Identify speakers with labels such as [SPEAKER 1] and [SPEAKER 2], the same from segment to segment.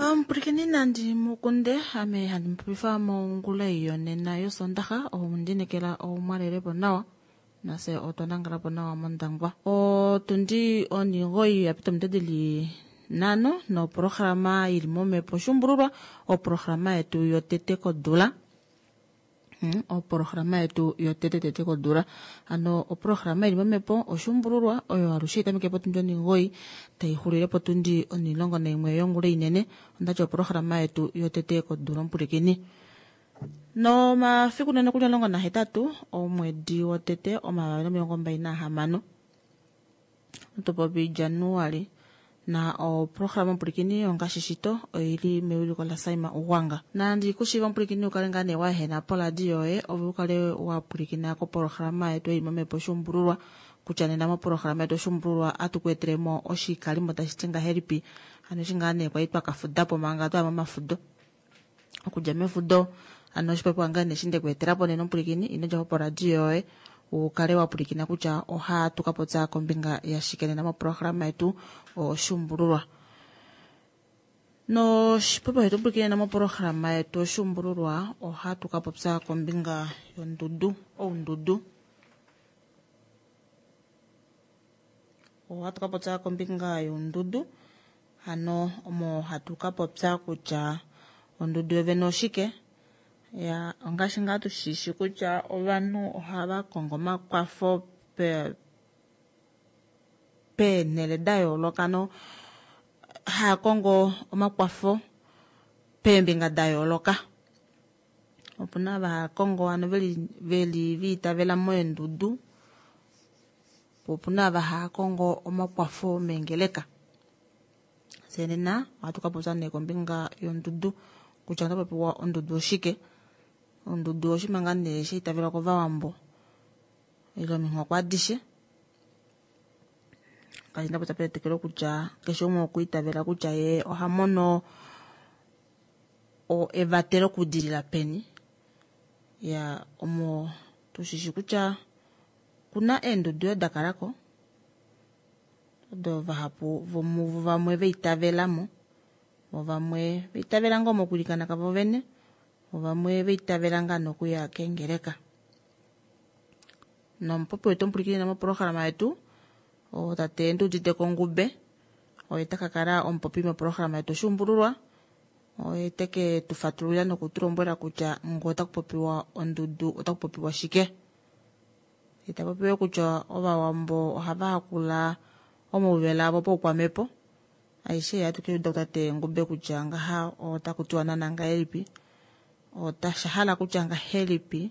[SPEAKER 1] Omupulikini nandi mukunde ame handi mupopifa mongula yonena yosondaxa ondinekela omwalelepo nawa nase otwa nangalapo nawa mondangwa. Otundi 9 yapita ominute dili 5 noprograma ili momhepo shumbululwa oprograma yetu yotete kodula. Oprograma yetu yotete tete kodula hano oprograma ili momhepo oshumbululwa oyo alushe itameke potundi 9 taixulile potundi 11 yongula inene. Ondati oprograma yetu yotete kodula omupulikini. Nomafiku nene kuli 18 omwedi wotete 2026 otopopi Januali na oprograma omupulikini ongaashi shito oili mewiliko la Saima Ugwanga. Nandi kushiva omupulikini ukale ngaa nee waehena poladio yoye ove ukale wapulikina koprograma yetu ei momhepo shumbululwa kutya nena moprograma yetu shumbululwa atuku etelemo oshikalimo tashi ti ngahelipi hano eshi ngaa nee kwali twakafudapo manga twaya momafudo okudja mefudo hano oshipopiwa ngaa nee eshi ndekuetelapo nena omupulikini ino djapo poradio yoye ukale wapulikina kutya ohatu kapopya kombinga yashike nena moprograma yetu oshumbululwa. Noshipopiwa shetu omupulikini nena moprograma yetu oshumbululwa ohatu kapopya kombinga yondudu oundudu. Ohatu kapopya kombinga yondudu hano omo hatu kapopya kutya ondudu yovene oshike. Ya ongaashi ngaa tushishi kutya ovanhu ohava kongo omakwafo peenhele da yooloka no haya kongo omakwafo peembinga da yooloka. Opuna ava haya kongo hano veli viitavela moendudu, po opuna ava haya kongo omakwafo meengeleka. Fye nena ohatu kapopya nee kombinga yondudu kutya otapopiwa ondudu oshike. Ondudu oshinima ngaa nee sha itavelwa kovawambo ile ominghoko adishe. Ngaashi ndapopya petetekelo kutya keshe umwe okwa itavela kutya ye oha mono evatelo okudilila peni. Ya omo tushishi kutya kuna eendudu yo dakalako odo vahapu vomuvo vamwe veitavelamo, vamwe veitavela ngoo mokulikana kavo vene, vamwe veitavela ngaa nokuya kengeleka. Nomupopi wetu omupulikini moprograma yetu tate Nduudite Kongube oye taka kala omupopi moprograma yetu oshumbululwa oye teke tufatululila nokutulombwela kutya ngo otakupopiwa ondudu otakupopiwa shike. Itapopiwe kutya ovawambo ohava hakula omauvela avo poukwamepo. Aishe yatu ke tate Ngube kutya ngaha otakutiwa nana ngahelipi, otasha hala kutya ngahelipi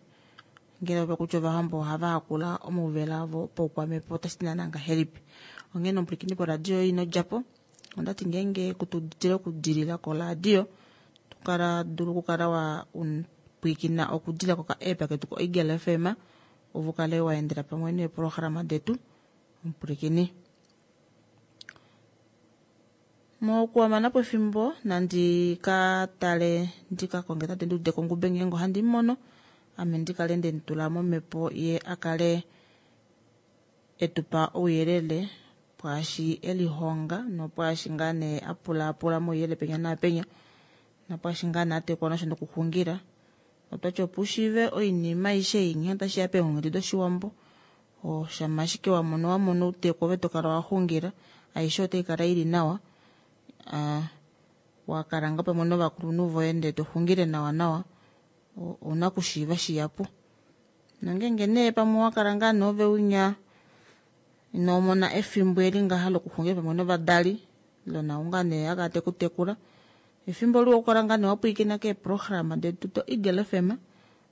[SPEAKER 1] ngele opa kutya ovawambo ohava hakula omauvela avo poukwamepo otashi ti nana ngahelipi. Onghene omupulikini poradio ino djapo ondati ngeenge kutuditile okudilila koradio tukala dulu okukala wa pwiikina okudila koka app ketu ko Eagle FM ove ukale waendela pamwe neeprograma detu omupulikini. Mokuhamana po efimbo nandi ka tale ndika konge tate Nduudite Kongube ngeenge ohandi mono ame ndikale ndemutula momhepo ye akale etupa ouyelele pwaashi elihonga nopwaashi ngaa nee apulaapula mouyelele penya naapenya nopwaashi ngaa nee atekwa nosho nokuxungila. Otwati opo ushiive oinima aishe ei nghee tashiya peenghedi doshiwambo oshama ashike wamono wamono outeku ove tokala waxungila aishe otai kala ili nawa. Wakala ngoo pamwe novakulunhu voye ndee toxungile nawa nawa ouna okushiiva shihapu. Nongenge nee pamwe wakala ngaa nove unya inomona efimbo eli ngaha lokuxungila pamwe novadali lona unga nee akala tekutekula efimbo liwa okukala ngaa nee wapwiikina keeprograma detu do Eagle FM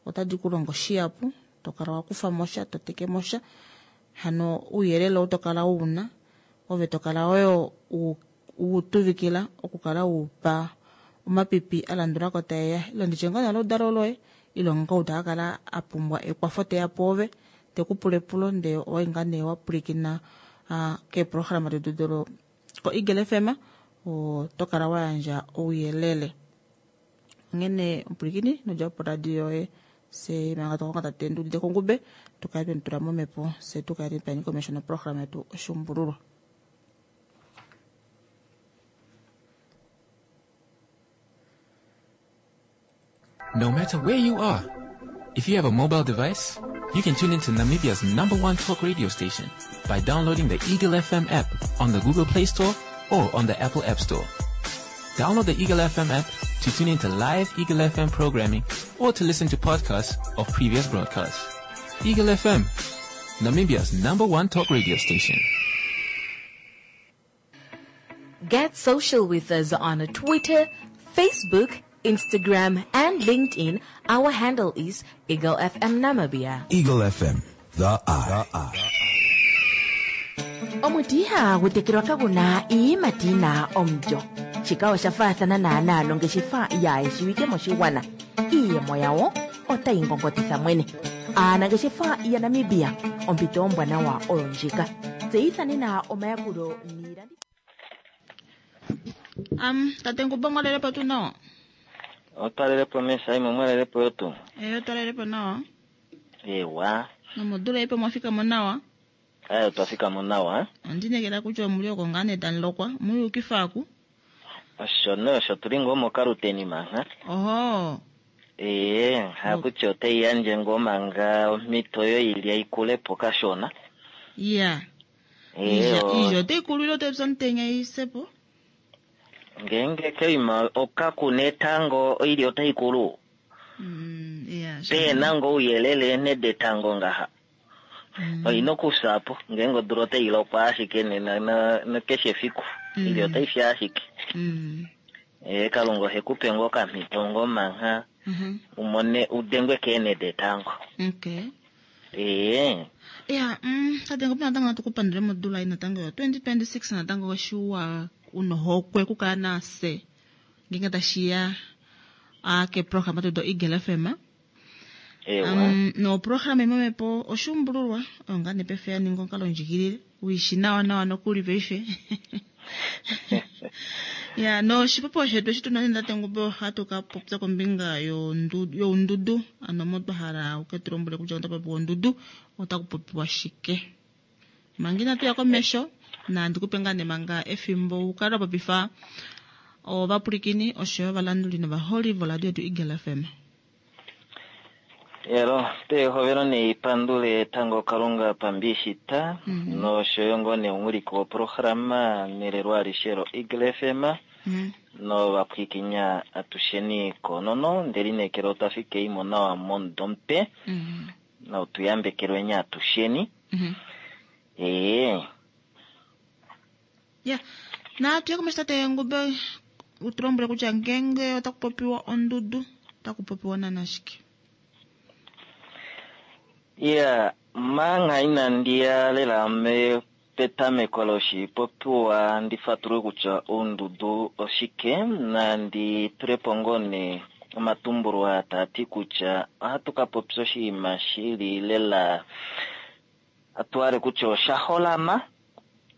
[SPEAKER 1] otadi kulongo shihapu tokala wakufa mosha toteke mosha hano ouyelele ou tokala una ove tokala oyo utuvikila okukala upa omapipi alandulako taeya ilo nditye ngoo naludalo loye ilo ngoo takakala apumbwa ekwafo teya pwoove tekupula epulo ndee owai ngaa nee wapulikina keeprograma detu dolo ko Eagle FM otokala wayandja ouyelele. Onghene omupulikini nodja poradio yoye se manga tokonga tate Nduudite Kongube tukale twemutula momhepo se tukale twani komesho noprograma yetu oshumbululwa.
[SPEAKER 2] No matter where you are, if you have a mobile device, you can tune into Namibia's number one talk radio station by downloading the Eagle FM app on the Google Play Store or on the Apple App Store. Download the Eagle FM app to tune into live Eagle FM programming or to listen to podcasts of previous broadcasts. Eagle FM, Namibia's number one talk radio station.
[SPEAKER 3] Get social with us on Twitter, Facebook, Instagram, and LinkedIn. Our handle is Eagle FM Namibia.
[SPEAKER 4] Eagle FM, the eye.
[SPEAKER 5] Omuti ihagu tekelwa kagu na iiyimati yi na omulyo. Shika osha faathana naanaa nongeshefa yaayeshiwike moshigwana. Iiyemo yawo otayi ngongotitha mwene. Aanangeshefa yaNamibia, ompito ombwanawa oyo ndjika. Tseyitha nena omayakulo niilandithomwa.
[SPEAKER 1] Am, tate Ngumba mwalelepo tuu nawa?
[SPEAKER 6] Otwalelepo mesaimo mwalelepo yo tuu?
[SPEAKER 1] Eh, otwalelepo nawa.
[SPEAKER 6] Ewa.
[SPEAKER 1] Nomodula ipe mwafika mo nawa?
[SPEAKER 6] Aye, otwafika mo nawa.
[SPEAKER 1] Ondinekela kutya omuli oko ngaa nee tamu lokwa muyukifa aku.
[SPEAKER 6] Osho nee osho tuli ngoo mokaluteni manga.
[SPEAKER 1] Oho.
[SPEAKER 6] Ee, hakutya otai yandje ngoo manga omhito yoilya ikule po kashona.
[SPEAKER 1] Ya.
[SPEAKER 6] Ee,
[SPEAKER 1] Iilya iilya otai kulu ile otai pya omutenya i se po?
[SPEAKER 6] Ngeenge koima okakuna etango oilya otai kulu.
[SPEAKER 1] Ya,
[SPEAKER 6] Pe na ngoo ouyelele eenhe detango ngaha. Oina okufya po ngeenge odula otai lokwa ashike nena nokeshe efiku. Oilya otai fi ashike. Ee, Kalunga ohe ku pe ngoo okamhito ngoo mangha umone udengwe keenhe detango.
[SPEAKER 1] Okay.
[SPEAKER 6] Ee.
[SPEAKER 1] Ya, tate Ngombe natango natu ku pandule modula ei natango yo 2026 natango oshiwa unohokwe okukala nafye ngeenge tashiya a keprograma tetu do Eagle FM.
[SPEAKER 6] Ewa.
[SPEAKER 1] Noprograma imwe mepo oshuumbululwa oyo ngaa nee paife ya ninga omukalo ndjikilile uishi nawa nawa nokuli paife. Ya, noshipopiwa shetu eshi tuna nee tate Ngombe ohatu ka popya kombinga youndudu, ano mo twa hala uke tu lombwele kutya ota popiwa ondudu otaku popiwa shike. Manga inatu ya komesho, nandi kupe ngaa nee manga efimbo ukale wa popifa ovapwilikini oshoyo ovalanduli novaholi voradio yetu Eagle FM.
[SPEAKER 6] Elo, pehovelo neipandule tango Kalunga pambishita, noshoyo ngoo nee omuwiliki woprograma nelelo alishe lo Eagle FM, novapwikinya atusheni konono, ndele lineekela otwa fika imo nawa momudo mupe, notu yambekelweni atusheni. Ee.
[SPEAKER 1] Ya, natu ye komesho tate Ngube, utu lombwele kutya ngeenge otaku popiwa ondudu, otaku popiwa naana shike?
[SPEAKER 6] Ya, manga inandi ya lela petameko loshipopiwa ndi fatulule kutya oundudu oshike, nandi tule po ngoo nee omatumbulwa taa ti kutya ohatu ka popya oshinima shili lela atuhale kutya osha holama,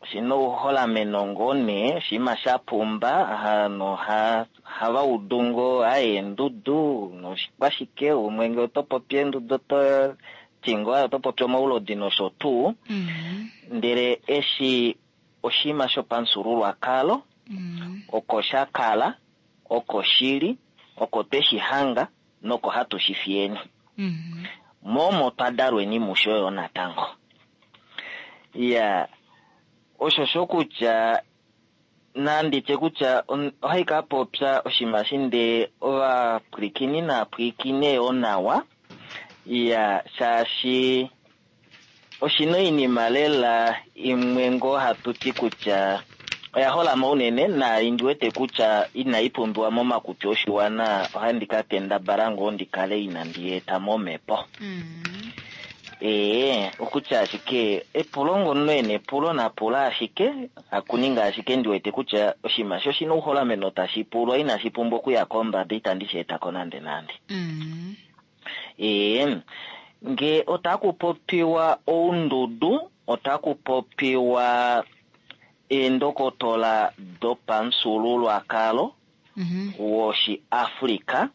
[SPEAKER 6] oshina ouholameno ngoo nee, oshinima sha pumba, hano hava udu ngoo aye eendudu noshikwashike, umwe ngee oto popi eendudu oto ti ngoo aye oto popi omaulodi nosho tuu. Ndele eshi oshinima shopamufyuululwakalo, oko sha kala, oko shili, oko twe shi hanga, noko hatu shi fiyeni. Momo twa dalweni musho yo natango. Ya, osho sho kutya nandi tye kutya ohai ka popya oshinima shinde ovapwilikini naapwilikine yo nawa. Ya, shaashi oshina oinima lela imwe ngoo hatu ti kutya oya holama unene na indi wete kutya inai pumbiwa momakuti oshiwana, ohandi ka kendabala ngoo ndi kale inandi eta momhepo. Ee, okutya ashike epulo ngono ene epulo napula ashike, hakuninga ashike ndi wete kutya oshinima sho shina ouholameno tashi pulwa inashi pumbwa okuya kombada, itandi shi etako nande nande. Ee, nge otaku popiwa oundudu, otaku popiwa eendokotola dopamufyuululwakalo wOshiafrika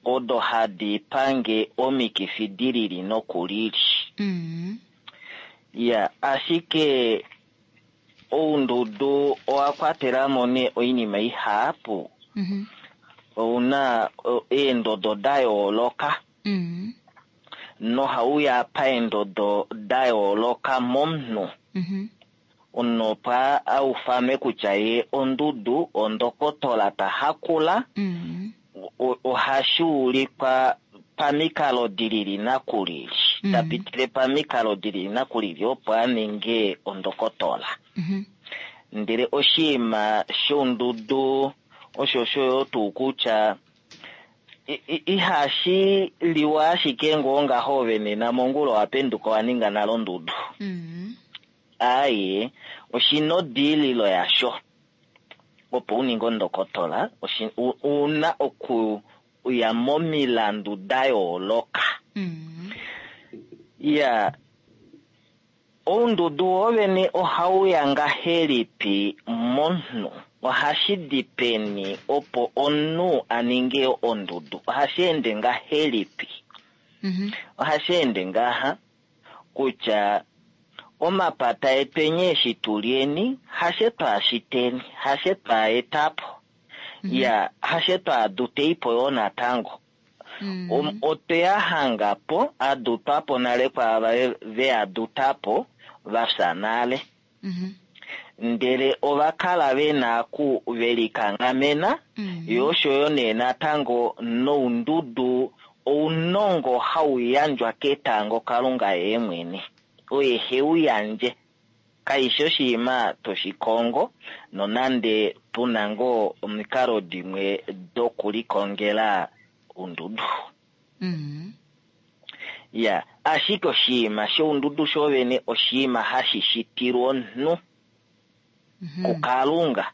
[SPEAKER 6] odo hadi pange omikifi di lili noku lili. Ya, ashike oundudu owa kwatela mo nee oinima ihapu. Ouna eendodo da yooloka. Nohauya paendodo da yooloka momunhu. Omunhu opo a ufanwe kutya ye ondudu, ondokotola ta hakula, ohashi ulikwa pamikalo dilili nakulili. Ta pitile pamikalo dilili nakulili opo a ninge ondokotola. Ndele oshinima shondudu osho osho tuu kutya ihashi liwa ashike ngoo ngaho ove nena mongula owa penduka wa ninga nale ondudu. Aaye, oshina odiililo yasho. Opo u ninge ondokotola, una okuya momilandu da yooloka. Ya, oundudu wovene ohauya ngahelipi momunhu? Ohashi di peni opo omunhu a ninge ondudu? Ohashi ende ngahelipi? Ohashi ende ngaha kutya omapata etweni eshi tulyeni, hashe twaashiteni, hashe twaetapo. Ya, hashe twaaduteipo yoo natango. Otwe ya hangapo, adutwapo nale kwaava veadutapo, vafya nale. Ndele ova kala vena ku velikanghamena, yo osho yo nee natango noundudu ounongo hau yandjwa ketango Kalunga ye mwene. Oye he u yandje. Kaishi oshinima toshikongo, nonande puna ngoo omikalo dimwe dokulikongela oundudu. Ya, ashike oshinima shoundudu shovene oshinima hashi shitilwa omunhu kuKalunga.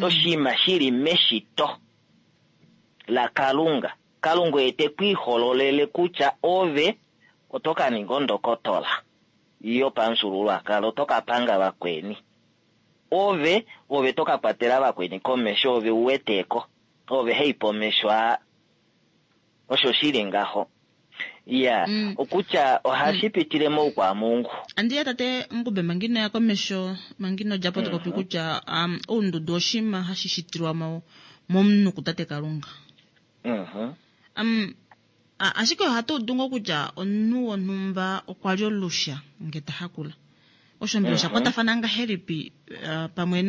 [SPEAKER 6] Oshinima shili meshito laKalunga. Kalunga oye te ku ihololele kutya ove oto ka ninga ondokotola yopamufyuululwakalo, oto ka panga vakweni. Ove, ove to ka kwatela vakweni komesho, ove u weteko, ove hei pomesho aa. Osho shili ngaho. Ya, okutya ohashi pitile moukwamungu.
[SPEAKER 1] Andiya tate Ngube mangino ya komesho, mangino djapo to popi kutya oundudu oshinima hashi shitilwa momunhu kutate Kalunga. Ashike ohatu udu ngoo kutya omunhu wonhumba okwa li olusha nge ta hakula. Osho mbela osha kwatafana ngahelipi pamwe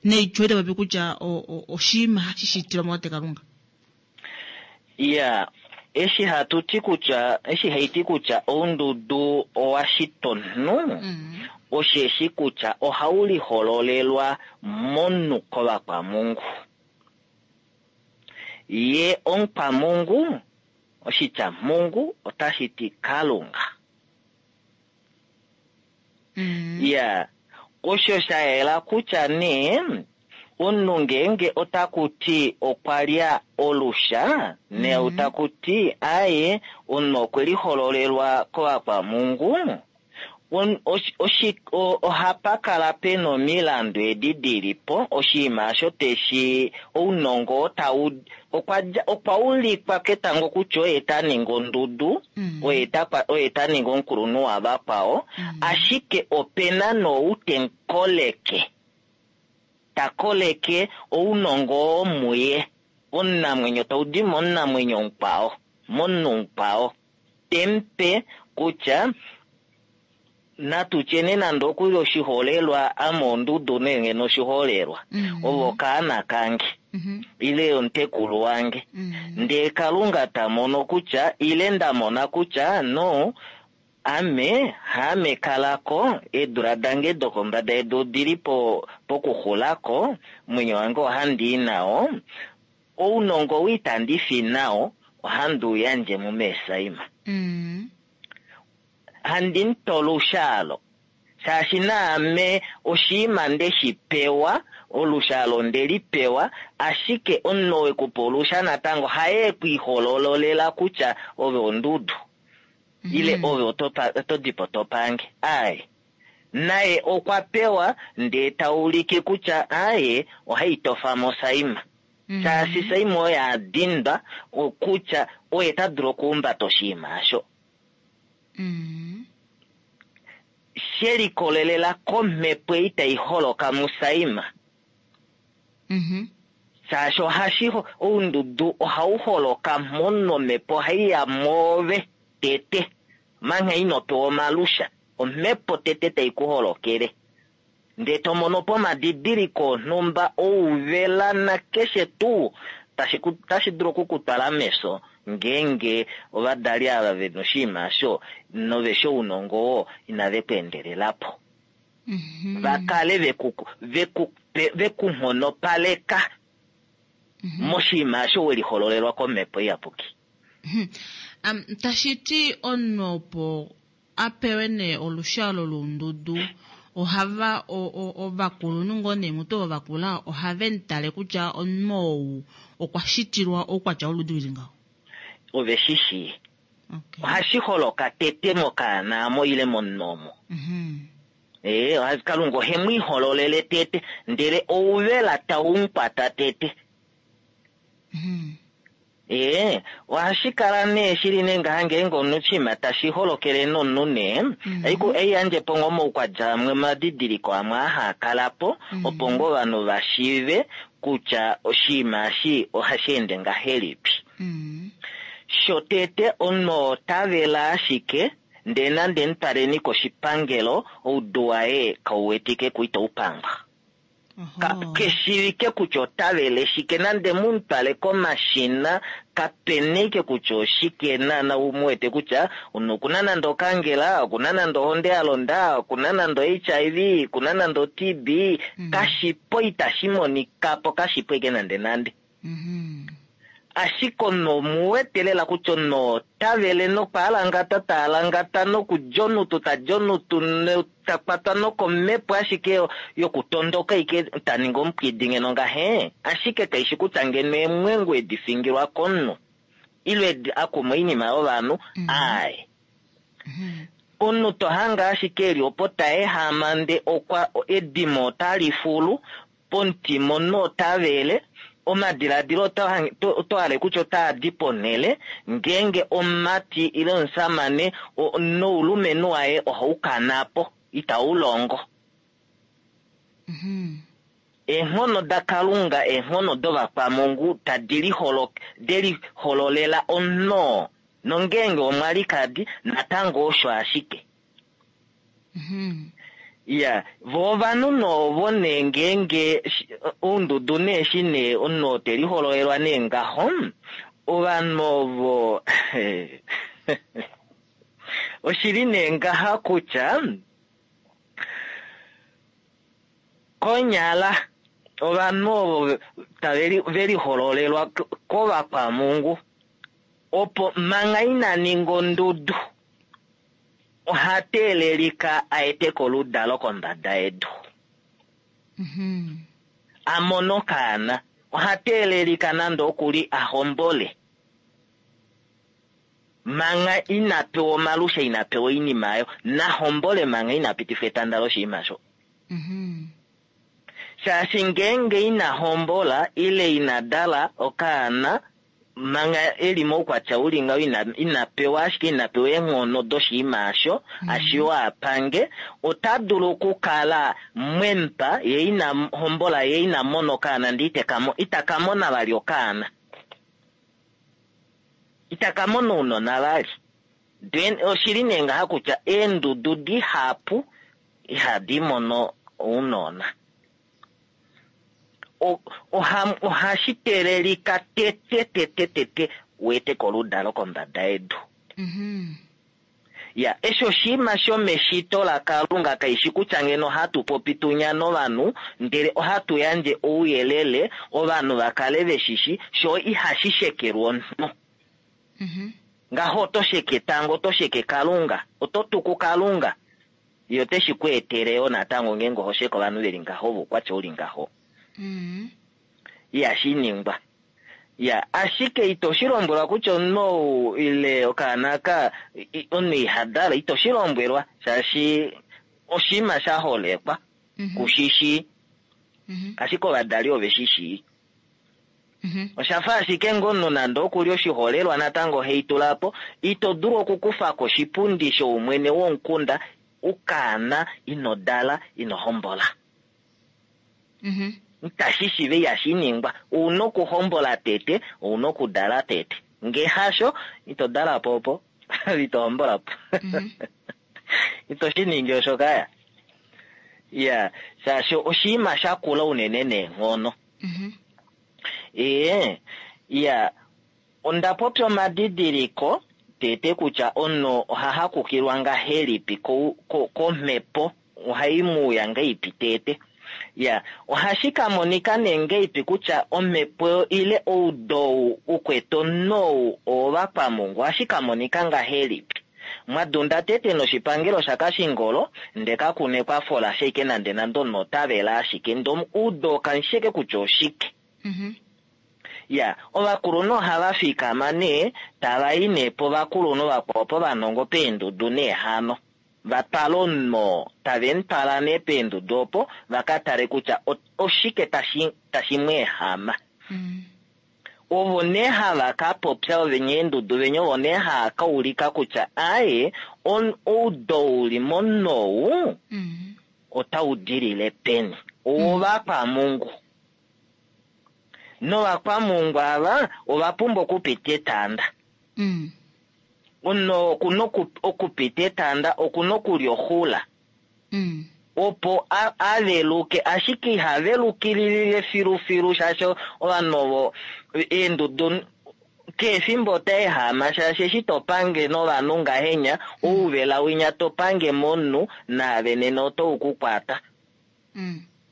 [SPEAKER 1] neityo eli popi kutya oshinima hashi shitilwa motate Kalunga?
[SPEAKER 6] Ya, eshi hatu ti kutya, eshi haiti kutya oundudu owa shitwa omunhu, osheshi kutya ohau lihololelwa momunhu kovakwamungu. Ye omukwamungu, oshitya mungu otashi ti Kalunga. Ya, osho sha yela kutya nee, omunhu ngeenge otaku ti okwa lya olusha, ne otaku ti aye, omunhu okwe lihololelwa kovakwamungu, ohapa kala pena omilandu edi dilipo, oshinima osho teshi ounongo tau okwa ulikwa ketango kutya oye ta ningi ondudu, oye ta ningi omukulunhu wavakwao, ashike opena noutenkoleke. Ta koleke ounongo oo muye, omunamwenyo tau di momunamwenyo mukwao, momunhu mukwao. Tempe kutya natu tyene nande okuli oshiholelwa ame ondudu nenge noshiholelwa. Ovo kaana kange. Ile omutekulu wange. Ndee Kalunga ta mono kutya, ile nda mona kutya, no, ame, haame kalako, eedula dange dokombada yedu odili pokuxulako, omwenyo wange ohandi i nao, ounongo ou itandi fi nao, ohandi u yandje muMesaima. Handi mutola olushaalo. Shaashi naame oshinima nde shi pewa, olushaalo nde li pewa, ashike omunhu oo ekupa olusha natango haye ekwiiholololela kutya ove ondudu. Ile ove oto dipo to pange. Aye. Naye okwa pewa ndee ta ulike kutya aye ohai tofa mo Saima. Shaashi Saima oye a dindwa kutya oye ta dulu okuhumbata oshinima osho. She likolelela komhepo ei tai holoka muSaima. Shaashi ohashi oundudu ohau holoka mo nomhepo ohai ya mwoove tete mangha ino pewa omalusha, omhepo tete tai ku holokele. Ndee to mono po omadidiliko onhumba ouvela nakeshe tuu tashi dulu okukutwala mefyo ngeenge ovadali ava ve na oshinima osho nove shi ounongo oo inave ku endelela po. Va kale ve ku nghonopaleka moshinima osho we lihololelwa komhepo iyapuki.
[SPEAKER 1] Tashi ti omunhu opo a pewe nee olushalo loundudu, ohava ovakulunhu ngoo nee mutu ovo vakula ohave mu tale kutya omunhu ou okwa shitilwa oukwatya woludi lili ngaho.
[SPEAKER 6] Ove shi shii. Ohashi holoka tete mokaana mo ile momunhu omo. Kalunga ohe mu ihololele tete, ndele ouvela tau mu kwata tete. Ohashi kala nee shili nee ngaha ngeenge omunhu oshinima tashi holokele nomunhu nee, ei yandje po ngoo omaukwatya amwe omadidiliko amwe aa haa kala po, opo ngoo ovanhu va shiive kutya oshinima eshi ohashi ende ngahelipi. Shotete omunhu ota vela ashike, ndee nande mutwaleni koshipangelo, oudu waye kau wetike ku itau pangwa. Keshivike kutya ota vele shike, nande mutwale komashina, kapena ike kutya oshike naana u wete kutya omunhu okuna nande okangela, okuna nande ohonde ya londa, okuna nande HIV, okuna nande o-TB, kashipo itashi monika po, kashipo ike nande nande. Ashike omunhu omuwete lela kutya omunhu ota vele nokwaalangata taalangata nokudja onutu tadja onutu ta kwatwa nokomhepo ashike yokutondoka ike ta ningi omupwidi ngeno ngahe, ashike kaishi kutya ngeno eemwengu edi fingilwa komunhu ile edi akuma oinima yovanhu, aaye. Omunhu to hange ashike eli opo ta ehama nde okwa edimo otali fulu, pomutima omunhu ota vele, omadiladilo oto hale kutya otaa di ponhele, ngeenge omumati ile omusamane noulumenhu waye ohau kana po, itau longo. Eenghono daKalunga, eenghono dovakwamungu tadi lihololela omunhu, nongeenge omwalikadi natango osho ashike. Ya, vo ovanhu novo nee ngeenge oundudu nee shi nee omunhu te lihololelwa nee ngaho, ovanhu ovo oshili nee ngaha kutya konyala ovanhu ovo tave lihololelwa kovakwamungu opo manga ina ninga ondudu oha teelelika a ete koludalo kombada yedu. A mone okaana, oha teelelika nande okuli a hombole. Manga ina pewa omalusha, ina pewa oinima ayo, na hombole manga ina pitifa etanda loshinima sho. Shaashi ngeenge ina hombola ile ina dala okaana, manga eli moukwatya uli ngaho ina pewa ashike ina pewa eenghono doshinima osho, ashiwa apange, ota dulu okukala mwempa, ye ina hombola, ye ina mona okaana, ndee ita ka mona vali okaana. Ita ka mona ounona vali. Then oshili nee ngaha kutya eendudu dihapu ihadi mono ounona. Ohashi teelelika tete tete tete weete koludalo kombada yedu. Ya, eshi oshinima shomeshito laKalunga kaishi kutya ngeno hatu popi tunya novanhu, ndele ohatu yandje ouyelele ovanhu va kale veshishi, sho ihashi shekelwa omunhu. Ngaho oto sheke tango, oto sheke Kalunga, oto tuku Kalunga. Ye ote shi ku etele yo natango ngeenge oho sheke ovanhu veli ngaho, voukwatya uli ngaho. Ihashi ningwa. Ya, ashike ito shi lombwelwa kutya omunhu ou ile okaana ka omunhu iha dala, ito shi lombwelwa shaashi oshinima sha holekwa, kushishi. Ashike ovadali ove shi shii. Osha fa ashike ngoo omunhu nande oku li oshiholelwa natango hei tula po, ito dulu okukufa ko oshipundi shoumwene womukunda ukaana ino dala, ino hombola. Itashi shiiva ihashi ningwa. Ouna okuhombola tete, ouna okudala tete. Ngee hasho, ito dala po opo, ito hombola po. Ito shi ningi osho kaya. Ya, shaashi oshinima sha kula unene neenghono. Ee, ya, onda popya omadidiliko tete kutya omunhu oha hakukilwa ngahelipi komhepo, ohai mu uya ngahelipi tete. Ya, ohashi ka monika nee ngahelipi kutya omhepo ile oudou ukwete omunhu ou owovakwamungu, ohashi ka monika ngahelipi. Mwadunda tete noshipangelo shaKashingolo, nde kakuna ekwafo lasha ashike nande nande omunhu ota vele ashike, nde oudou kamusheke kutya oshike. Ya, ovakulunhu ohava fikama nee, tava i nee povakulunhu vakwao povanongo peendudu nee hano. Va twala omunhu oo, tave mu twala nee peendudu opo, va ka tale kutya oshike tashi mu ehama. Ovo nee hava ka popya ovenya eendudu venya ovo nee hava ka ulika kutya aaye, oudo uli momunhu ou, otau dilile peni. Owovakwamungu. Novakwamungu ava ova pumbwa okupita etanda. Omunhu okuna okupita etanda, okuna okulya oxula. Opo a veluke, ashike iha velukililile filufilu shaashi ovanhu ovo eendudu keefimbo ota ehama shaashi eshi to pange novanhu ngahenya, ouvela winya to pange momunhu naave nena oto u ku kwata.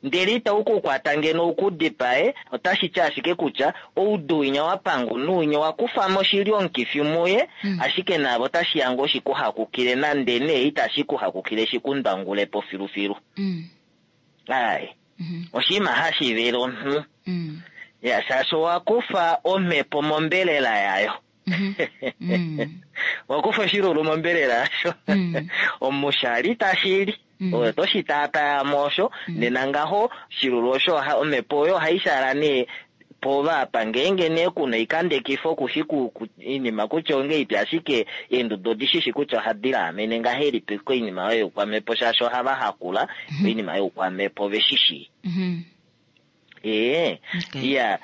[SPEAKER 6] Ndele itau ku kwata ngeno u ku dipae, otashi ti ashike kutya oudu winya wa panga omunhu winya owa kufa mo shili omukifi muye, ashike naave otashi ya ngoo shi ku hakukile nande nee itashi ku hakukile shi ku ndwangule po filufilu. Ai, oshinima hashi vele omunhu. Ya, shaashi owa kufa omhepo mombelela yayo. Owa kufa oshilulu mombelela yasho. Omushali tashi li. Oyo to shi taataya mo osho, nena ngaho shilulu osho omhepo oyo ohai shala nee pova apa ngeenge nee kuna oikandekifo kushi oinima kutya ongeipi, ashike eendudu odi shishi kutya ohadi laamene ngahelipi koinima oyo youkwamhepo, shaashi ohava hakula oinima youkwamhepo ve shi shii. Ee, ya,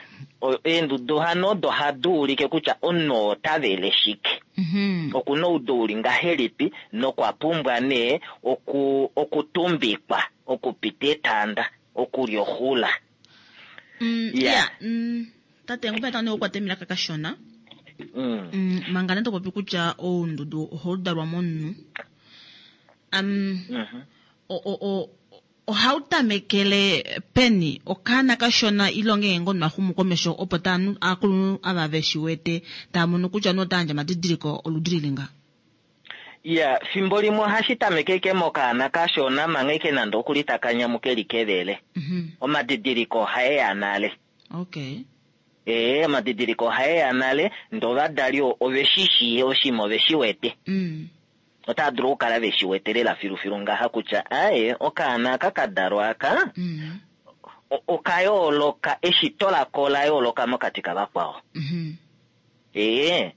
[SPEAKER 6] eendudu hano odo ohadi ulike kutya omunhu oo ota vele shike. Oku na oudu uli ngahelipi nokwa pumbwa nee okutumbikwa, okupita etanda, okulya oxula.
[SPEAKER 1] Ya, tate, ngopa tandi okukwata emilaka kashona. Manga nee to popi kutya oundudu ohau dalwa momunhu. Ohau tamekele peni? Okaana kashona ile ongeenge ngoo omunhu a xumu komesho opo ta aakulunhu ava ve shi wete tava mono kutya omunhu ota yandje omadidiliko oludi lili nga?
[SPEAKER 6] Iya, fimbo limwe ohashi tameke ashike mokaana kashona manga ashike nande okuli taka nyamu keli kevele. Omadidiliko ohae ya nale.
[SPEAKER 1] Okay.
[SPEAKER 6] Ee, omadidiliko ohae ya nale ndee ovadali ove shi shii oshinima ove shi wete. Otava dulu okukala ve shi wete lela filufilu ngaha kutya aye, okaana aka ka dalwa aka oka yooloka, eshito lako ola yooloka mokati kavakwao. Ee.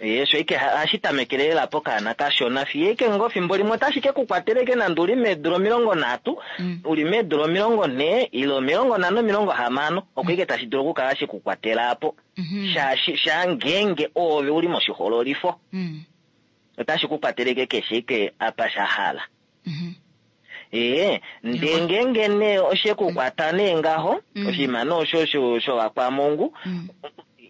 [SPEAKER 6] Ee, osho ike hashi tamekele lela pokaana kashona fiyo ike ngoo fimbo limwe otashi ke ku kwatela ike nande uli meedula 30, uli meedula 40 ile 50, 60, oko ike tashi dulu okukala she ku kwatela apo. Shaashi, shaa ngeenge oove u li moshihoololifo. Otashi ku kwateleke keshe ike apa sha hala. Ee, ndee ngeenge nee oshe ku kwata nee ngaho, oshinima nee osho shovakwamungu,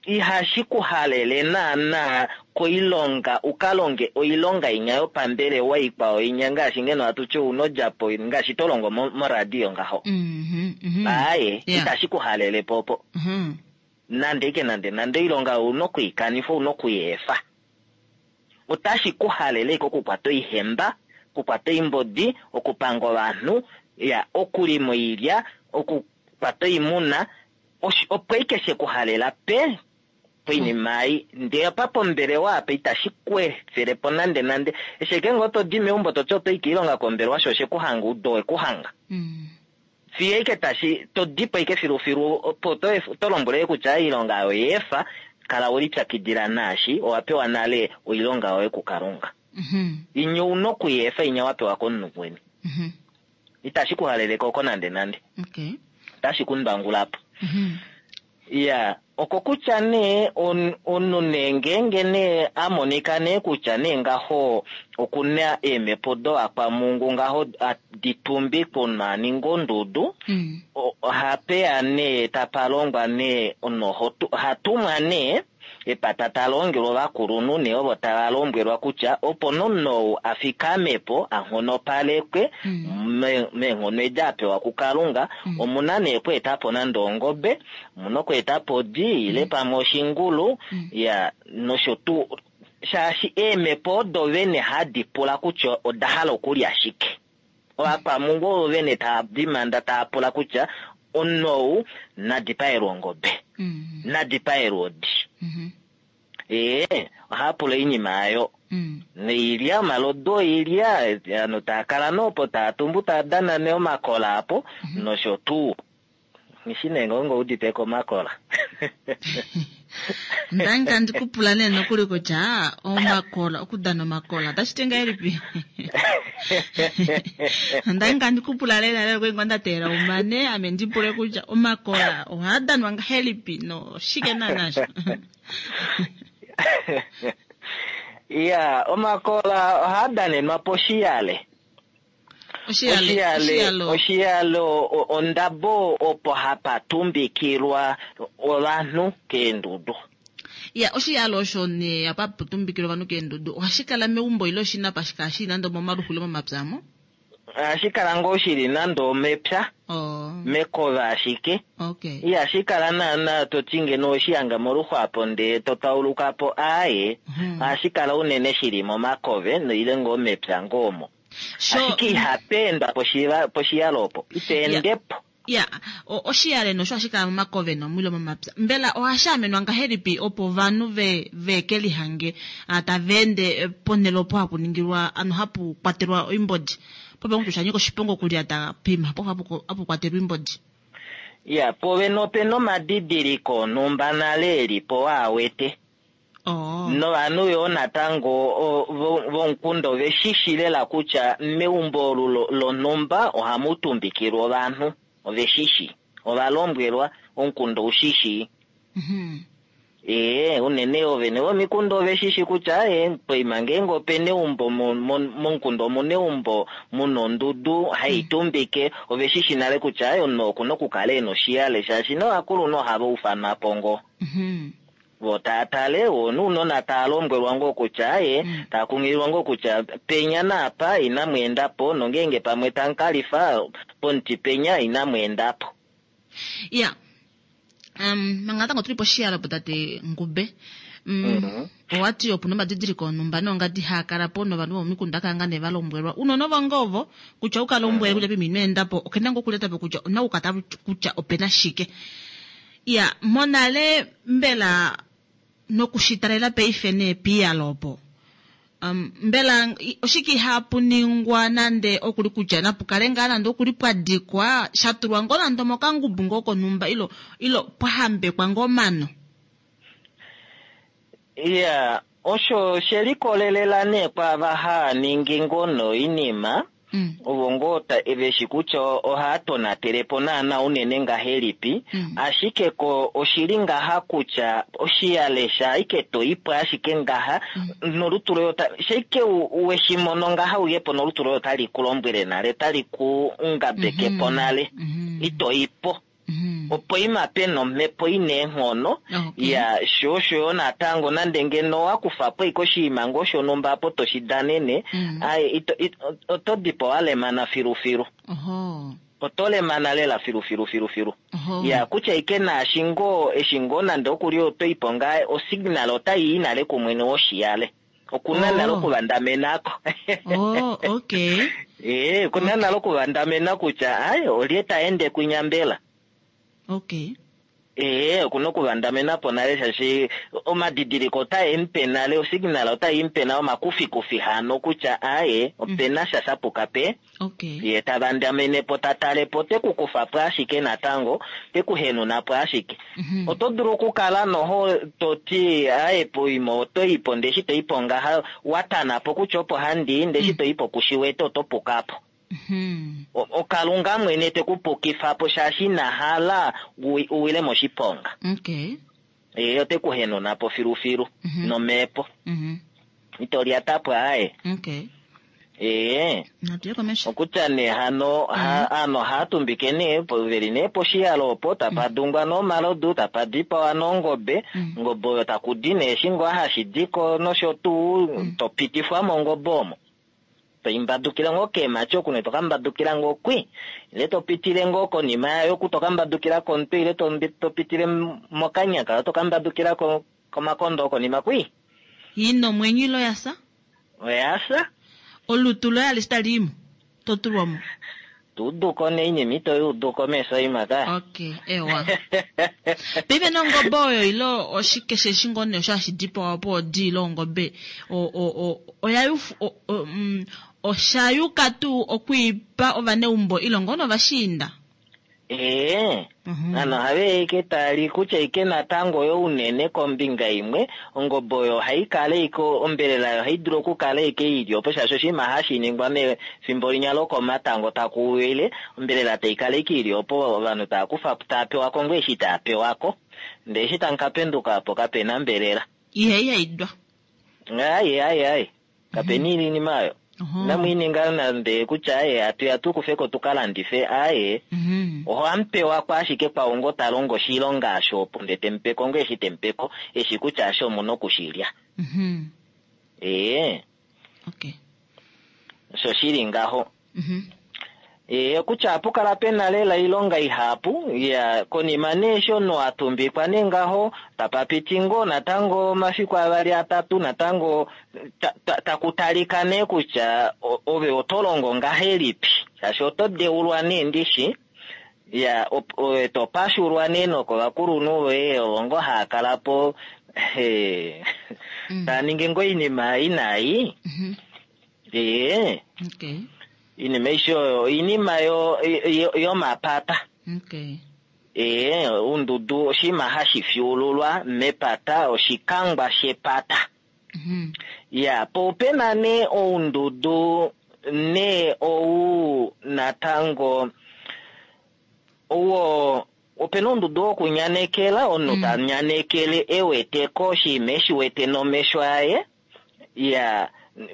[SPEAKER 6] ihashi ku halele naanaa koilonga u ka longe oilonga inya yopambelewa ikwao inya ngaashi ngeno hatu ti ouna odjapo ngaashi to longo moradio ngaho. Aaye, itashi ku halele po opo. Nande ike nande nande oilonga ouna oku i kanifa, ouna oku i efa. Otashi ku halele ike okukwata oihemba, okukwata oimbodi, okupanga ovanhu, ya, okulima oilya, okukwata oimuna, opo ike she ku halela pe poinima ei. Ndee apa pombelewa apa itashi ku efele po nande nande. Eshi eke ngoo to di meumbo to ti oto i koilonga kombelewa sho oshe ku hanga oudu owe ku hanga. Fiyo ike tashi to di po ike filufilu opo to lombwele kutya oilonga oyo efa, kala we lipyakidila naashi owa pewa nale oilonga yoye kuKalunga. Inya ouna oku i efa inya wa pewa komunhu mukweni. Itashi ku halele ko oko nande nande. Otashi ku ndwangula po. Ya, okokutya nee omunhu nee ngeenge nee a monika nee kutya nee ngaho okuna eemhepo dovakwamungu ngaho di tumbi komunhu a ninga ondudu, ohapeya nee tapa longwa nee omunhu oha tumwa nee epata talongelwa ovakulunhu nee ovo tava lombwelwa kutya opo nomunhu ou a fikame po a nghonopalekwe meenghono edi a pewa kuKalunga, omuna nee okweeta po nande ongobe, omuna okweeta po odi ile pamwe oshingulu, ya nosho tuu, shaashi eemhepo odo vene hadi pula kutya oda hala okulya shike. Ovakwamungu ovo vene tava dimanda tava pula kutya omunhu ou na dipaelwe ongobe, na dipaelwe odi. Ee, ohava pula oinima ayo. Noilya, omalodu oilya, ovanhu tava kala nee opo tava tumbu tava dana nee omakola apo, nosho tuu. Nghishi nee ngoo ngo udite ko omakola.
[SPEAKER 1] Ndangi tandi ku pula nee nokuli kutya omakola, okudana omakola otashi ti ngahelipi? Ndangi tandi ku pula lela lela kwali ngoo nda teelela umane ame ndi pule kutya omakola ohaa danwa ngahelipi noshike naana sho?
[SPEAKER 6] Ya, omakola ohaa danenwa poshiyale.
[SPEAKER 1] Oshiyale,
[SPEAKER 6] oshiyale ondabo opo hapa tumbikilwa ovanhu keendudu.
[SPEAKER 1] Ya, oshiyale osho nee apa hapu tumbikilwa ovanhu keendudu ohashi kala meumbo ile oshina apa shi kala shili nande omomaluxu ile momapya amo?
[SPEAKER 6] Ohashi kala ngoo shili nande omepya,
[SPEAKER 1] Oh.
[SPEAKER 6] mekova ashike.
[SPEAKER 1] Okay.
[SPEAKER 6] Ihashi kala naana to ti ngeno oweshi hanga moluxu apo ndee to tauluka po, aaye. Ohashi kala unene shili momakove ile ngoo mepya ngoo omo. Ashike ihapa endwa poshiyalo opo, ita ende po.
[SPEAKER 1] Ya, oshiyale nosho ohashi kala momakove nomwilo momapya. Mbela ohashi amenwa ngahelipi opo ovanhu ve ve ke lihange tava ende ponhele opo hapu ningilwa ano hapu kwatelwa oimbodi? Pope kutya osha nyika oshiponga okulyata poima opo hapu kwatelwa oimbodi.
[SPEAKER 6] Ya, povene opena omadidiliko onhumba nale e li po waa wete.
[SPEAKER 1] Oh.
[SPEAKER 6] Novanhu yoo natango vomukunda ove shi shi lela kutya meumbo olu lonhumba ohamu tumbikilwa ovanhu. Ove shi shi. Ova lombwelwa, omukunda ou shi shii. Ee, unene oovene vomikunda ove shi shi kutya ee, poima ngeenge ope na eumbo momukunda omu na eumbo mu na ondudu hai tumbike, ove shi shi nale kutya omunhu oku na okukala e na oshiyale shaashi novakulunhu ohava ufanwa po ngoo. Vo taa tale, vo nounona taa lombwelwa ngoo kutya aye, taa kunghililwa ngoo kutya penya naapa inamu enda po, nongeenge pamwe tamu ka lifa pomuti penya inamu enda po.
[SPEAKER 1] Ya. Um, manga natango tuli poshiyalo po tate Ngube. Owa ti opu na omadidiliko onhumba noongadi haa kala po novanhu vomomikunda kala ngaa nee va lombwelwa. Unene ovo ngoo ovo kutya u ka lombwele kutya pima ino enda po, okena ngoo okulyata po kutya ona okukata kutya ope na shike. Ya, monale mbela nokushitalela paife nee piiyalo opo, um, mbela oshike ihaapu ningwa nande okuli kutya napu kale ngaa nande okuli pwa dikwa, sha tulwa ngoo nande omokangubu ngoo konhumba ilo, ilo pwa hambekwa ngoo omano?
[SPEAKER 6] Ya, osho she likolelela nee kwaava haa ningi ngoo noinima, ovo ngoo ve shi kutya ohaa tonatele po naana unene ngahelipi, ashike ko oshi li ngaha kutya oshiyale shaaike to i po ashike ngaha, nolutu loye ota, shaike we shi mono ngaha uye po nolutu loye otali ku lombwele nale, otali ku ngabeke po nale, ito i po. Opo ima pe na omhepo i na eenghono, ya, sho osho yo natango nande ngeno owa kufa po ashike oshinima ngoo shonhumba apo to shi danene, ai, ito, ito, oto di po wa lemana filufilu. Oto lemana lela filufilu filufilu. Ya, kutya ike naashi ngoo, eshi ngoo nande oku li oto i po ngaa, osignal otai i nale kumwene woshiyale. Okuna nale okuvandamenako.
[SPEAKER 1] Oh, okay.
[SPEAKER 6] Ee, okuna nale okuvandamena kutya, ai, olye ta ende kwinya mbela?
[SPEAKER 1] Okay.
[SPEAKER 6] Ee, okuna okuvandamena po nale shaashi omadidiliko otae mu pe nale, osignal otai mu pe nale omakufikufi hano kutya, aye, opena sha sha puka pe.
[SPEAKER 1] Okay.
[SPEAKER 6] Ye ta vandamene po, ta tale po, te ku kufa po ashike natango, te ku henuna po ashike. Oto dulu okukala noho to ti, aye, poima oto i po, ndee eshi to i po ngaha, wa tana po kutya opo handi i, ndee eshi to i po ku shi wete, oto puka po. Okalunga mwene te ku pukifa po shaashi ina hala u wile moshiponga.
[SPEAKER 1] Okay.
[SPEAKER 6] Ye ote ku henuna po filufilu nomhepo. Ito lyata po aaye.
[SPEAKER 1] Okay.
[SPEAKER 6] Ee.
[SPEAKER 1] Natu ye komesho.
[SPEAKER 6] Okutya nee hano hano ohaya tumbike nee veli nee poshiyalo opo tapa dungwa nee omalodu tapa dipawa nee ongobe ongobe oyo taku di nee eshi ngoo hashi diko nosho tuu to pitifwa mongobe omo toimbadukile ngoo keemhati oku nee toka mbadukila ngoo kwi ile to pitile ngoo konima yayo oku toka mbadukila komutwe ile to pitile mokanya kayo toka mbadukila komakondo okonima kwi.
[SPEAKER 1] Ina omwenyo ile oya fya?
[SPEAKER 6] Oya fya.
[SPEAKER 1] Olutu loye alishe tali i mo, to tulwa mo.
[SPEAKER 6] To udu ko nee oinima ito i udu ko meso oima ka.
[SPEAKER 1] Okay, ewa. Paife nee ongobe oyo ile oshike sheshi ngoo nee osho hashi dipawa po odi ile ongobe o, o, o, oya yufu, o, o, mm, osha yuka tuu okwiipa ovaneumbo ile ngoo novashiinda?
[SPEAKER 6] Ee, ano ohave ike tali kutya ike natango yo unene kombinga imwe, ongobe oyo ohai kala ike ombelela yayo ohai dulu okukala ike ili opo shaashi oshinima hashi ningwa mefimbo linya lokomatango taku wile, ombelela tai kala ike ili opo ovanhu tava kufa tava pewa ko ngoo eshi tava pewa ko. Ndele eshi tamu ka penduka po kape na mbelela.
[SPEAKER 1] Ihai haidwa.
[SPEAKER 6] Ai ai ai. Kapena iinima oyo. Inamu i ninga nande kutya aye hatu ya tu kufe ko tu ka landife aye. Ohamu pewa ko ashike kwaau ngo ta longo oshilonga osho opo nde te mu pe ko ngo eshi te mu pe ko eshi kutya ashe omu na oku shi lya. Ee. Osho shi li ngaho. Ee, kutya ohapu kala pe na lela oilonga ihapu, ya, konima nee eshi omunhu a tumbikwa nee ngaho, tapa piti ngoo natango omafiku avali atatu natango ta, ta, taku talika nee kutya ove oto longo ngahelipi, shaashi oto deulwa nee ndishi, ya, ove to pashulwa nee nokovakulunhu voye ovo ngoo haa kala po, he, taa ningi ngoo oinima inai. Ee.
[SPEAKER 1] Okay.
[SPEAKER 6] Iinima aishe oyo oinima yo, yo, yomapata.
[SPEAKER 1] Okay.
[SPEAKER 6] Ee, oundudu oshinima hashi fyuululwa mepata, oshikangwa shepata. Ya, po ope na nee oundudu nee ou natango owo ope na oundudu wokunyanekela, omunhu ta nyanekele e wete ko oshinima e shi wete nomesho aye. Ya,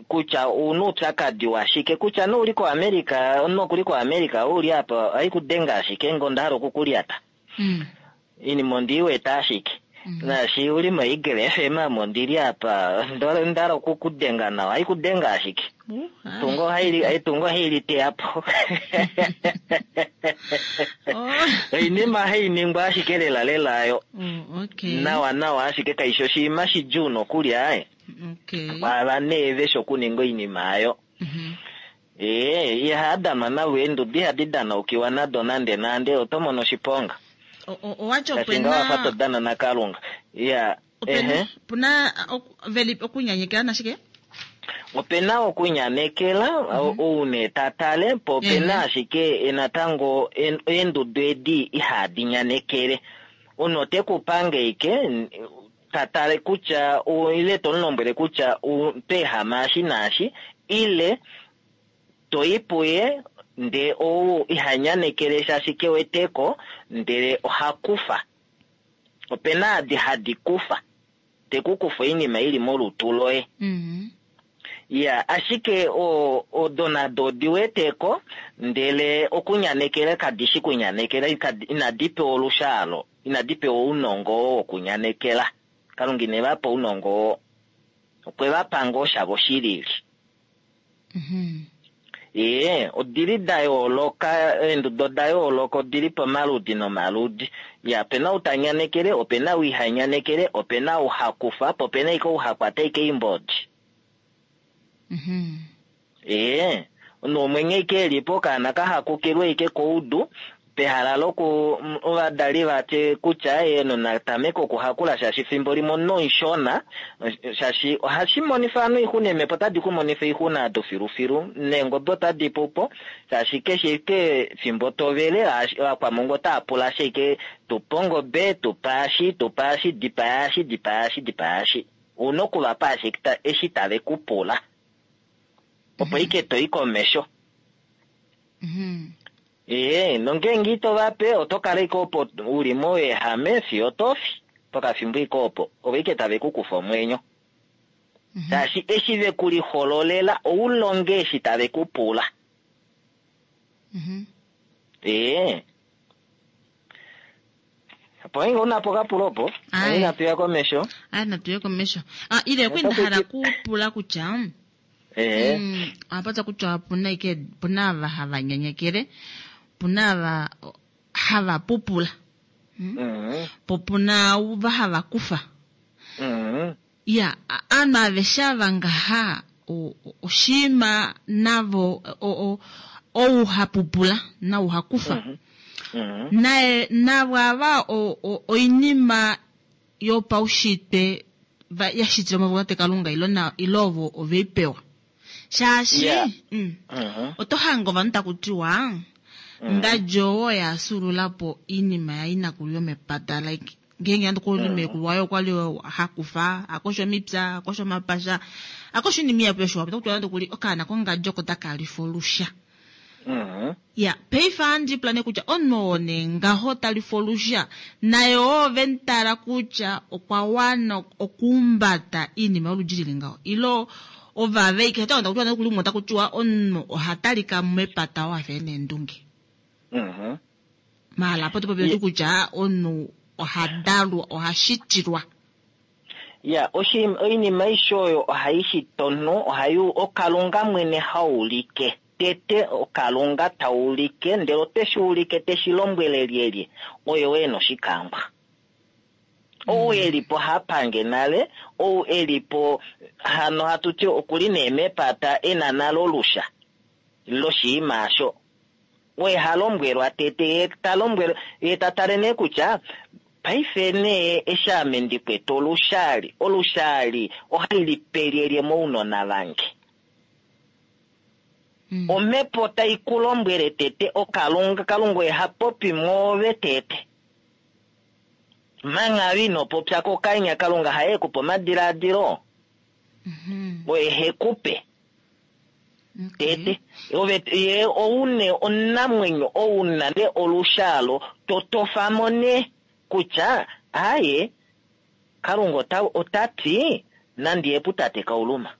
[SPEAKER 6] kutya ouna oupyakadi washike, kutya nee ouli koAmerica, omunhu okuli koAmerica, ou uli apa, ohai ku denge ashike nge onda hala oku ku lyata. Oinima ondi i wete ashike. Naashi uli moEagle FM ame ondi li apa, onda hala oku ku denga nawa, ohai ku denge ashike. Etungo etungo ohai li teya po. Oinima hai ningwa ashike lela lela ayo. Nawa nawa ashike kaishi oshinima shidjuu nokuli aye. Kwaava nee veshi okuninga oinima ayo. Ee, ihaa danwa navo eenduda ihadi danaukiwa nado nande nande, oto mono oshiponga.
[SPEAKER 1] Owati
[SPEAKER 6] Shaashi ngaho wafa to dana naKalunga. Ya, ehe.
[SPEAKER 1] Opena veli okunyanyekela nashike?
[SPEAKER 6] Opena okunyanekela, ou nee ta tale, po opena ashike natango eendudu edi ihadi nyanekele. Omunhu ote ku pange ike, ta tale kutya, ile to mu lombwele kutya oto ehama eshi naashi, ile to i puye ndee ou iha nyanekele shaashi ke wete ko, ndele oha kufa. Opena adi hadi kufa. Te ku kufa oinima ili molutu loye. Ya, ashike o, odo nado odi wete ko, ndele okunyanekela kadi shi kunyanekela, inadi pewa olushaalo, inadi pewa ounongo oo wokunyanekela. Kalunga ine va pa ounongo oo. Okwe va pa ngoo shavo shilili. Ee, odili da yooloka, eenduda oda yooloka, odili pamaludi nomaludi. Ya, ope na ou ta nyanekele, ope na ou iha nyanekele, ope na ou ha kufa po, ope na ashike ou ha kwata ashike oimbodi. Ee, omunhu womwenyo ashike e li po, okaana ka hakukilwe ashike koudu, pehala loku ovadali va tye kutya ye na tameke okuhakula shaashi fimbo limwe omunhu omushona shaashi ohashi monifa ovanhu oixuna eemhepo otadi ku monifa oixuna ado filufilu neengobe otadi pu po shaashi keshe ike fimbo to vele ovakwamongo otava pula ashike tupa ongobe tupa eshi tupa eshi dipaya eshi dipaya eshi dipaya eshi ouna okuvapa ashike eshi tave ku pula opo ike to i komesho. Ee, nongeenge ito va pe oto kala ike opo uli mouyehame fiyo to fi pokafimbo ike opo ovo ike tave ku kufa omwenyo. Shaashi eshi ve ku lihololela ou longe eshi tave ku pula. Ee. Opo nge una po kapulo opo,
[SPEAKER 1] Aye.
[SPEAKER 6] inatu ya komesho.
[SPEAKER 1] Aye, natu ye komesho. Ah, ile kwi nda hala kupula kutya
[SPEAKER 6] Ee.
[SPEAKER 1] ohapatya kutya opuna ike puna ava hava nyenyekele, puna ava hava pupula, po puna ava hava kufa. Ya, aanhu aveshe ava ngaha oshiima navo ou ha pupula nau ha kufa. Naye navo ava oinima yopaushitwe ya shitilwa mo Kalunga ilo na ilo ovo oveipewa. Shaashi oto hanga ovanhu taku tiwa ngadjo oyo ya sulula po iinima yainakulu yomepata like ngeenge nande okuli meekulu waye okwali hakufa akosha omipya akosha omapasha akosha oinima ihapu yoshiwambo otaku tiwa nande okuli okaana kongadjo oko taka lifa olusha. Ya, paife ohandi pula nee kutya omunhu oo nee ngaho ta lifa olusha naye oo ve mu tala kutya okwa wana okuumbata iinima yoludi lili ngaho ilo ovaveke ota kutiwa nande okuli umwe otaku tiwa omunhu oha talika mepata oo afa ena eendunge. Maala apo topopi oti kutya omunhu oha dalwa oha shitilwa.
[SPEAKER 6] Ya, oinima aishe oyo ohai shita omunhu, ohai okalunga mwene haulike. Tete okalunga taulike, ndele ote shi ulike te shi lombwele lyelye, oye e na oshikangwa. Ou e li po hapange nale, ou e li po hano hatu ti okuli nee mepata e na nale olusha loshiima asho. Oye ha lombwelwa tete, ye ta lombwelwa, ye ta tale nee kutya paife nee eshi ame ndi kwete olushali, olushali ohali li pe lyelye mounona vange. Omhepo tai ku lombwele tete okalunga, kalunga oye ha popi mwoove tete. Manga ino popya kokanya, kalunga haye ku pe omadiladilo. Oye he ku pe. Tete. Ove, ye oune onamwenyo, ouna ne olushalo, totofamo ne kutya, aye, kalunga ota ti, nandi ye putate kauluma.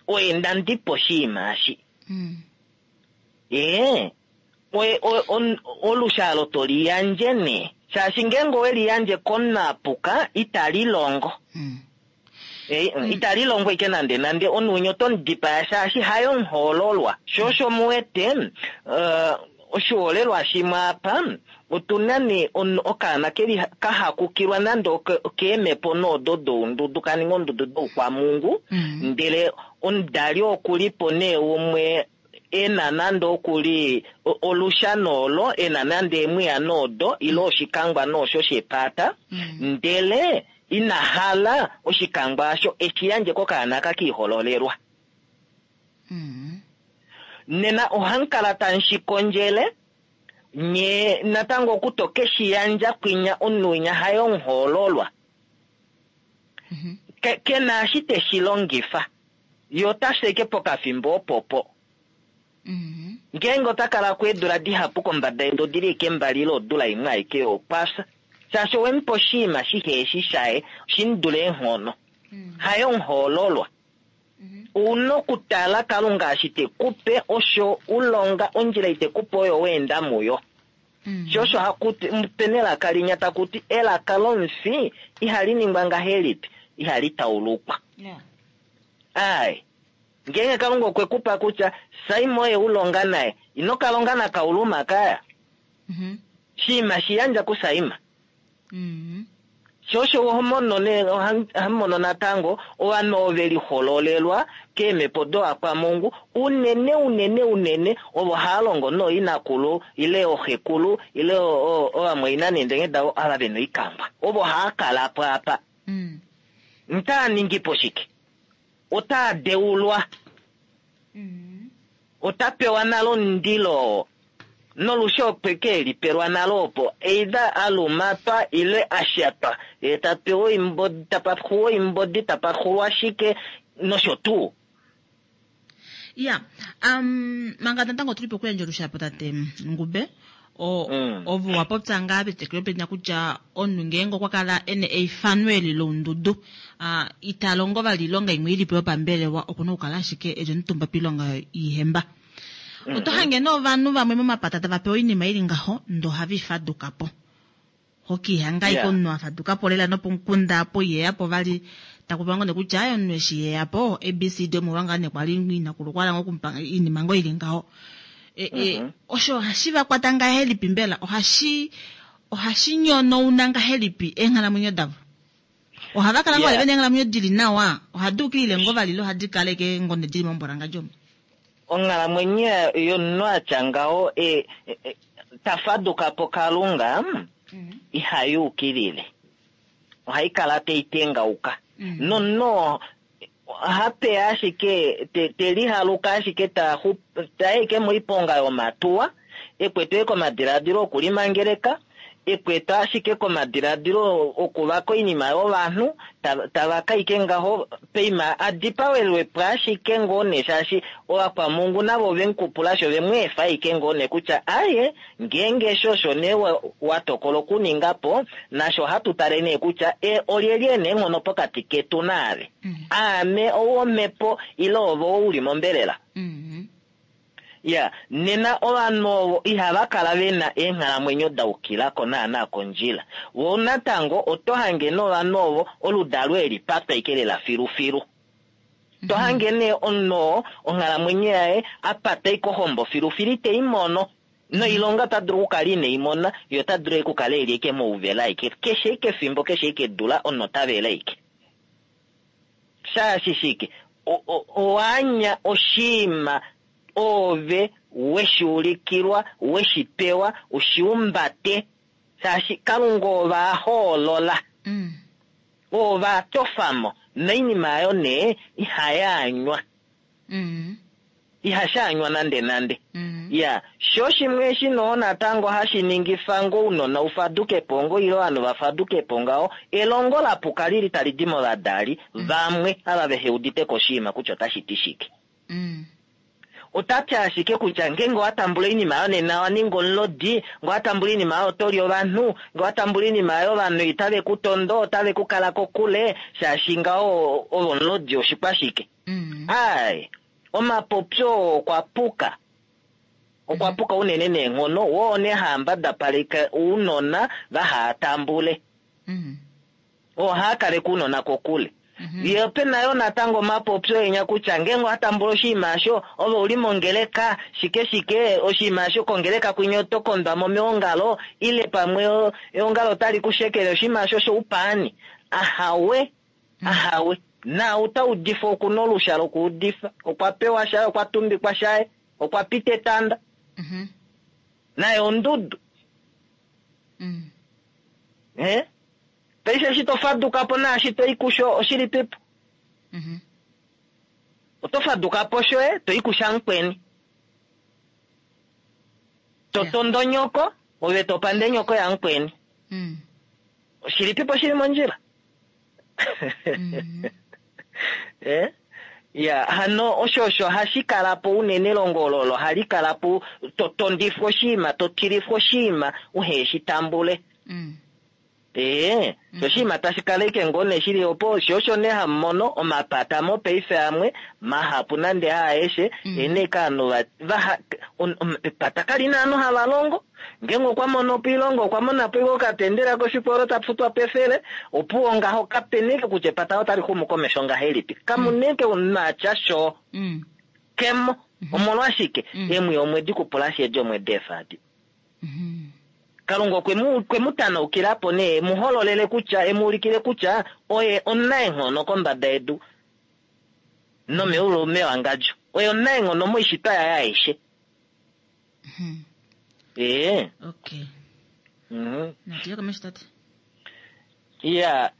[SPEAKER 6] Oye ndandipo oshiima eshi. Ee, oye, olushalo to liyandje ne. Shaashi ngeenge owe liyandje komunhu a puka, itali longo. Itali longo ike nande nande, omunhu winya oto mu dipaya shaashi haye omuhoololwa. Sho osho mu wete, oshihoolelwa shimwe apa, otu na nee okaana keli ka hakukilwa nande okeemhepo noodo doundudu, ka ninga ondudu doukwamungu, ndele omudali okulipo nee umwe e na nande okuli olusha noolo, e na nande emwiya noodo, ile oshikangwa noosho shepata, ndele ina hala oshikangwa asho eshi yandje kokaana ka kiihololelwa. Nena ohamukala tamu kondjele, nye natango okutoke shi yandja kwinya omunhu winya haye omuhoololwa. Ke na eshi te shi longifa. Ye ota sheke pokafimbo opopo. Ngeenge ota kala kweedula dihapu kombada yedu odili eke mbali ile odula imwe aike yokwafya. Shaashi owe mu pa oshiima shihe eshi shaye, shi mu dule eenghono. Haye omuhoololwa. Una okutala Kalunga eshi te ku pe osho u longa, ondjila ite ku pe oyo weenda muyo. Sho osho haku ti, pena elaka linya taku ti, elaka lomufi ihali ningwa ngahelipi, ihali taulukwa. Ai, ngeenge Kalunga okwe ku pa kutya Simon oye u longa naye, ino ka longa nakauluma kaya. Shiima shi yandja kuSaima. Sho osho oho mono ne, ohamu mono natango ovanhu ove lihololelwa keemhepo doakwamungu, unene, unene, unene ovo hava longo nooinakulu ile ooxekulu ile ovamwaina neendenge davo ava ve na oikangwa, ovo hava kala po apa. Otaa ningi po shike? Otaa deulwa. Ota pewa nale omundilo nolusha okwe ke lipelwa nale opo either a lumatwa ile a shatwa, ye ta pewa oimbodi, ta paxulwa oimbodi, ta paxulwa shike nosho tuu.
[SPEAKER 1] Ya, manga natango tuli pokuyandja olushapo tate Ngube, ovo wa popya ngaa petekelo penya kutya omunhu ngeenge okwa kala ene eifano eli loundudu, ita longo vali oilonga imwe ilipo yopambelewa, okuna okukala ashike eli omutumba piilonga yiihemba. Oto hange nee ovanhu vamwe momapata tava pewa oinima ili ngaho, ndoo ohava ifaduka po. Hokiihanga ashike omunhu a faduka po lela nopomukunda apo iheya po vali, taku pewa ngoo nee kutya aye omunhu eshi iheya po ABCD omolwa ngaa nee kwali inakulu kwala ngoo okumupa oinima ngoo ili ngaho. Osho ohashi va kwata ngahelipi mbela? Ohashi nyonouna ngahelipi eenghalamwenyo davo? Ohava kala ngoo vali vena eenghalamwenyo dili nawa? Ohadi ukilile ngoo vali ile ohadi kaleke ngoo nee dili mombolangadjo omo?
[SPEAKER 6] Onghalamwenyo yomunhu atya ngaho ta faduka po Kalunga ihai ukilile, ohai kala tai tengauka. Nomunhu ohapeya ashike te lihaluka ashike ta eke moiponga yomatuwa, ekwetwe komadiladilo okulimangeleka, ekwetwe ashike komadiladilo okuvaka oinima yovanhu, tava kaike ngaho peima adipawelwe po ashike ngoo nee, shaashi ovakwamungu navo vemukupula sho vemweefa aike ngoo nee kutya aye ngeenge sho osho nee wa tokola okuninga po, nasho ohatu tale nee kutya olyelye ena eenghono pokati ketu naave. Aame ou omhepo ile ove ou uli mombelela. Ya, nena ovanhu ovo ihava kala vena eenghalamwenyo da ukilako naana kondjila. Vo natango oto hange novanhu ovo oludalo eli patwa ike lela filufilu. To hange nee omunhu oo onghalamwenyo yaye apata ike ohombo filufilu ite i mono. Noilonga ota dulu okukala ine i mona, ye ota dulu okukala eli ike mouvela aike. Keshe ike efimbo, keshe ike edula, omunhu ota vele aike. Shaashi shike? Owaanya oshiima ove weshi ulikilwa, weshi pewa, ushiumbate. Shaashi Kalunga ove a hoolola. Ove a tofamo. Noinima ayo nee ihayaanywa. Ihashaanywa nande nande. Ya, sho shimwe eshi noo natango hashi ningifa ngo ounona ufaduke po ngo ile ovanhu vafaduke po ngaho, elongo lapuka lili tali di movadali vamwe ava vehe udite ko oshinima kutya otashi ti shike. Ota ti ashike kutya ngeenge owa tambula oinima oyo nena owa ninga omulodi, ngee owa tambula oinima oyo oto li ovanhu, ngee owa tambula oinima oyo ovanhu itave ku tondo, otave ku kala kokule, shaashi ngaho ove omulodi oshikwashike. Ai, omapopyo okwa puka. Okwa puka unene neenghono, woo nee haambadapaleke ounona vaha tambule. Ohaa kaleke ounona kokule. Ye ope na yo natango omapopyo enya kutya ngeenge owa tambula oshinima osho, ove uli mongeleka, shike shike, oshinima osho kongeleka kwinya oto kondwa mo meongalo, ile pamwe eongalo otali ku shekele oshinima osho shoupaani. Ahawe, ahawe. Naau ta udifa oku na olusha lokuudifa. Okwa pewa shaye, okwa tumbikwa shaye, okwa pita etanda. Naye ondudu. Paife eshi to faduka po naashi to i kusho oshilipipo? Oto faduka po shoye, to i kusha mukweni. To tondo nyoko, ove to pande nyoko yamukweni. Oshilipipo shili mondjila? Ya, hano osho osho hashi kala po unene elongo olo hali kala po, to tondifwa oshinima, to tilifwa oshinima, uhe shi tambule. Sho oshinima tashi kala ike ngoo nee shili opo, sho osho nee hamu mono omapata mopaife amwe, mahapu nande haaeshe, ene ike ovanhu epata kali na ovanhu hava longo. Ngeenge okwa mono po oilonga, okwa mona po okatendela koshikolo ta futwa pefele, opuwo ngaho kapena ike kutya epata otali xumu komesho ngahelipi. Kamuna ike omunhu atya sho. Kemo. Omolwashike? Emwi omwedi kupula shi edi omwedi efadi. Kalunga okwe mu tanaukila po nee, e mu hololele kutya, e mu ulikile kutya oye omunaenghono kombada yedu nomeulu mewangadjo. Oye omunaenghono moishitwa yaye aishe.
[SPEAKER 1] Okay. Natiye komesho tate.
[SPEAKER 6] Ya,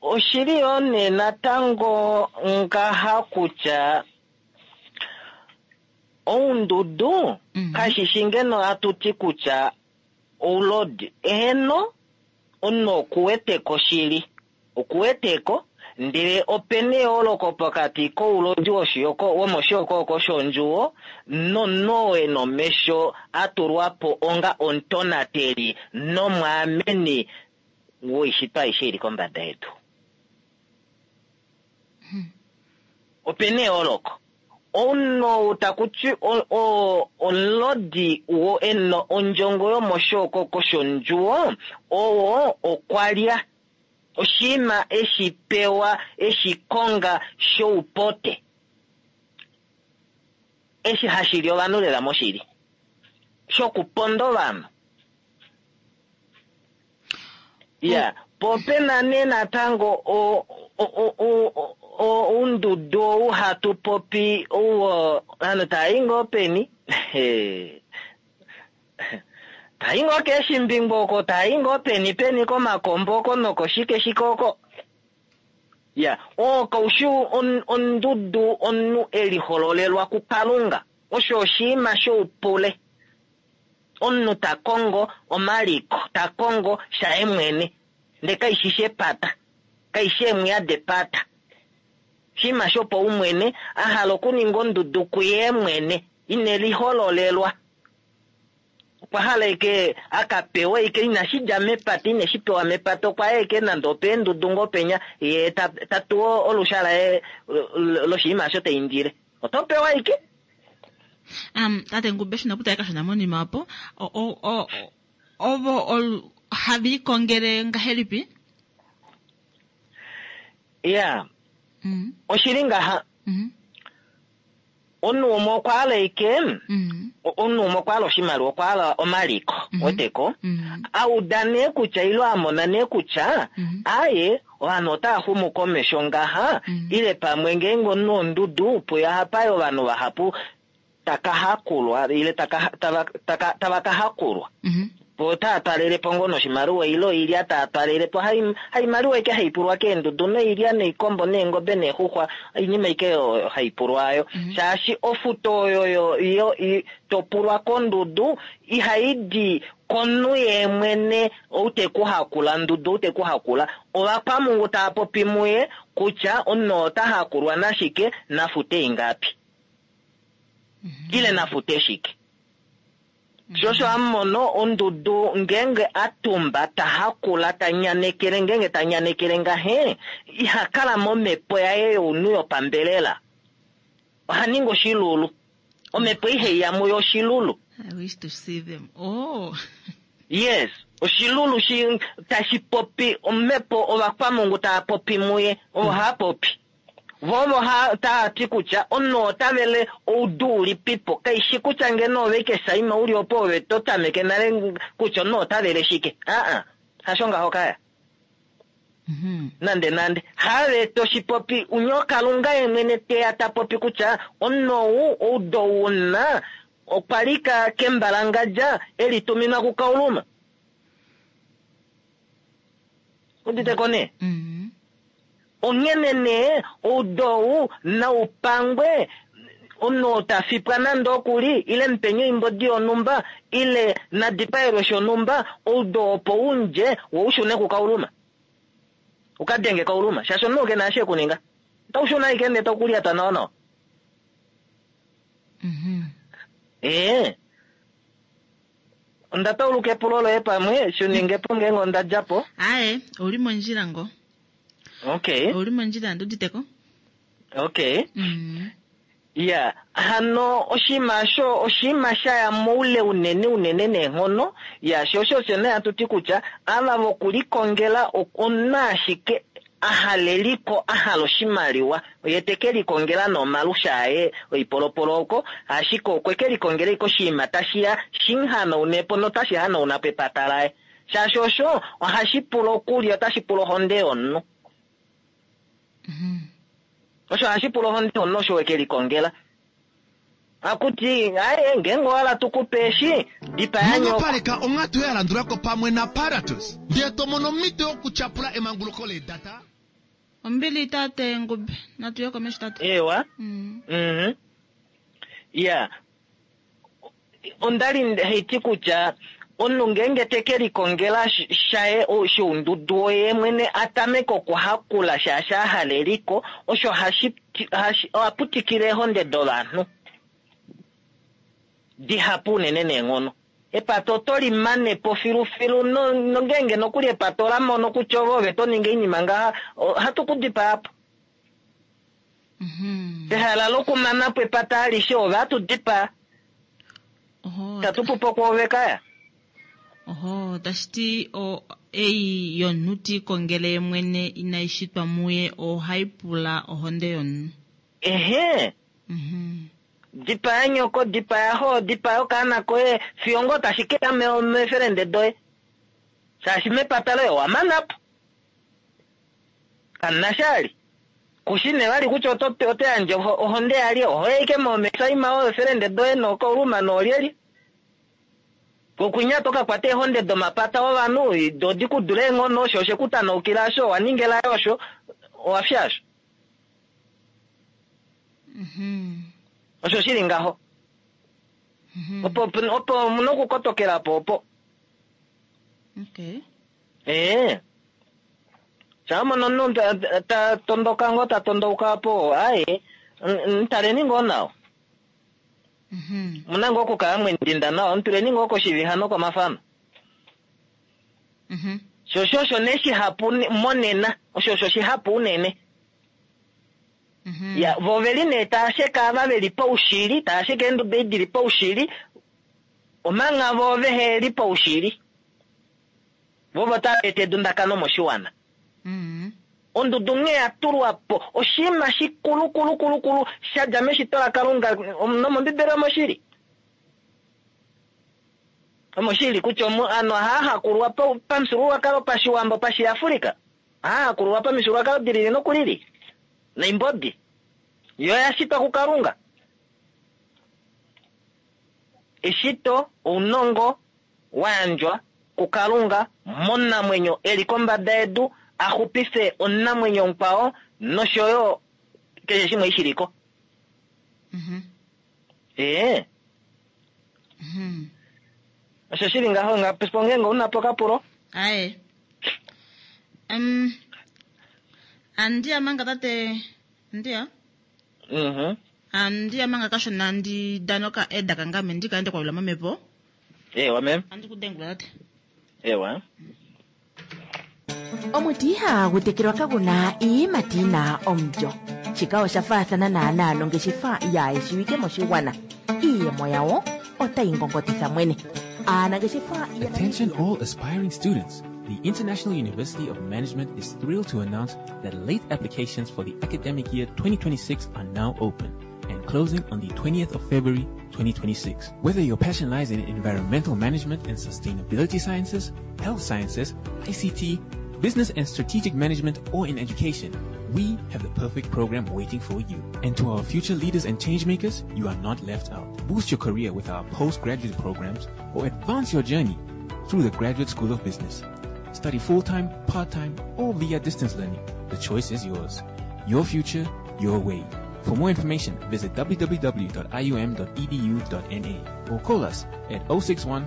[SPEAKER 6] oshili yoo nee natango ngaha kutya oundudu kashishi ngeno hatu ti kutya oulodi. Eheno, omunhu okuweteko shili. Okuweteko, Ndele opena eyooloko pokati koulodi womoshihokohoko shondjuwo nomunhu oo e na omesho a tulwa po onga omutonateli nomwaameni woishitwa aishe ili kombada yedu. Opena eyooloko. Omunhu ou taku ti omulodi wo e na ondjongo yomoshihokohoko shondjuwo, oo okwa lya oshinima eshi pewa eshi konga shoupote, eshi hashi li ovanhu lela moshili, shokuponda ovanhu. Ya, po opena nee natango oundudu ou hatu popi ou ovanhu tava i ngoo peni? Tai ngoo keeshimbingo oko, tai ngoo peni peni komakombo oko nokoshike shike oko. Ya, oo kaushi ondudu omunhu e lihololelwa kuKalunga. Osho oshinima shoupule. Omunhu ta kongo omaliko, ta kongo shaye mwene, ndele kaishi shepata, kaishi eemwiya depata. Oshinima shopaumwene, a hala okuninga ondudu kuye mwene, ine lihololelwa. Okwa hala eke a ka pewe eke inashi dja mepata, ine shi pewa mepata, okwa ya eke nande opeendudu ngoo penya, ye ta tu olusha laye loshinima osho ta indile. Oto pewa eke.
[SPEAKER 1] Tate Ngube, shina kutala kashona monima opo, ovo have likongele ngahelipi?
[SPEAKER 6] Ya, oshili ngaha. Omunhu umwe okwa hala eke, omunhu umwe okwa hala oshimaliwa, okwa hala omaliko, weteko, a uda nee kutya ile a mona nee kutya, aye, ovanhu otava xumu komesho ngaha, ile pamwe ngeenge omunhu ondudu, puye ohapa yi ovanhu vahapu taka hakulwa, ile tava ka hakulwa. Po otava twalele po ngoo noshimaliwa ile oilya tava twalele po, haimaliwa eke hai pulwa keendudu noilya noikombo neengobe neexuxwa, oinima eke oyo hai pulwa ayo. Shaashi ofuto oyo to pulwa kondudu ihai di komunhu yee mwene ou te ku hakula, ndudu ou te ku hakula. Ovakwamungu tava popi muye kutya omunhu oo ota hakulwa nashike, nafute ingapi ile nafute shike. Sho osho hamu mono ondudu ngeenge a tumba ta hakula ta nyanekele, ngeenge ta nyanekele ngahe, iha kala momhepo yaye younhu yopambelela. Oha ningi oshilulu. Omhepo ihe ya muye oshilulu.
[SPEAKER 1] I wish to see them. Oh.
[SPEAKER 6] Yes, oshilulu shi tashi popi omhepo ovakwamungu tava popi muye, ovo hava popi. Vo ovo tava ti kutya omunhu ota vele oudu ulipipo, kaishi kutya ngeno ove ike Saima uli opo ove to tameke nale kutya omunhu ota vele shike. Aa, hasho ngaho kaya. Nande nande. Have to shi popi, unye Kalunga ye mwene teya ta popi kutya omunhu ou oudu ou una okwa lika kembalangadja e lituminwa kuKauluma. Udite ko nee? Onghene nee oudu ou nau pangwe, omunhu oo ta fipwa nande oku li, ile mupeni oimbodi yonhumba, ile na dipaelwe shonhumba, oudu oo opo u dje, wo u shune kuKauluma. U ka denge Kauluma, shaashi omunhu ke na eshi e ku ninga. Otau shuna ashike ndee tau ku lyata nawa nawa. Ee. Onda tauluka epulo loye pamwe, shi ninge po ngeenge onda dja po.
[SPEAKER 1] Aye, ouli mondjila ngo.
[SPEAKER 6] Okay.
[SPEAKER 1] Ouli mondjila, ndi udite ko.
[SPEAKER 6] Okay. Ya, hano oshinima osho oshinima sha ya moule unene unene neenghono. Ya, sho osho osho nee hatu ti kutya ava vokulikongela omunhu ashike a hala eliko, a hala oshimaliwa, oye te ke likongela nee omalusha aye oipolopolo oko, ashike okwe ke likongela ashike oshinima tashi ya shi mu hanaune po notashi hanauna po epata laye. Shaashi osho ohashi pula okulya, otashi pula ohonde yomunhu. Osho ohashi pula ohonde yomunhu osho we ke likongela. Akuti, aye, ngeenge owa hala tu ku pe eshi, dipaya nyoko.
[SPEAKER 7] Nghonopaleka onghatu ya landula ko pamwe naParatus, ndee to mono omhito yokutyapula emanguluko leedata.
[SPEAKER 1] Ombili tate Ngube, natu ye komesho tate.
[SPEAKER 6] Ewa. Mhm. Ya. Onda li haiti kutya. Omunhu ngeenge te ke likongela shaye shoundudu woye mwene a tameke okuhakula shaashi a hala eliko, osho hashi oha putikile eehonde dovanhu dihapu unene neenghono. Epata oto li mane po filufilu nongeenge nokuli epata ola mono kutya ove ove to ningi oinima ngaha, ohatu ku dipaa po. Pehala lokumana po epata alishe ove hatu dipaa. Itatu pupo kwoove kaya.
[SPEAKER 1] Oho, tashi ti o, ei yomunhu ti ikongele ye mwene inai shitwa muye ohai pula ohonde yomunhu.
[SPEAKER 6] Ehe. Dipaya nyoko, dipaya xo, dipaya okaana koye, fiyo ngoo tashi ke ya meefelende doye. Shaashi mepata loye owa mana po. Kamu na sha vali. Ku shi nee vali kutya oto, oto yandje ohonde yalye, oho ya ashike moomesaima oofelende doye nookauluma noolyelye. Kokwinya to ka kwata eehonde domapata ovanhu, do di ku dule eenghono, osho oshe ku tanaukila osho, owa ninga elai osho, owa fya osho. Osho shi li ngaho. Opo, opo mu na okukotokela po opo.
[SPEAKER 1] Okay.
[SPEAKER 6] Ee. Sha mono omunhu ta tondoka ngoo ta tondouka po, aye, mutaleni ngoo nawa. Omuna ngoo okukala mwendinda nawa, mutuleni ngoo koshiviha nokomafano. Sho osho osho nee shihapu monena, osho osho shihapu unene. Ya, vo oveli nee taa sheke ava ve li paushili, taa sheke eenduda ei di li paushili, omangha vo vehe li paushili. Vo ovo tava eta edundakano moshiwana. Ondudu nghee ya tulwa po oshinima shikulukulukulu sha dja meshito laKalunga nomOmbibeli omo shi li. Omo shi li kutya ovanhu ohava hakulwa pamufyuululwakalo paShiwambo, paShiafrika. Ohava hakulwa pamifyuululwakalo di lili noku lili. Noimbodi yo oya shitwa kuKalunga. Eshito, ounongo, wa yandjwa kuKalunga momunamwenyo e li kombada yedu a xupife omunamwenyo mukwao nosho yo keshe shimwe shi li ko. Ee. Osho shi li ngaho ngapo ngeenge u na po okapulo.
[SPEAKER 1] Aye. Andiya manga tate Andiya. Andiya manga kashona ndi danoka eda kangame ndi kaende kwalula momhepo.
[SPEAKER 6] Ewa mem.
[SPEAKER 1] Andi kudengula tate.
[SPEAKER 6] Ewa.
[SPEAKER 5] Omuti ihaagu tekelwa kagu na iiyimati yi na omulyo. Shika osha faathana naanaa nongeshefa yaayeshiwike moshigwana. Iiyemo yawo otayi ngongotitha mwene. Aanangeshefa
[SPEAKER 2] Attention all aspiring students. The International University of Management is thrilled to announce that late applications for the academic year 2026 are now open and closing on the 20th of February 2026. Whether your passion lies in environmental management and sustainability sciences, health sciences, ICT, business and strategic management, or in education, we have the perfect program waiting for you. And to our future leaders and changemakers, you are not left out. Boost your career with our postgraduate programs or advance your journey through the Graduate School of Business. Study full-time, part-time, or via distance learning. The choice is yours. Your future, your way. For more information, visit www.ium.edu.na or call us at 061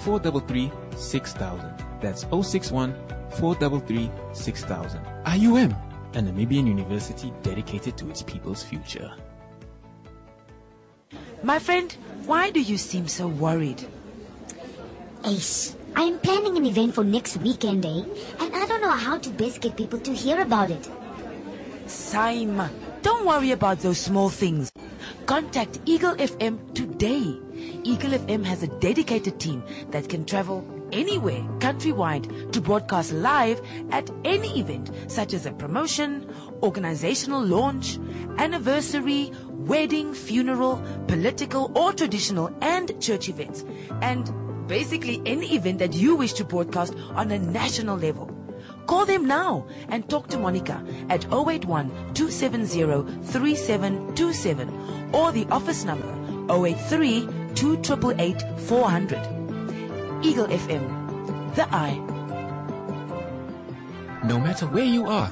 [SPEAKER 2] 433 6000. That's 061 433 6000. IUM, a Namibian university dedicated to its people's future.
[SPEAKER 5] My friend, why do you seem so worried?
[SPEAKER 8] Ace, I am planning an event for next weekend, eh? And I don't know how to best get people to hear about it.
[SPEAKER 5] Saima, don't worry about those small things. Contact Eagle FM today. Eagle FM has a dedicated team that can travel anywhere countrywide to broadcast live at any event such as a promotion, organizational launch, anniversary, wedding, funeral, political or traditional and church events. And basically any event that you wish to broadcast on a national level. Call them now and talk to Monica at 081 270 3727 or the office number 083 288 400. Eagle FM, the eye.
[SPEAKER 2] No matter where you are,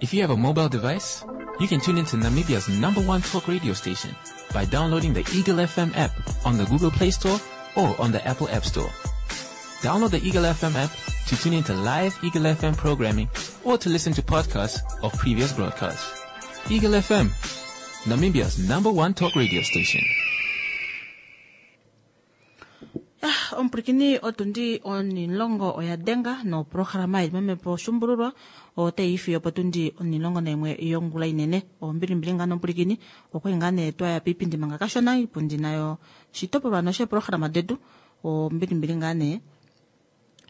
[SPEAKER 2] if you have a mobile device, you can tune into Namibia's number one talk radio station by downloading the Eagle FM app on the Google Play Store or on the Apple App Store. Download the Eagle FM app to tune into live Eagle FM programming or to listen to podcasts of previous broadcasts. Eagle FM, Namibia's number one talk radio station.
[SPEAKER 1] Ah, omupwilikini otundi onilongo oya denga noprograma ili momhepo shumbululwa otai fiyo potundi onilongo naimwe yongula inene. Ombilimbili ngaa nomupwilikini okwali ngaa nee twaya piipindi manga kashona iipundi nayo shitopolwa nosheeprograma detu ombilimbili ngaa nee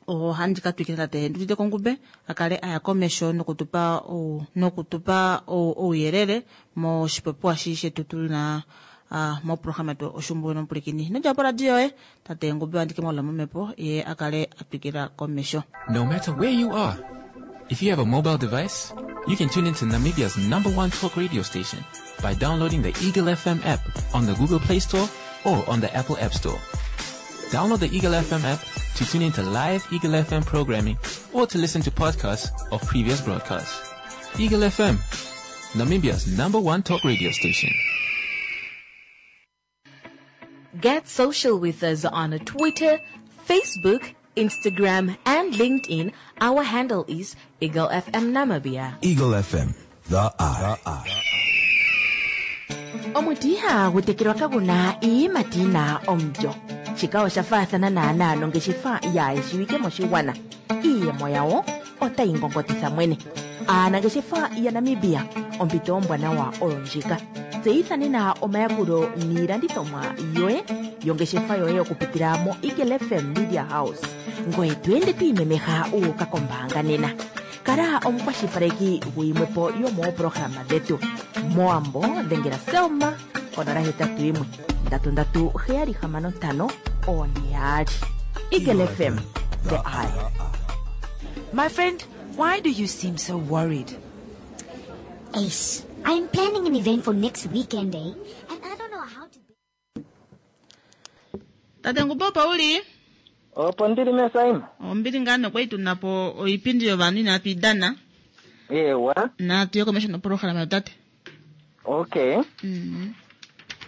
[SPEAKER 1] ohandi ka twikila tate Ndudite Kongube a kale a ya komesho nokutupa nokutupa ouyelele moshipopiwa shi shetu tuna moprograma yetu Oshumbulu nomupwilikini. Ino dja poradio yoye, tate Ngube ohandi ke mu holola momhepo ye a kale a twikila komesho.
[SPEAKER 2] No matter where you are, if you have a mobile device, you can tune into Namibia's number one talk radio station by downloading the Eagle FM app on the Google Play Store or on the Apple App Store. Download the Eagle FM app to tune into live Eagle FM programming or to listen to podcasts of previous broadcasts. Eagle FM, Namibia's number one talk radio station.
[SPEAKER 3] Get social with us on Twitter, Facebook, Instagram, and LinkedIn. Our handle is Eagle FM Namibia.
[SPEAKER 4] Eagle FM, the eye.
[SPEAKER 5] Omuti ihagu tekelwa kagu na iiyimati yi na omulyo. Shika osha faathana naanaa nongeshefa yaayeshiwike moshigwana. Iiyemo yawo otayi ngongotitha mwene. Aanangeshefa yaNamibia, ompito ombwanawa oyo ndjika. Tseyitha nena omayakulo niilandithomwa yoye yongeshefa yoye okupitila moEagle FM Media House. Ngoye to ende to imemeha wu uka kombaanga nena. Kala omukwashilipaleki guyimwe po yomooprograma dhetu. Mowambo dhengela Selma konola 81 337 665 42. Eagle FM, the eye.
[SPEAKER 9] My friend, why do you seem so worried?
[SPEAKER 8] Ace, I'm planning an event for next weekend, eh? And I don't know how to...
[SPEAKER 1] Tate Ngubo, opo uli?
[SPEAKER 6] Opo ndili mesaima.
[SPEAKER 1] Ombili ngaa nokwali tuna po oipindi yovanhu inatu i dana.
[SPEAKER 6] Ewa.
[SPEAKER 1] Natu ye komesho noprograma yotate.
[SPEAKER 6] Okay.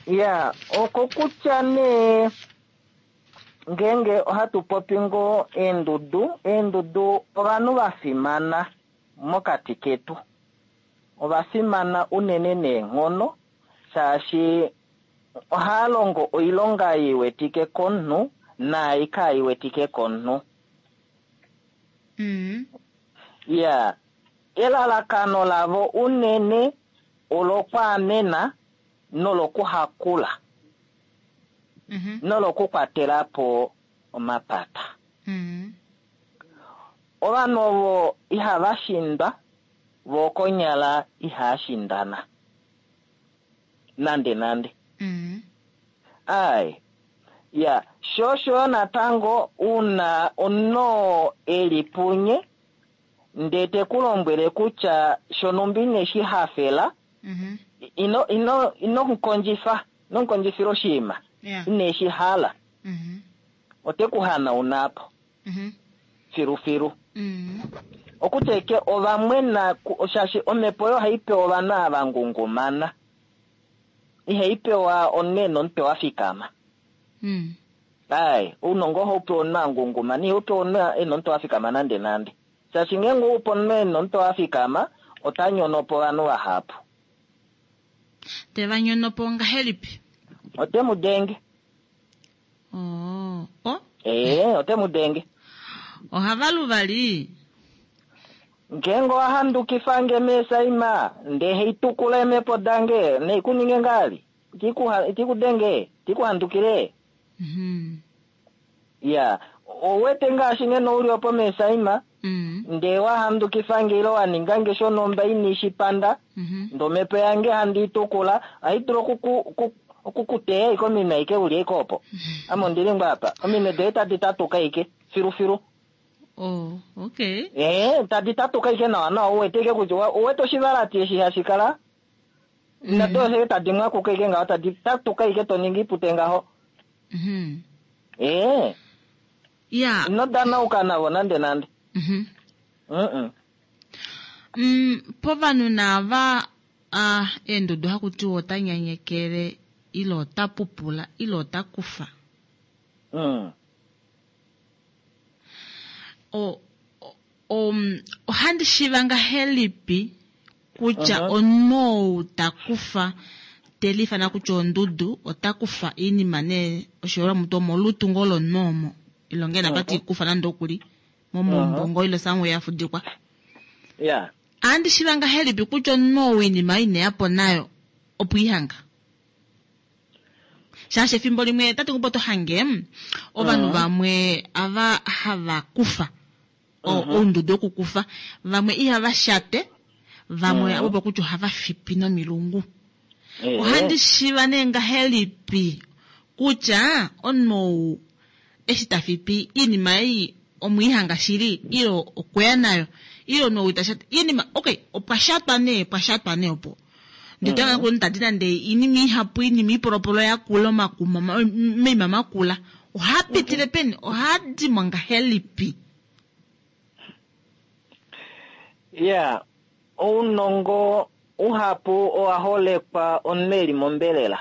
[SPEAKER 6] Ya, oko kutya nee ngeenge ohatu popi ngoo eendudu, eendudu ovanhu va fimana mokati ketu. Ova fimana unene neenghono shaashi ohava longo oilonga i wetike komunhu naai kai wetike komunhu. Ya, elalakano lavo unene olokwaamena nolokuhakula nolokukwatela po omapata. Ovanhu ovo ihava shindwa, vo konyala ihava shindana nande nande. Ai, ya, sho osho natango una omunhu e li punye ndee te ku lombwele kutya shonumba ine shi hafela, ino, ino, ino mu kondjifa, ino mu kondjifila oshinima ine shi hala, ote ku hanauna po filufilu. Okutya eke ova mwena, shaashi omhepo oyo ohai pewa ovanhu ava ngungumana, ihai pewa omunhu e na omutwe wa fikama. Ai, ounongo ohau pewa omunhu a ngungumana, ihau pewa omunhu e na omutwe wa fikama nande nande. Shaashi ngeenge ou pe omunhu e na omutwe wa fikama, ota nyono po ovanhu vahapu.
[SPEAKER 1] Te va nyono po ngahelipi?
[SPEAKER 6] Ote mu denge.
[SPEAKER 1] Oh, oh.
[SPEAKER 6] Ee, ote mu denge.
[SPEAKER 1] Ohava lu vali.
[SPEAKER 6] Ngeenge owa handukifa nge meesaima, ndee hei tukula eemhepo dange, nei ku ninge ngaali? Iti ku denge, iti ku handukile. Ya, ou wete ngaashi ngeno u li opo meesaima, ndee wa handukifa nge ile wa ninga nge shonhumba ini shi panda, ndee omhepo yange handi i tukula, ohai dulu oku ku teya ashike ominwe aike u li ashike opo. Ame ondi li ngoo apa, ominwe doye tadi tatuka ashike filufilu.
[SPEAKER 1] Oh, okay.
[SPEAKER 6] Ee, tadi tatuka ashike nawa nawa, u wete ashike kutya u wete oshivalati eshi hashi kala, nado ashike tadi mwakuka ashike ngaho, tadi tatuka ashike to ningi ipute ngaho. Ee.
[SPEAKER 1] Ya.
[SPEAKER 6] Ino danauka navo nande nande. Mm-mm.
[SPEAKER 1] Povanhu naava, eendudu haku tiwa ota nyanyekele, ile ota pupula, ile ota kufa. Ohandi shiiva ngahelipi kutya omunhu ou ta kufa te liifana kutya ondudu ota kufa oinima nee oshiholelwa mutu omolutu ngoo lomunhu omo ile ngee napa te kufa nande okuli momaumbo ngoo ile somewhere ya fudikwa. Ohandi shiiva ngahelipi kutya omunhu ou oinima ine ya po nayo opo ihanga? Shaashi efimbo limwe tate Ngumba oto hange ovanhu vamwe ava hava kufa oundudu wokukufa, vamwe ihava shate, vamwe avo kutya ohava fipi nomilungu. Ohandi shiiva nee ngahelipi kutya omunhu ou eshi ta fipi oinima ei omwiihanga shili ile okweya nayo ile omunhu ou ita shate oinima okay opwa shatwa nee pwa shatwa nee opo nditanga mm. tadi nande iinima ihapu iinima ipolopolo yakula omakuma omaima makula ohaa pitile peni ohaa dimo ngahelipi?
[SPEAKER 6] Ya, ounongo uhapu owa holekwa omunhu eli mombelela.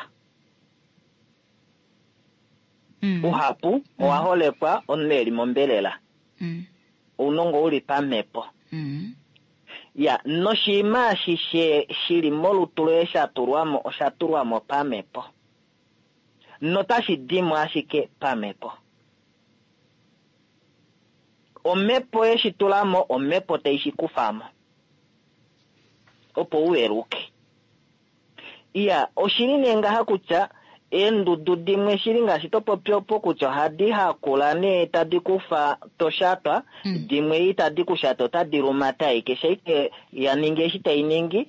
[SPEAKER 6] Uhapu owa holekwa omunhu eli mombelela. Ounongo uli pamhepo. Ya, noshinima ashishe shili molutu loye sha tulwa mo, osha tulwa mo pamhepo. Notashi dimo ashike pamhepo. Omhepo ye shi tula mo, omhepo tai shi kufa mo. Opo u veluke. Iya, oshili nee ngaha kutya eendudu dimwe shili ngaashi to popi opo kutya ohadi hakula nee tadi kufa to shatwa, dimwe itadi ku shata otadi lumata ashike, shaike ya ningi eshi tai ningi,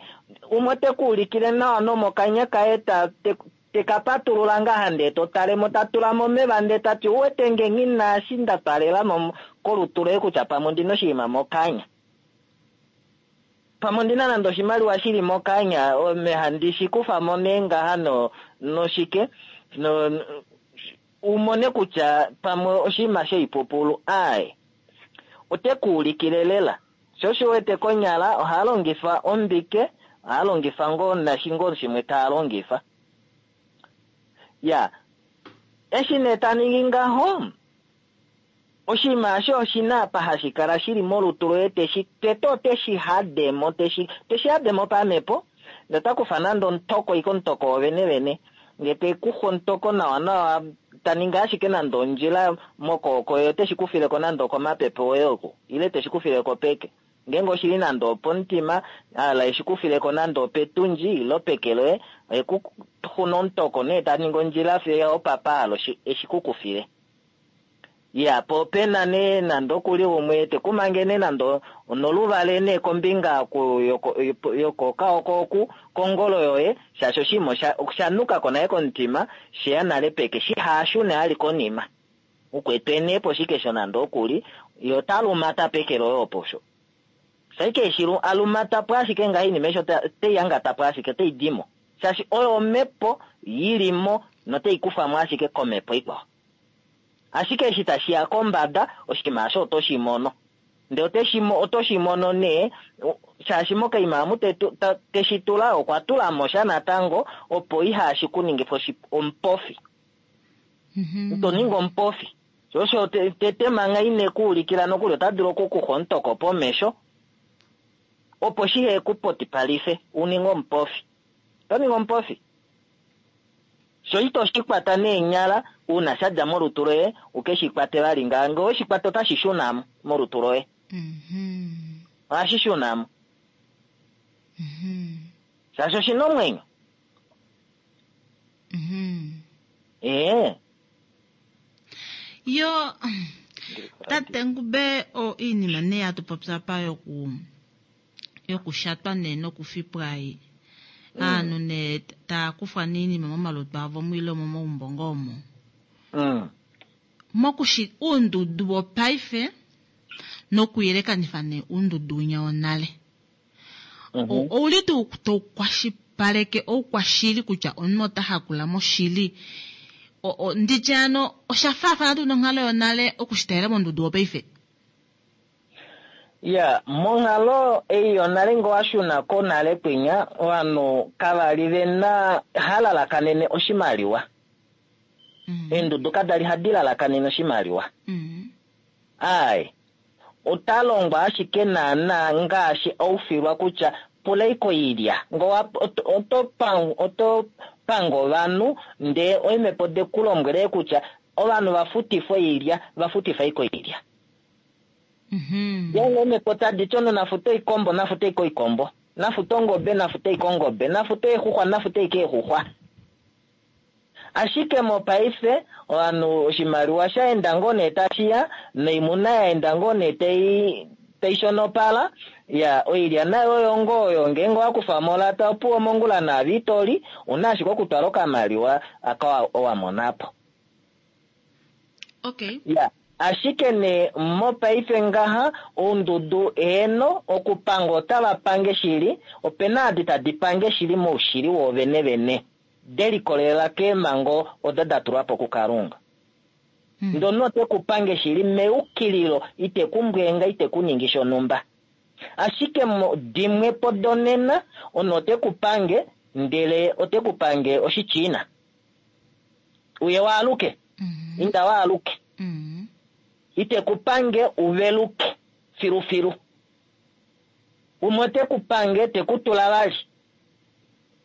[SPEAKER 6] umwe ote ku ulikile nawa nomokanya kaye ta, te, te ka patulula ngaha ndee to tale mo, ta tula mo omeva ndee ta ti, Uwete nge nghi na eshi nda twalela mo kolutu loye kutya pamwe ondi na oshinima mokanya. Pamwe ondi na nande oshimaliwa shi li mokanya, ame handi shi kufa mo nee ngaha no, noshike, no, u mone kutya pamwe oshinima shoipupulu. Aaye. Ote ku ulikile lela. Sho osho u wete konyala ohaa longifa ombike, ohaa longifa ngoo nashi ngoo shimwe taa longifa. Ya. Eshi nee ta ningi ngaho, oshinima osho oshi na apa hashi kala shi li molutu loye teshi, tete ote shi hade mo, teshi, teshi hade mo pamhepo, nota kufa nande omutoko, ike omutoko wovene vene. Nge te kufa omutoko nawa nawa, ta ningi ashike nande ondjila mokooko ye, ote shi kufile ko nande okomapepe oye oku, ile te shi kufile ko peke. Ngeenge oshi li nande opomutima, hala e shi kufile ko nande opetundji, ile opeke loye, ohe ku xuna omutoko nee ta ningi ondjila fiyo opapa hala e shi ku kufile. Iya, po ope na nee nande oku li umwe te ku mange nee nande onoluvale nee kombinga oku yoko, yokokaoko oku, kongolo yoye, shaashi oshinima osha, osha nuka ko nale komutima, she ya nale peke, shiha shune ali konima. Ukwetwe nee poshikesho nande oku li, ye ota lumata peke loye opo osho. Shaike eshi a lumata po ashike ngaha oinima eshi ota, ote i angata po ashike, otai di mo. Shaashi oyo omhepo yi li mo notai kufwa mo ashike komhepo ikwao. Ashike eshi tashi ya kombada, oshinima osho oto shi mono. Ndele ote shi, oto shi mono nee, shaashi mokaima amu te, ta, te shi tula, okwa tula mo sha natango, opo ihashi ku ningifa oshi, omupofi. Ito ningi omupofi. Sho osho te, tete manga ine ku ulikila nokuli, ota dulu oku ku xa omutoko pomesho, opo shihe ku potipalife, u ninge omupofi. Oto ningi omupofi. Sho ito shi kwata neenyala, uuna sha dja molutu loye, u ke shi kwate vali ngaha. Ngee owe shi kwata otashi shuna mo molutu loye. Ohashi shuna mo. Shaashi oshi na omwenyo. Ee.
[SPEAKER 1] Yo, tate Ngube, o iinima nee hatu popi apa yoku yokushatwa nee nokufipwa ei. Aanhu nee taya kufwa nee iinima momalutu avo mu ile momaumbo ngoo omo. Mokushi uundudu wopaife nokuyelekanifa nee uundudu winya wonale. Ouli tuu tau kwashipaleke oukwashili kutya omunhu ota hakula moshili? Nditye ano osha faafana tuu nonghalo yonale okushitalela mondudu wopaife?
[SPEAKER 6] Ya, monghalo ei yonale nge owa shuna konale kwinya, ovanhu kava li ve na ha lalakanene oshimaliwa. Eendudu kada li hadi lalakanene oshimaliwa. Ae. Ota longwa ashike naana ngaashi aufilwa kutya pula iko oilya. Ngee oto oto pange ovanhu ndee oimhepo de ku lombwele kutya ovanhu va futifwe oilya, va futifa iko oilya. Ngeenge oimhepo tadi ti omunhu nafute oikombo, nafute iko oikombo. Nafute ongobe, nafute iko ongobe. Nafute eexuxwa, nafute iko eexuxwa. Ashike mopaife ovanhu oshimaliwa sha enda ngoo nee tashiya noimuna ya enda ngoo nee tai shonopala. Ya, oilya nayo oyo ngoo oyo ngeenge owa kufa mo olata opuwo mongula naave itoli, una ashike okutwala okamaliwa aka wa monapo.
[SPEAKER 1] Okay.
[SPEAKER 6] Ya, ashike nee mopaife ngaha oundudu heeno okupanga otava pange shili, opena adi tadi pange shili moushili woovene vene. De likolelela keemhango odo da tulwa po kuKalunga. Ndee omunhu ote ku pange shili meyukililo, ite ku mbweenga, ite ku ningi shonhumba. Ashike dimwe po donena, omunhu ote ku pange, ndele ote ku pange Oshichina. Uye waaluke. Inda waaluke. Ite ku pange uveluke filufilu. Umwe ote ku pange, te ku tula vali.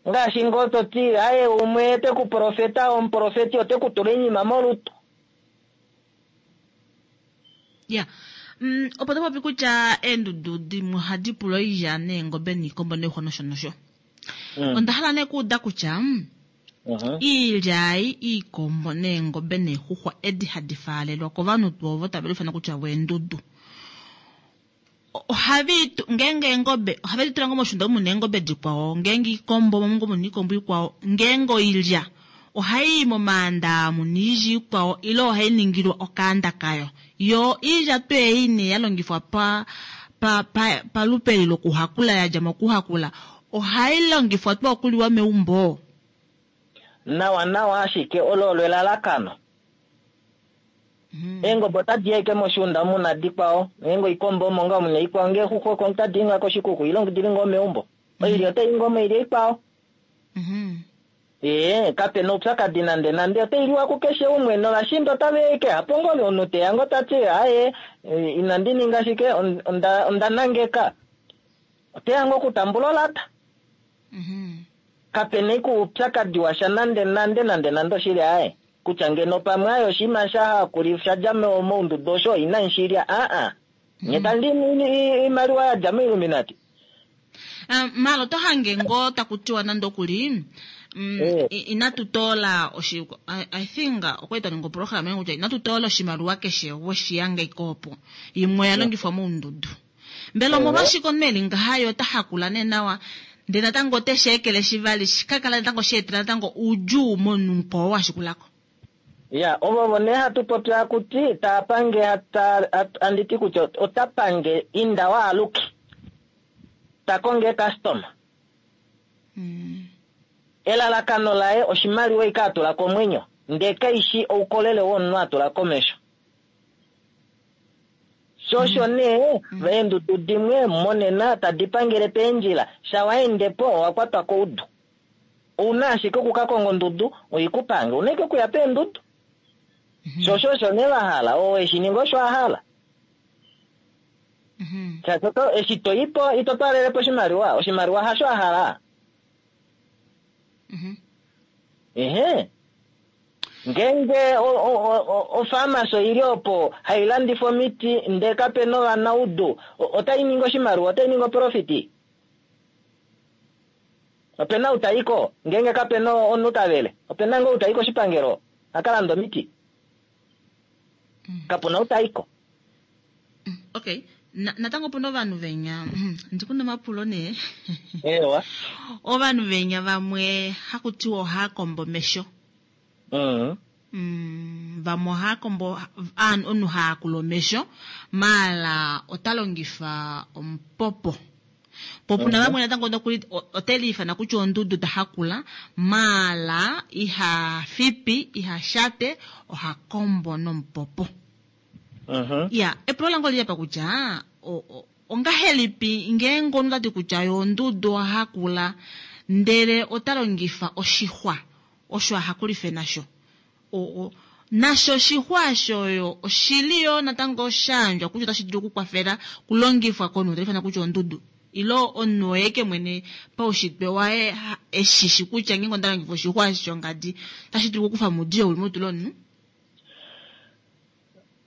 [SPEAKER 6] Ngaashi ngoo to ti, aye, umwe te ku profeta, omuprofeti ote ku tula oinima molutu.
[SPEAKER 1] Ya. Opo to popi kutya eendudu dimwe ohadi pula oilya neengobe niikombo noixwa nosho nosho. Onda hala nee okuuda kutya iilya ei, iikombo neengobe neexuxwa edi hadi faalelwa kovanhu tuu ovo tave liufana kutya vo eendudu. Ohave ngeenge eengobe ohave di tula ngoo moshunda omu muna eengobe dikwao, ngeenge iikombo omo ngoo muna iikombo ikwao, ngeenge oilya ohai i momaanda muna oilya ikwao ile ohai ningilwa okaanda kayo. Yo oilya tuu ei nee ya longifwa pa pa pa palupe eli lokuhakula ya dja mokuhakula ohai longifwa tuu okuliwa meumbo?
[SPEAKER 6] Nawa nawa ashike olo olo elalakano. Eengobe otadi i ashike moshiunda omu na dikwao, ngeenge oikombo omo ngaa omu na ikwao, ngee exuxwa oko otadi i ngaa koshikuku ile dili ngoo meumbo. Oilya otai i ngoo moilya ikwao. Ee, kape na oupyakadi nande nande, otai liwa kukeshe umwe, novashiinda otava i ashike hapo ngoo omunhu teya ngoo ta ti aaye inandi ninga shike onda onda nangeka. Oteya ngoo okutambula olata. Kape na ashike oupyakadi washa nande nande nande nande oshili aaye. Kutya ngeno pamwe aye oshinima sha hakuli sha dja moundudu osho inamu shi lya, aa. Nye tamu li oimaliwa ya dja moIlluminati.
[SPEAKER 1] Maala oto hange ngoo taku tiwa nande oku li, inatu toola oshi, I think okwa li twa ninga oprograma kutya inatu toola oshimaliwa keshe weshi yanga ike opo. Imwe oya longifwa moundudu. Mbela omolwashike omunhu e li ngaha ye ota hakula nee nawa ndele natango ote shi ekeleshi vali shi ka kala natango sha etela natango oudjuu momunhu mukwao oo a shikula ko?
[SPEAKER 6] Ya, ovo nee hatu popi haku ti taa pange handi ti kutya ota pange inda waaluke. Ta konge eekastoma. Elalakano laye oshimaliwa ike a tula komwenyo ndee kaishi oukolele womunhu a tula komesho. Sho osho nee eendudu dimwe monena tadi pangele peendjila, sha wa ende po owa kwatwa koudu. Ou na ashike oku ka konga ondudu oi ku pange, ou na ashike okuya peendudu. Sho osho osho nee va hala, oo eshi ninga osho a hala. Shaashi oto, eshi to i po ito twaalele po oshimaliwa, oshimaliwa hasho a hala. Ehe. Ngeenge ofaamasi oi li opo hai landifa omiti ndee kape na ovanaudu, otai ningi oshimaliwa? Otai ningi oprofiti? Ope na ou ta i ko ngeenge kape na omunhu ta vele? Ope na ngoo ou ta i koshipangelo a ka lande omiti? Kapu na ou ta i ko.
[SPEAKER 1] Okay. Natango opu na ovanhu venya, ndi ku na omapulo nee.
[SPEAKER 6] Ewa.
[SPEAKER 1] Ovanhu venya vamwe haku tiwa ohaa kombo omesho. Vamwe ohaa kombo, omunhu ha yakula omesho, maala ota longifa omupopo. Po puna vamwe natango nokuli ote liifana kutya ondudu ta hakula, maala iha fipi, iha shate, oha kombo nomupopo. Ya, epulo lange oli li apa kutya, ongahelipi ngeenge omunhu ota ti kutya ye ondudu oha hakula ndele ota longifa oshixwa osho a hakulife nasho? Nasho oshixwa osho yo oshili yoo natango shayandjwa kutya otashi dulu okukwafela okulongifwa komunhu taifanwa kutya ondudu ile omunhu oye ke mwene paushitwe waye eshishi kutya ngeenge onda longifa oshixwa eshi shongadi otashi dulu okukufa omudiyo uli molutu lomunhu.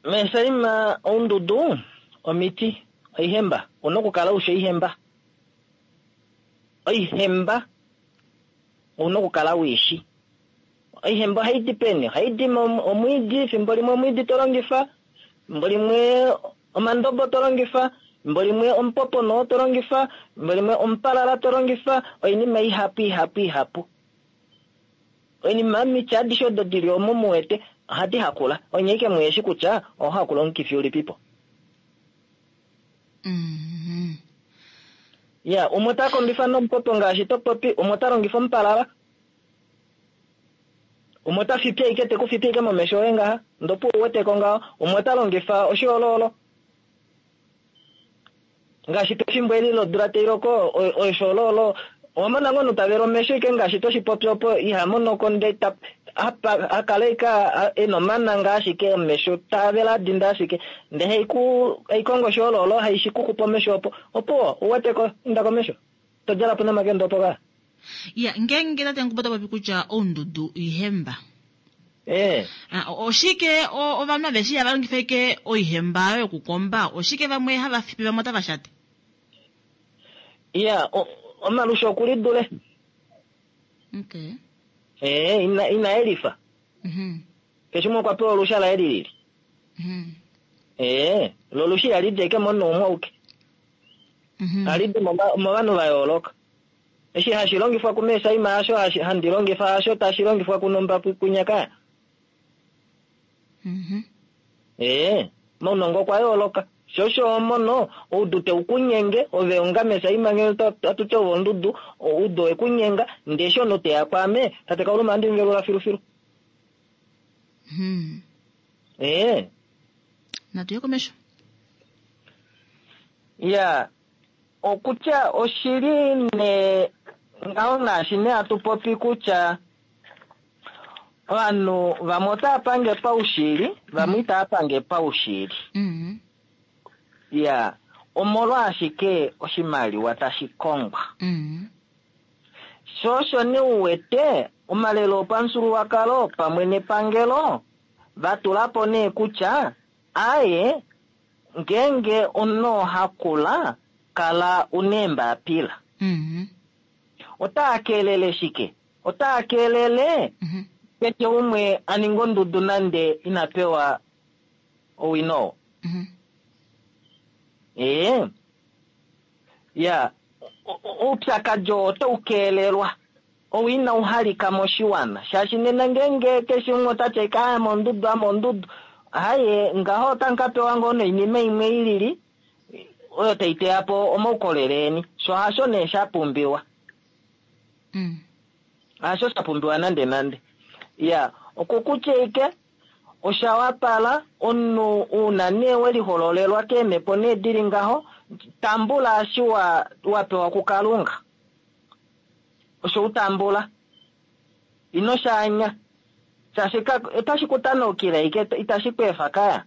[SPEAKER 6] Meesaima oundudu omiti oihemba una okukala ushi oihemba oihemba ouna okukala uishi oihemba ohai di peni ohai di omwiidi fimbo limwe omwiidi to longifa fimbo limwe omandobo to longifa fimbo limwe omupopono to longifa fimbo limwe omupalala to longifa oinima ihapu ihapu ihapu oinima omiti adishe odo dili omo muwete ohadi hakula onye ike muyeshi kutya oho hakula omukifi ulipipo. Ya umwe ota kombifa nomupopo ngaashi to popi umwe ota longifa omupalala umwe ota fipi ashike te ku fipi ashike momesho oye ngaha ndopo uweteko ngaho umwe ota longifa oshiololo ngaashi pefimbo eli lodula tai loko oshiololo owa mona ngoo omunhu ta vele omesho ashike ngaashi toshi popi opo iha monoko nde akala ashike ena omananga ashike omesho taavele adinda ashike nde haikongo oshiololo haishikukupa omesho opo opo uweteko inda komesho todjala po nomakende opo ka
[SPEAKER 1] Ya ngeenge tate Ngubo ta popi kutya oundudu oihemba. Oshike ovanhu aveshe ihava longifa ashike oihemba oyo yokukomba oshike vamwe hava fipi vamwe otava shate?
[SPEAKER 6] Ya omalusha okulidule.
[SPEAKER 1] Okay.
[SPEAKER 6] Ina elifa. Keshe umwe okwa pewa olusha laye lilili. Lo lusha ihali di ashike momunhu umwe auke. Ohali di movanhu va yooloka. Eshi hashi longifwa kumeesaima hasho handi longifa hasho tashi longifwa kunomba kunyakaya. Maunongo okwa yooloka. Shosho omono oudu te ukunyenge ove onga mesaima ngee atuti ove ondudu oudu wekunyenga ndee eshi omunhu teya kwaame tate Kauluma andi muvelula filufilu.
[SPEAKER 1] Natuye komesho.
[SPEAKER 6] Ya okutya oshili ne ngaho ngaashi ne hatu popi kutya ovanhu vamwe otava pange paushili vamwe itava pange paushili. Ya omolwashike oshimaliwa tashi kongwa. Sho osho ne uwete omalelo opamufyuululwakalo pamwe nepangelo vatulapo nee kutya aye ngeenge omunhu ohakula kala una eembapila. Otaa keelele shike? Otaa keelele keshe umwe a ninga ondudu nande ina pewa owino. Ya oupyakadi oo otau keelelwa ou ina uhalika moshiwana shaashi nena ngeenge keshe umwe otati ashike ame ondudu ame ondudu haye ngaho otamu ka pewa ngoo noinima imwe ilili oyo tai teya po omaukolele eni sho hasho nee sha pumbiwa. Hasho sha pumbiwa nande nande. Ya okukutya ike osha wapala omunhu una nee welihololelwa keemhepo nee dili ngaho tambula eshi wa pewa kuKalunga. Osho utambula ino shaanya shaashi otashi kutanaukile ike itashi ku efa kaya.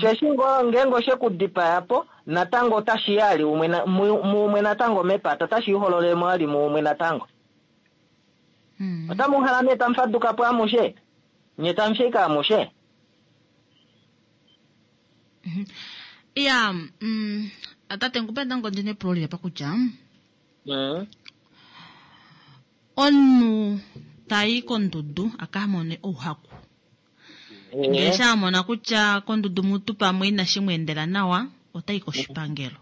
[SPEAKER 6] Sheshi ngeenge oshe kudipaya po natango otashi yali umwe muumwe natango mepata otashi ihololele mwali muumwe natango. Otamu hala nee tamu faduka po amushe nye tamu shika amushe.
[SPEAKER 1] Ya tate Ngubo natango ndina epulo lili apa kutya omunhu tayi kondudu aka mone ouhaku. Ngele sha mona kutya kondudu mutu pamwe inashi mu endela nawa otayi koshipangelo.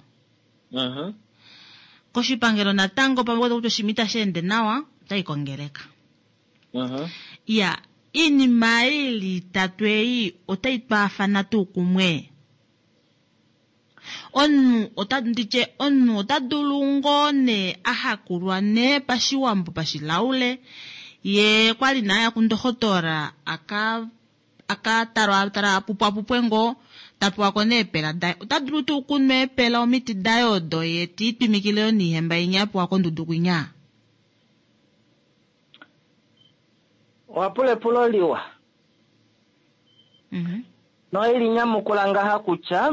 [SPEAKER 1] Koshipangelo natango pamwe kutya oshinima itashi ende nawa otayi kongeleka. Ya iinima ili itatu ei otai twaafana tuu kumwe. Omunhu ota nditye omunhu ota dulu ngoo nee ahakulwa nee pashiwambo pashilaule ye kwali naya kundohotola aka talwa tala apupwapupwe ngoo tapewa ko neepela daye ota dulu tuu kunwa eepela omiti daye odo ye tiitwimikile yo niihemba inya apewa kondudu kwinya.
[SPEAKER 6] Owapula epulo liwa. Noili nyamukula ngaha kutya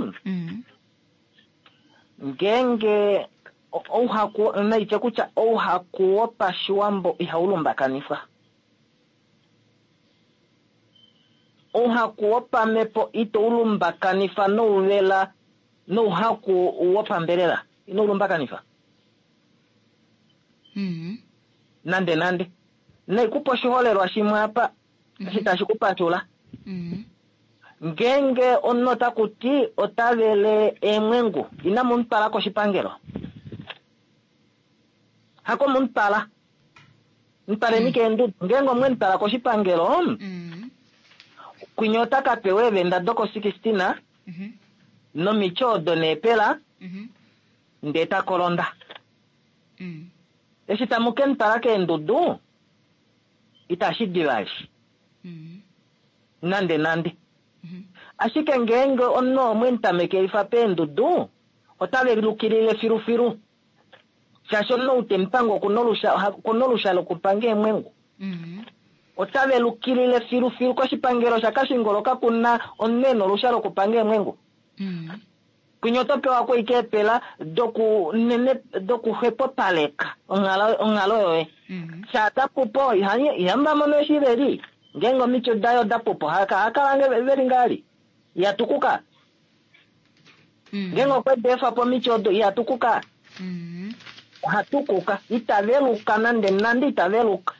[SPEAKER 6] ngeenge ouhaku naitye kutya ouhaku wopashiwambo ihau lumbakanifwa. Ouhaku wopamhepo ito u lumbakanifa nouvela nouhaku wopambelela. Ino u lumbakanifa. Nande nande. Naikupa oshiholelwa shimwe apa eshi tashi ku patula. Ngeenge omunhu ota kuti ota vele eemwengu, inamu mu twala koshipangelo. Hako mu twala. Mu twaleni keendudu. Ngeenge omwe mu twala koshipangelo, kwinya ota ka pewa eevenda doko-16 nomiti odo neepela, ndee ta kolonda. Eshi tamu ke mu twala keendudu, itashi di vali. Nande nande. Ashike ngeenge omunhu omwe mu tamekelifa peendudu, ota velukilile filufilu. Shaashi omunhu ou te mu pange okuna olusha lokupanga eemwengu. Ota velukilile filufilu koshipangelo shaKashingolo kakuna omunhu e na olusha lokupanga eemwengu. Kwinya oto pewa ko ashike eepela dokuxwepopaleka onghalo yoye. Shaa ta pupo, ihamu va mono eshi ve li. Ngeenge omiti daye oda pupo, ohakala ve li ngaali. Iha tukuka. Ngeenge okwe di efa po omiti odo, iha tukuka. Oha tukuka. Ita veluka nande nande ita veluka.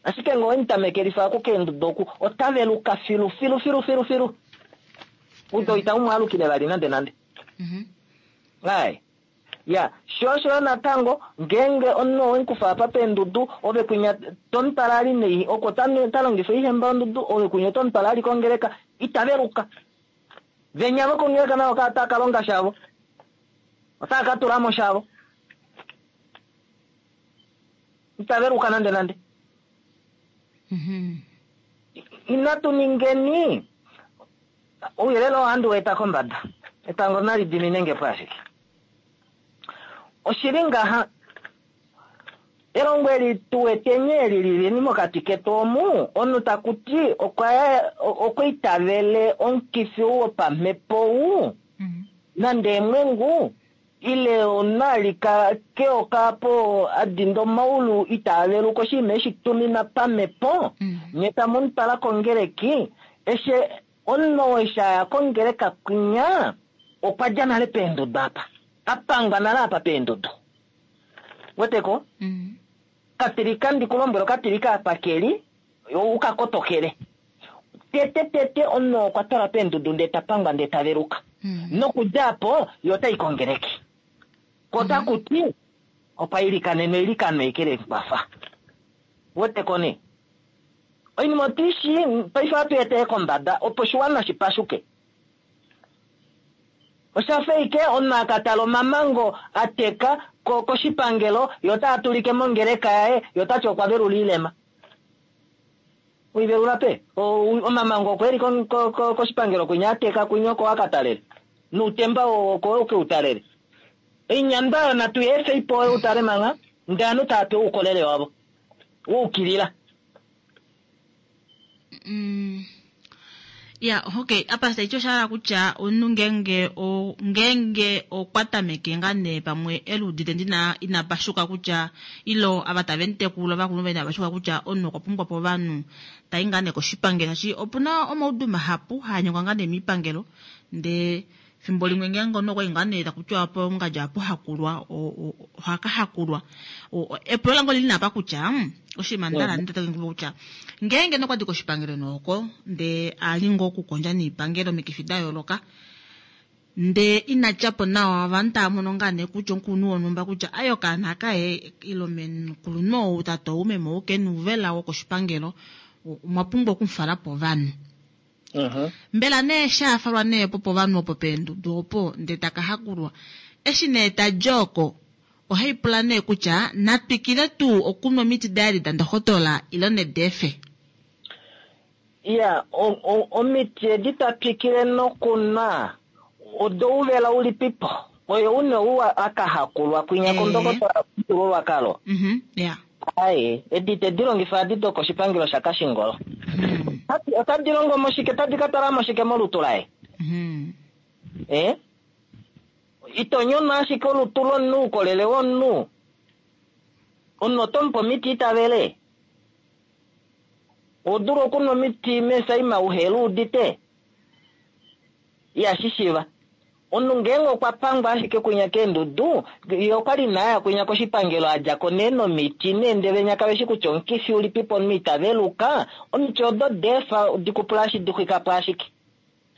[SPEAKER 6] Ashike ngee owe mu tamekelifa oku keenduda oku, ota veluka filu filu filu filu filu. Udo ita mu alukile vali nande nande. Ai. Ya, sho osho yo natango ngeenge omunhu owe mu kufa apa peendudu, ove kwinya to mu twala ali nei, oko ta longifa oihemba yondudu, ove kwinya oto mu twala ali kongeleka, ita veluka. Venya vokongeleka navo ka otava ka longa shavo. Otava ka tula mo shavo. Ita veluka nande nande. Inatu ningeni ouyelele oo ohandi u eta kombada. Etango nali dimine nge po ashike. Oshili ngaha, elongo eli tu weteni eli lilini mokati ketu omu, omunhu taku ti okwa itavele omukifi ou wopamhepo ou, nande eemwengu, ile omunhu a lika keyoka apo a dinda omaulu itaa veluka oshinima eshi tumina pamhepo, nye tamu mu twala kongeleki, eshi omunhu oo eshi a ya kongeleka kwinya, okwa dja nale peendudu apa. A pangwa nale apa peendudu. Weteko? Katilika ndi ku lombwele, okatilika apa ke li, u ka kotokele. Tete tete omunhu oo okwa twalwa peendudu ndee ta pangwa ndee ta veluka. Nokudja apo, ye ota i kongeleki. Ko otaku ti, okwa ilikanenwa eilikano eke le mu kwafa. Weteko nee? Oinima otu i shii, paife ohatu i etele kombada opo oshiwana shi pashuke. Osha fa ashike omunhu a ka tala omamango a teka ko koshipangelo, ye otaa tulike mongeleka yaye, ye ota ti okwa velula oilema. Oivelula pe? Omamango oko e li koshipangelo kwinya a teka kwinya oko a ka talele. Noutemba oo oko e ke u talele. Oinyandwa oyo natu i efe ipo oyo u tale mangha, ndee ovanhu tava pewa oukolele wavo wa ukilila.
[SPEAKER 1] Ya, okay, apa taiti osha hala kutya omunhu ngeenge o ngeenge okwa tameke ngaa nee pamwe e luudite ndina ina pashuka kutya ilo ava tave mu tekula ovakulunhu vaye inava pashuka kutya omunhu okwa pumbwa po ovanhu tai ngaa nee koshipangelo shaashi opuna omaudu mahapu haa nyengwa ngaa nee miipangelo ndee fimbo limwe ngeenge omunhu okwa i ngaa nee taku tiwa pongadja ohapu hakulwa oha ka hakulwa. Epulo lange olili nee apa kutya oshinima nda hala nditete kutya ngeenge nokwa di koshipangelo nooko ndee a li ngoo okukondja niipangelo omikifi da yooloka ndee ina dja po nawa ovanhu tava mono ngaa nee kutya omukulunhu wonhumba kutya ai okaana kaye ile omukulunhu ou tate ou meme ou ke na ouvela wokoshipangelo omwa pumbwa okumufala povanhu. Mbela nee eshi a falwa nee opo povanhu opo peendudu opo ndee taka hakulwa, eshi nee ta di oko ohai pula nee kutya na twikile tuu okunwa omiti daye edi dandohotola ile nedi efe?
[SPEAKER 6] Iya, omiti edi ta twikile nokunwa odouvela ulipipo? Oye une ou a ka hakulwa kwinya kondokotola yomufyuululwakalo? Aye, edi te di longifa adi dokoshipangelo shaKashingolo. Otadi longo moshike, tadi ka twala moshike molutu laye? Eh? Ito nyono ashike olutu lomunhu, oukolele womunhu. Omunhu oto mupe omiti itavele. Oho dulu okunwa omiti meesaima uheli udite. Ihashi shiva. Omunhu ngeenge okwa pangwa ashike kwinya keendudu, ye okwa li naaya kwinya koshipangelo a dja ko nee nomiti nee ndele venya kave shi kutya omukifi ulipipo omunhu ita veluka, omiti odo deefa dikupula ashi di xwika po ashike.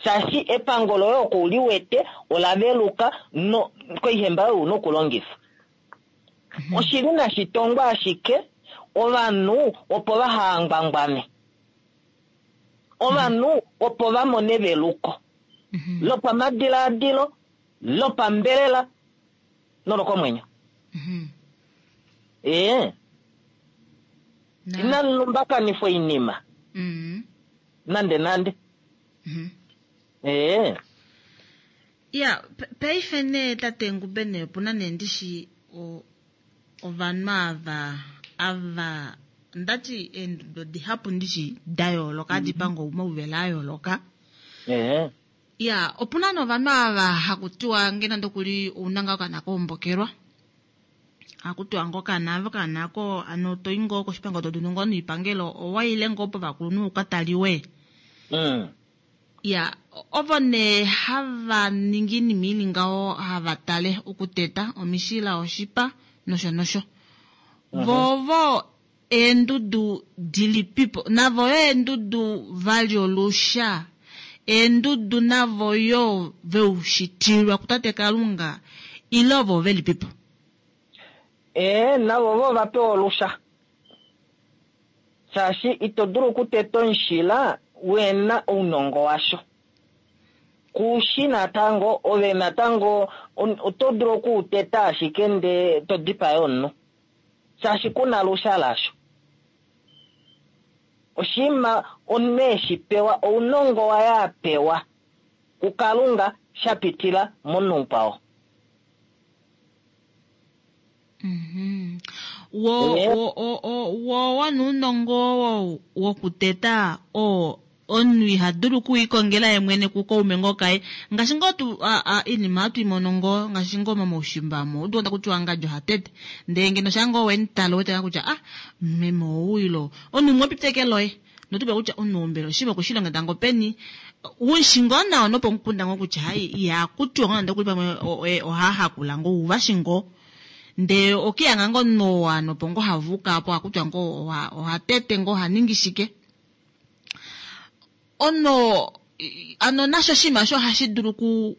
[SPEAKER 6] Shaashi epango loye oko uli wete ola veluka no koihemba oyo una okulongifa. Oshili nashi tongwa ashike ovanhu opo vaha ngwangwane. Ovanhu opo va mone eveluko lopamadilaadilo, lopambelela nolokomwenyo. Ee. Inamu lumbakanifwa oinima nande nande. Ee.
[SPEAKER 1] Ya, paife nee tate Ngube nee opuna nee ndishi ovanhu ava ava ndati eendudu dihapu ndishi da yooloka hadi panga omauvela a yooloka. Ya, opuna nee ovanhu ava haku tiwa ngee nande okuli ouna ngaa okaana kaombokelwa. Haku tiwa ngoo okaana ava okaana ako ano toyi ngoo koshipangelo to dulu ngoo noipangelo owaile ngoo povakulunhu uka taliwe. Ya, ovo nee hava ningi iinima ili ngaho hava tale okuteta omishila oshipa nosho nosho. Vo ovo eendudu dilipipo navo yo eendudu vali olusha eendudu navo yo veushitilwa kutate Kalunga ile ovo velipipo?
[SPEAKER 6] Ee, navo vo va pewa olusha. Shaashi ito dulu okuteta omushila wena ounongo washo. Kushi natango, ove natango oto dulu okuuteta ashike nde to dipaya omunhu. Shaashi kuna lusha lasho. Oshinima omunhu eshi pewa, ounongo waye a pewa kuKalunga sha pitila momunhu mukwao.
[SPEAKER 1] Wo wo wo nuunongo wo wokuteta oo omunhu iha dulu okuikongela ye mwene kukaume ngoo kaye ngaashi ngoo tu iinima hatu i mono ngoo ngaashi ngoo momaushimba mo udu taku tiwa ngadi oha tete ndele ngeno shaa ngoo wemutala wete ngaa kutya ah meme ou ilo omunhu umwe opita eke loye notupe kutya omunhu ou mbela oshinima okwe shi longekida ngoo peni ushi ngoo nawa nopomukunda ngoo kutya hai iha kutiwa ngoo nande okuli pamwe oha hakula ngoo uvashi ngoo ndee okiyanga ngoo nowa nopo ngoo havuka apo hakutiwa ngoo oha tete ngoo oha ningi shike ono ano nasho oshinima osho ohashi dulu ku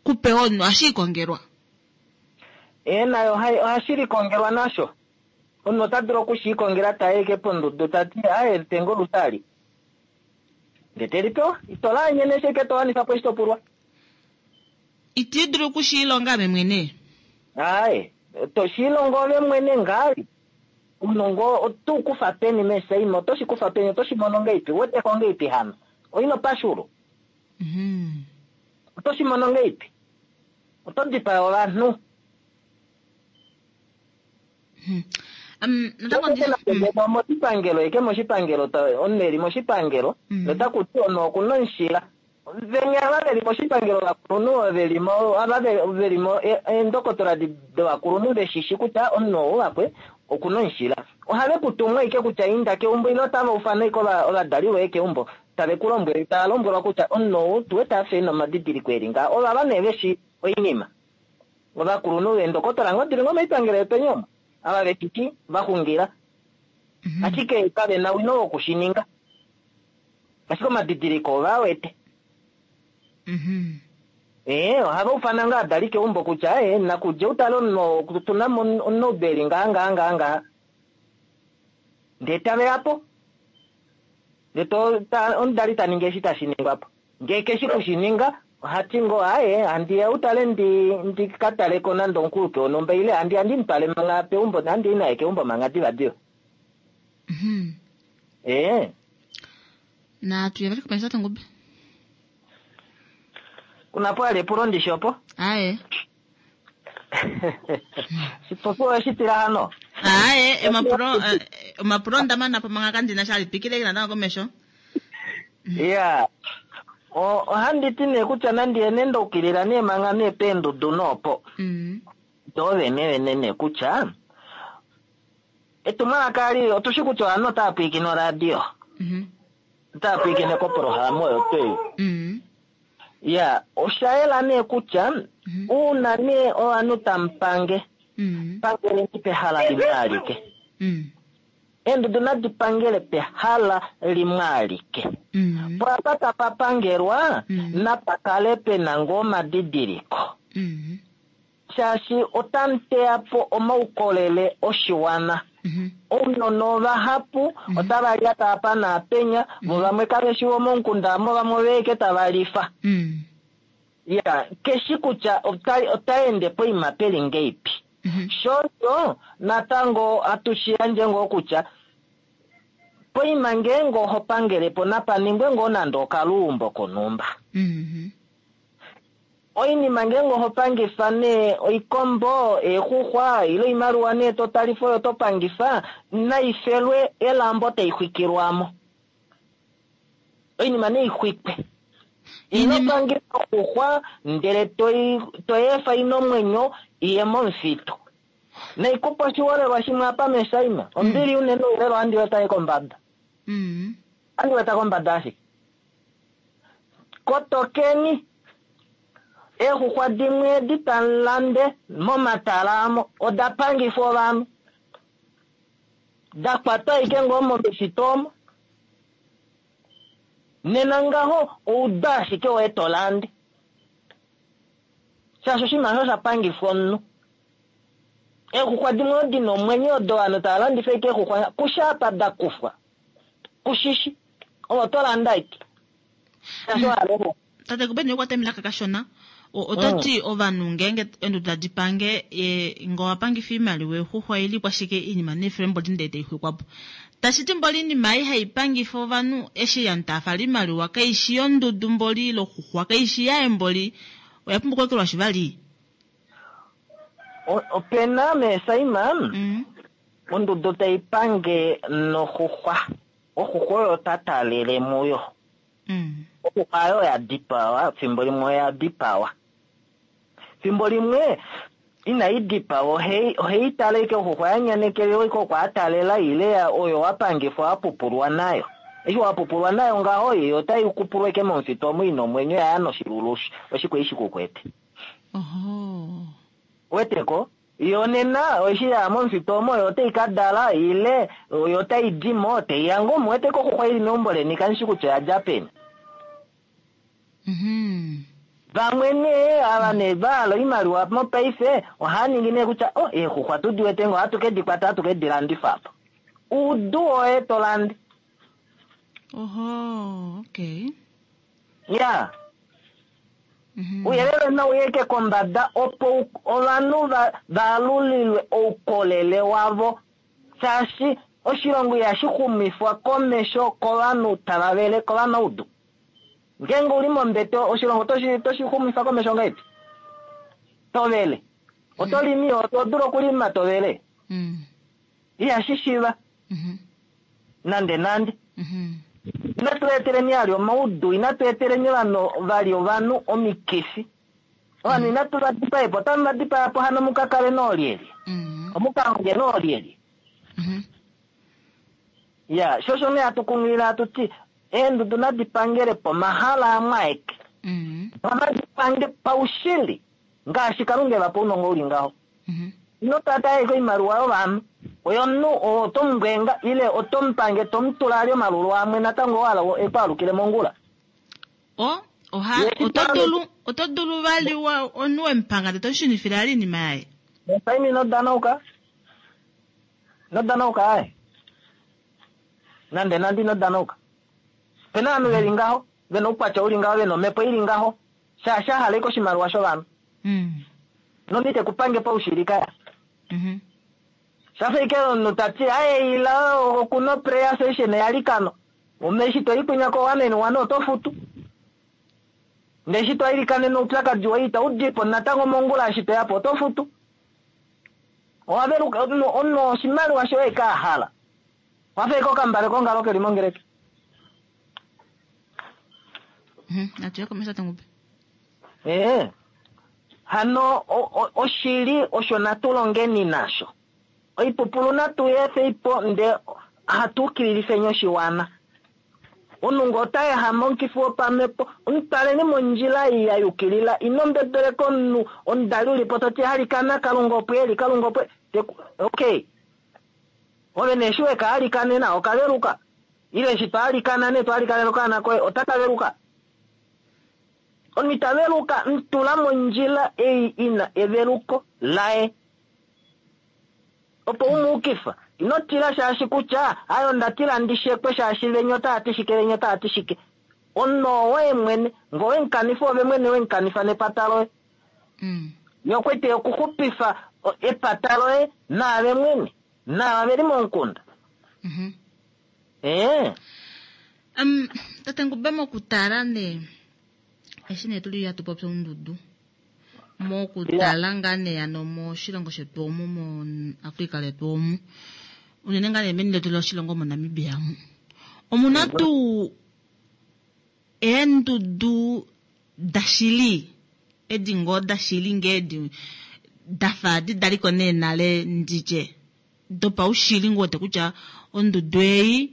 [SPEAKER 1] kupewa omunhu ohashi ikongelwa.
[SPEAKER 6] Ee nayo ohashi likongelwa nasho. Omunhu ota dulu okushiikongela ta eke pondudu ta ti aye litenge olusali. Nge te li pewa, ito laanyene sheke to wanifa po eshi to pulwa.
[SPEAKER 1] Iti dulu okushiilonga ame mwene.
[SPEAKER 6] Aye, to shiilongo ove mwene ngali. Omunongo oto u kufa peni mesaima, oto shi kufa peni, oto shi mono ngeipi, wete ko ngeipi hano? Oino pashulu. Oto shi mono ngeipi? Oto dipaya ovanhu. Moshipangelo eke moshipangelo omunhu eli moshipangelo notaku ti omunhu okuna omushila venya ava veli moshipangelo ovakulunhu velimo ava velimo eendokotola dovakulunhu veshishi kutya omunhu ou vakwe okuna omushila ohave ku tumu eke kutya inda keumbo ile otava ufana eke ovadali voye keumbo tave ku lombwele tava lombwelwa kutya omunhu ou tuwete afa ena omadidiliko eli ngaa ovava nee veshi oinima Ovakulunhu veendokotola ngoo dili ngoo moipangelo yopeni omo, ava veshiti va xungila, ashike kave na owino woku shi ninga. Ashike omadidiliko ove a wete. Ee, ohava ufana ngaa adali keumbo kutya ee, nakudje utale omunhu oo, otu na mo omunaudu eli ngaha ngaha ngaha ngaha. Ndee tave ya po. Ndee to, ta, omudali ta ningi eshi tashi ningwa po. Ngee keshi kushininga, oha ti ngoo, Aaye, handi ya utale ndi, ndi ka tale ko nande omukulupe wonhumba, ile handi ya ndi mu twale mangha peumbo, handi i naye keumbo mangha divadiva. Ee.
[SPEAKER 1] Natu ye vali komesho tate Ngube.
[SPEAKER 6] Kuna po ali epulo ndishi opo?
[SPEAKER 1] Aaye.
[SPEAKER 6] Shipopiwa owe shi tila hano?
[SPEAKER 1] Aaye, omapulo, omapulo onda mana po mangha kandina sha ali twikile natango komesho.
[SPEAKER 6] Ya, ohandi ti nee kutya nandi ye nee ndaukilila nee manga nee peendudu noopo. Do vene vene nee kutya etumwalaka ali otushi kutya ovanhu otava pwilikine oradio. Otava pwilikine kopolohalama oyo tuu ei. Ya, osha yela nee kutya uuna nee ovanhu tamu pange, pangeleni pehala limwe alike. Eendudu nadi pangele pehala limwe alike. Po apa tapa pangelwa, napa kale pe na ngoo omadidiliko. Shaashi otamu teya po omaukolele oshiwana. Ounona ovahapu otava lyata apa naapenya, vo vamwe kave shi vomomukunda omo, vamwe ove eke tava lifa. Ya, keshi kutya ota ende poima peli ngeipi. Shosho natango atushi yandje ngoo kutya poima ngeenge oho pangele po napa ningwe ngoo nande okaluumbo konhumba. Oinima ngeenge oho pangifa nee oikombo, eexuxwa ile oimaliwa nee to talifa oyo to pangifa, naifelwe elambo tai xwikilwa mo. Oinima nei xwikwe. Ino pangifa oxuxwa ndele to efa ina omwenyo iye momufitu. Naikupa oshiholelwa shimwe apa meshaima. Ombili unene oulelo ohandi weta ye kombada. Ohandi weta kombada ashike. Kotokeni, eexuxwa dimwe edi tamu lande momatala amo oda pangifwa ovanhu. Da kwatwa ashike ngoo momifitu omo. Nena ngaho ouda ashike woye to lande. Shaashi oshinima osho osha pangifwa omunhu. Eexuxwa dimwe odi na omwenyo odo ovanhu tava landifa ashike eexuxwa kusha apa da kufwa. Kushishi. Ove oto landa ashike. Shaashi owa hala eexuxwa.
[SPEAKER 1] Tate Kubeni okwa temela kakashona. Oto ti ovanhu ngeenge eenduda di pange, ye ngee owa pangifa oimaliwa exuxwa ili kwashike oinima neefele mboli ndee tai xwikwa po. Tashi ti mboli oinima ei hai pangifa ovanhu eshi ovanhu tava fala oimaliwa kaishi yondudu mboli ile oxuxwa kaishi yaye mboli oya pumbwa okweekelwashi vali.
[SPEAKER 6] Opena meesaima ondudu tai pange noxuxwa. Oxuxwa oyo ta talele muyo. Oxuxwa oyo ya dipawa, fimbo limwe oya dipawa. Fimbo limwe inai dipawa, ohei tale ike oxuxwa ya nyanekelelwa ike okwa talela ile oyo wa pangifwa wa pupulwa nayo. Eshi wa pupulwa nayo ngaho, yo otai kupulwa ike momufitu omo ina omwenyo ya ya noshilulu oshikwe ishi kukwete. Weteko? Yo nena eshi ya momufitu omo yo otai ka dala ile yo otai di mo tai ya ngoo muwete ko oxuxwa ili meumbo leni kandishi kutya oya dja peni. Vamwe nee ava nee va hala oimaliwa mopaife ohava ningi nee kutya oh, eexuxwa tu di wete ngoo ohatu ke di kwata ohatu ke di landifa po. Uudu woye to lande.
[SPEAKER 1] Oho, okay.
[SPEAKER 6] Ya. Ouyelele nau yeke kombada opo ovanhu va alulilwe oukolele wavo, shaashi oshilongo ihashi xumifwa komesho kovanhu tava vele kovanaudu. Ngeenge uli mombete oshilongo otoshi xumifa komesho ngahelipi? To vele. Oto limi, oto dulu okulima to vele. Ihashi shiva. Nande nande. Inatu eteleni vali omaudu, inatu eteleni ovanhu vali ovanhu omikifi. Ovanhu inatu va dipae po, otamu va dipaya po hano muka kale noolyelye. Omuka honge noolyelye. Ya, sho osho nee hatu kunghilila hatu ti eendudu nadi pangele pomahala amwe aeke. Nadi pange paushili ngaashi Kalunga e va pa ounongo uli ngaho. Ino tata ashike oimaliwa yovanhu. Oyo omunhu oo oto mu mbwenga ile oto mu pange to mu tula ali omalulu amwe natango wa hala e ku alukile mongula.
[SPEAKER 1] O, oha, oto dulu, oto dulu vali wa, omunhu we mu panga ndele to mu shunifile ali oinima yaye.
[SPEAKER 6] Saimi ino danauka. Ino danauka aye. Nande nande ino danauka. Opena ovanhu ve li ngaho, ve na oukwatya u li ngaho, ve na omhepo i li ngaho, shaashi a hala ashike oshimaliwa shovanhu. Nonde ite ku pange paushili kaya. Shafa ashike omunhu ta ti, aye ila oku na prayer session yalikano. Ome eshi to i kwinya ko one and one oto futu. Ndele eshi to ilikanene oupyakadi woye itau di po natango mongula eshi to ya po oto futu. Owa veluka, omunhu oshimaliwa shoye ka hala. Wafa ashike okambale kongalo keli mongeleki.
[SPEAKER 1] Natu komesho tate Ngube.
[SPEAKER 6] Ee. Hano oshili osho natu longeni nasho. Oipupulu natu yefe ipo nde hatu ukililifeni oshiwana. Omunhu ota yehama omukifi wopamhepo, omutaleni mondjila ei ya yukilila, ino mbebeleka omunhu omudali ulipo toti alikana Kalunga opo eli, Kalunga opo okay. Ove nee eshi weka alikanena okaveluka. Ile eshi to alikana nee to alikanena okaana koye otaka veluka. Omunhu ita veluka, mutula mondjila ei ina eveluko laye. Opo umuukifa. Ino tila shaashi kutya ayo nda tila ndi shekwe shaashi venya otava ti shike, venya otava ti shike. Omunhu owoye mwene, ngee owemukanifa ove mwene wemukanifa nepata loye. Ye okwete okuxupifa epata loye naave mwene, naava veli momukunda.
[SPEAKER 1] Tate Ngube mokutala nee eshi nee tuli hatu popi oundudu, mokutala ngaa nee hano moshilongo shetu omu, moAfrica letu omu, unene ngaa nee meni letu loshilongo moNamibia omu, omuna tuu eendudu dashili, edi ngoo dashili ngee edi dafa adi daliko nee nale nditye dopaushili ngoo wete kutya ondudu ei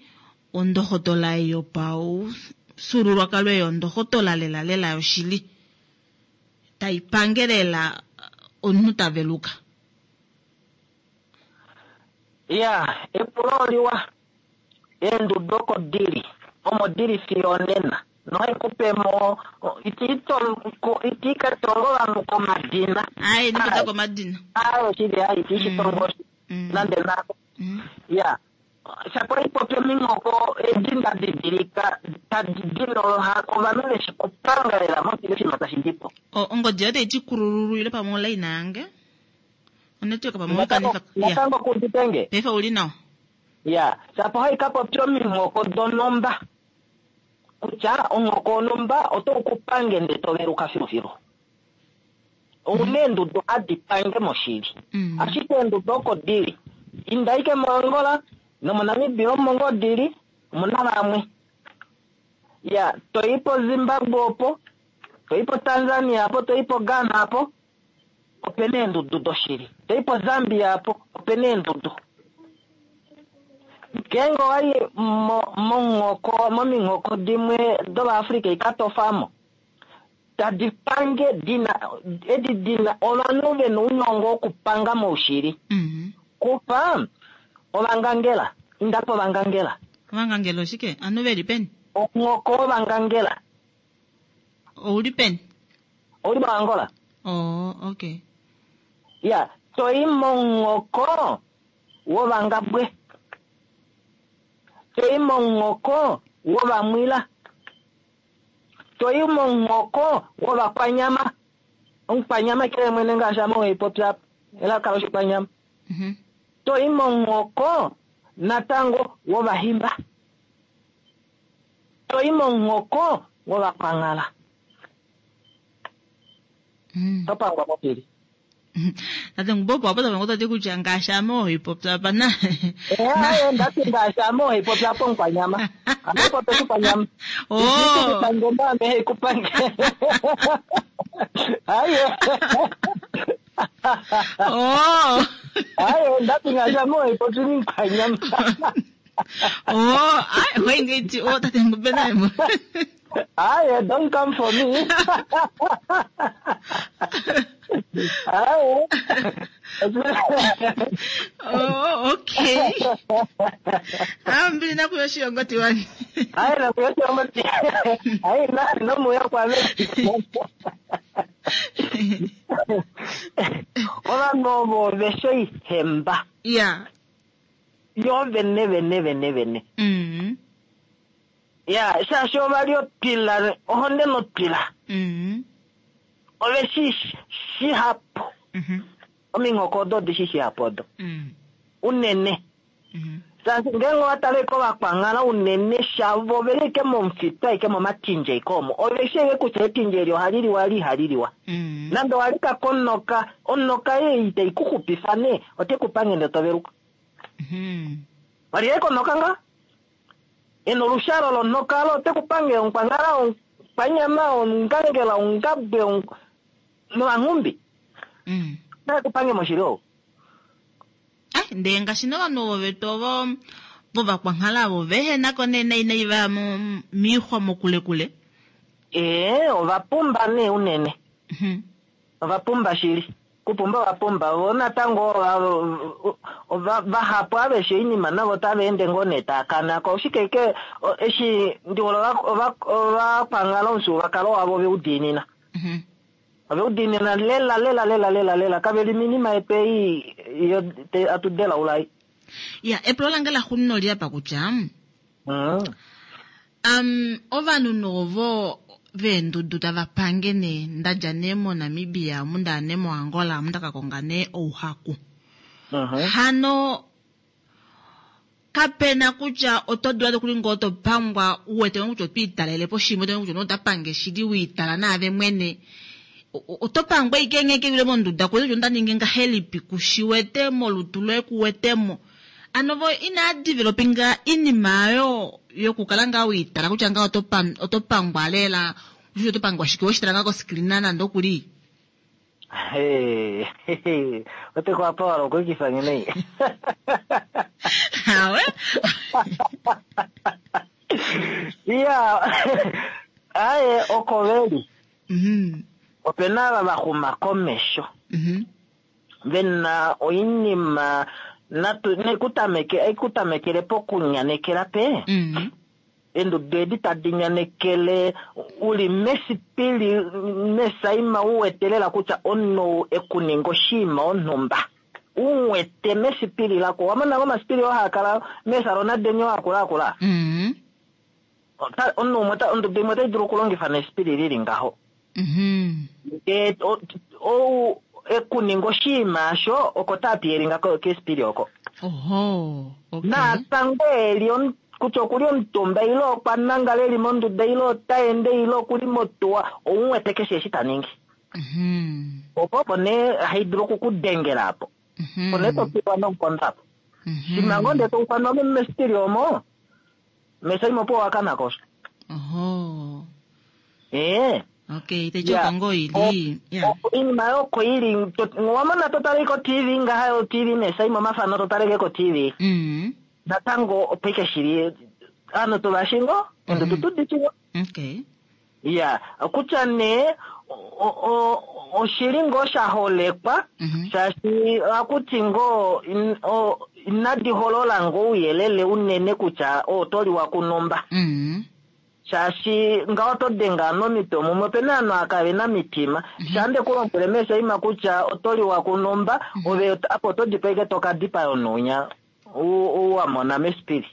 [SPEAKER 1] ondohotola ei yopaufyuululwakalo ei ondohotola lela lela yoshili tai pange lela omunhu ta veluka.
[SPEAKER 6] Ya, epulo oliwa. Eendudu oko dili, omo dili fiyo onena. Nohai kupemo iti ka tongo ovanhu komadina.
[SPEAKER 1] Ai, nipota komadina.
[SPEAKER 6] Ai, oshili ai, iti shitongo nande nako. Ya. Shapo ipopi ominghoko edi nda didilika tadi dina ovanhu veshi kupanga lela moshili oshinima tashi dipo.
[SPEAKER 1] Ongodi yoye taiti kulululu ile pamwe online yange? Onetwork pamwe wakanifa.
[SPEAKER 6] Natango kuditenge.
[SPEAKER 1] Paife uli nawa.
[SPEAKER 6] Ya, shapo hai kapopi ominghoko donomba. Kutya onghoko onomba oto kupange nde toveluka filufilu. Ouna eendudu hadi pange moshili. Ashike eendudu oko dili. Inda ike moAngola nomoNamibia omo ngoo dili, omuna vamwe. Ya, toi po Zimbabwe opo, toi po Tanzania apo, toi po Ghana apo, opena eendudu doshili. Toi po Zambia apo, opena eendudu. Ngeenge owayi mominghoko dimwe dOvaafrika ikatofamo, tadi pange dina, edi dina ovanhu vena ounongo wokupanga moushili. Kufa ovangangela, inda po ovangangela.
[SPEAKER 1] Ovangangela oshike? Anu veli peni?
[SPEAKER 6] Onghoko wovangangela.
[SPEAKER 1] Ouli peni?
[SPEAKER 6] Ouli moAngola.
[SPEAKER 1] Oh, okay.
[SPEAKER 6] Ya, toi monghoko wovangabwe. Toi monghoko wovamwila. Toi monghoko wovakwanyama. Omukwanyama kele mwene ngaashi ame weipopya elaka loshikwanyama. Toi monghoko natango wovahimba. Toi monghoko wovakwanghala. Topangwa mopili.
[SPEAKER 1] Tate Ngube opo apo tavango tati kutya ngaashi ame oipopya apa na.
[SPEAKER 6] Aye, ndati ngaashi ame oipopya apo omukwanyama. Ame oipopya oshikwanyama. Ikupange mba ame heikupange. Aye. Aye, ndati ngaashi ame oipopya omukwanyama.
[SPEAKER 1] Oh, aye, wengeti, oh, tate Ngube naye mo.
[SPEAKER 6] Aye, don't come for me. Aye.
[SPEAKER 1] Oh, okay. Ambili nakuyoshiongo tiwani.
[SPEAKER 6] Aye, nakuyoshiongo tiwani. Aye, na nomuya kwame. Ovanhu ovo veshe ihemba.
[SPEAKER 1] Yeah.
[SPEAKER 6] Yo vene vene vene vene. Ya, shaashi ova li otwila, ohonde notwila. Ove shi shihapu. Ominghoko odo odi shi shihapu odo. Unene. Shaashi ngeenge owa tale kovakwanghala unene shavo ove li ike momufitu aike momatindje ike omo. Ove shi ike kutya etindje eli ohali liwa li ihali liwa. Nande owa lika konoka, onoka ei itai ku xupifa nee, ote ku pange ndele to veluka. Wali ike konoka ngaa? Ena olushalo lonoka olo ote ku pange omukwanghala. Omukwanyama, Omungangela, Omungabwe nOvanghumbi. Otae ku pange moshili ou.
[SPEAKER 1] Ndee ngaashi novanhu ovo vetu ovo vovakwankala ovo vehe nako nee nai nai vaya miixwa mokulekule.
[SPEAKER 6] Ee, ova pumba nee unene. Ova pumba shili. Kupumba ova pumba. Vo natango vahapu aveshe oinima navo otava ende ngoo nee taa kana ko. Oshike ke eshi ndi hole ovakwankala omufyuululwakalo wavo ve u diinina. Ove u diinina lela lela lela lela lela. Kave li minima yetu ei yo atu delaula ei.
[SPEAKER 1] Ya, epulo lange la xuunina oli apa kutya, ovanhu novo veendudu tava pange nee, nda dja nee moNamibia, omu nda ya nee moAngola, omu nda ka konga nee ouhaku. Hano, kapena kutya oto dula nokuli ngoo to pangwa u wete ngoo kutya oto italele po shimwe, oto kutya ota pange shili we itala naave mwene. Oto pangwa ike nghee ke wile monduda kuwete kutya onda ningi ngahelipi, ku shi wete molutu loye ku wetemo. Ano vo inaa developinga inima oyo yokukala ngaa wiitala kutya ngaa oto pangwa lela, kutya oto pangwa shike, weshi tala ngaa koscreen nande okuli.
[SPEAKER 6] Ote ku apa wala okuikifa nge nei.
[SPEAKER 1] Awe?
[SPEAKER 6] Iya, aye oko veli. Opena ava va xuma komesho. Vena oinima natu nekutameke ekutamekele pokunyanekela pe. Endudu edi tadi nyanekele uli mesipili mesaima u wete lela kutya omunhu ekuninga oshinima onhumba. U wete mesipili lako. Wa mona omasipili oo haa kala meesalona deni oo akula akula? Omunhu umwe ondudu imwe otai dulu okulongifa nesipili lili ngaho. Ou ekuninga oshinima asho oko taa piyelinga kesipili oko.
[SPEAKER 1] Oho, okay.
[SPEAKER 6] Natango eli kutya okuli omutumba ile okwa nangala eli monduda ile ota ende ile okuli motuwa, ou wete keshe eshi ta ningi. Opo opo nee hai dulu okukudengela apo. Opo nee to piwa nomukondo apo. Shimha ngoo ndee to ufanwa mesipili omo, mesaima opo wa kana ko.
[SPEAKER 1] Oho.
[SPEAKER 6] Ee.
[SPEAKER 1] Okay, te choka ngoo ili. Yeah.
[SPEAKER 6] Oinima yoko ili, wa mona to tale ko TV ngaha yo TV mesaima omafano to taleke ko TV. Natango opo ike shili ovanhu tuvashingo, endudu tudishingo.
[SPEAKER 1] Okay.
[SPEAKER 6] Ya, kutya nee oshili ngoo sha holekwa, shaashi ohakuti ngoo inadi holola ngoo ouyelele unene kutya oto liwa kunumba. Shaashi ngaho oto denga nomitwe mumwe, opena ovanhu ava kave na mitima. Sha nde ku lombwele meeshaima kutya oto liwa kunumba, ove apo oto dipa ike to ka dipaya onunya wa mona mesipili.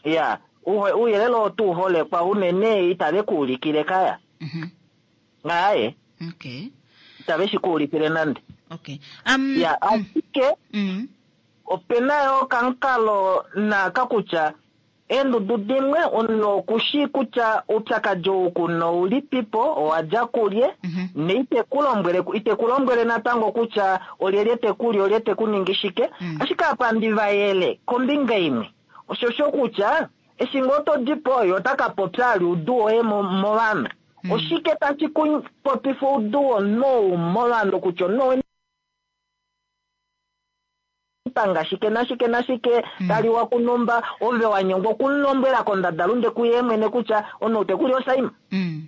[SPEAKER 6] Ya, ouyelele oo tuu holekwa unene itave ku ulikile kaya. Aye.
[SPEAKER 1] Okay.
[SPEAKER 6] Itave shi ku ulikile nande.
[SPEAKER 1] Okay.
[SPEAKER 6] Ya, ashike opena yo okamukalo naaka kutya eendudu dimwe omunhu okushi kutya oupyakadi ou kuna oulipipo, owa dja kulye, neite ku lombwele, ite ku lombwele natango kutya olyelye te ku li, olye te ku ningi shike. Ashike apa ndi vayele kombinga imwe, oshosho kutya eshi ngoo to di po, ye ota ka popya ali oudu woye movanhu. Oshike tashi ku popifa oudu womunhu ou movanhu kutya omunhu owe panga shike nashike nashike, taliwa kunumba, ove wa nyengwa okumulombwela kondadalunde kuye mwene kutya omunhu te ku li osaima.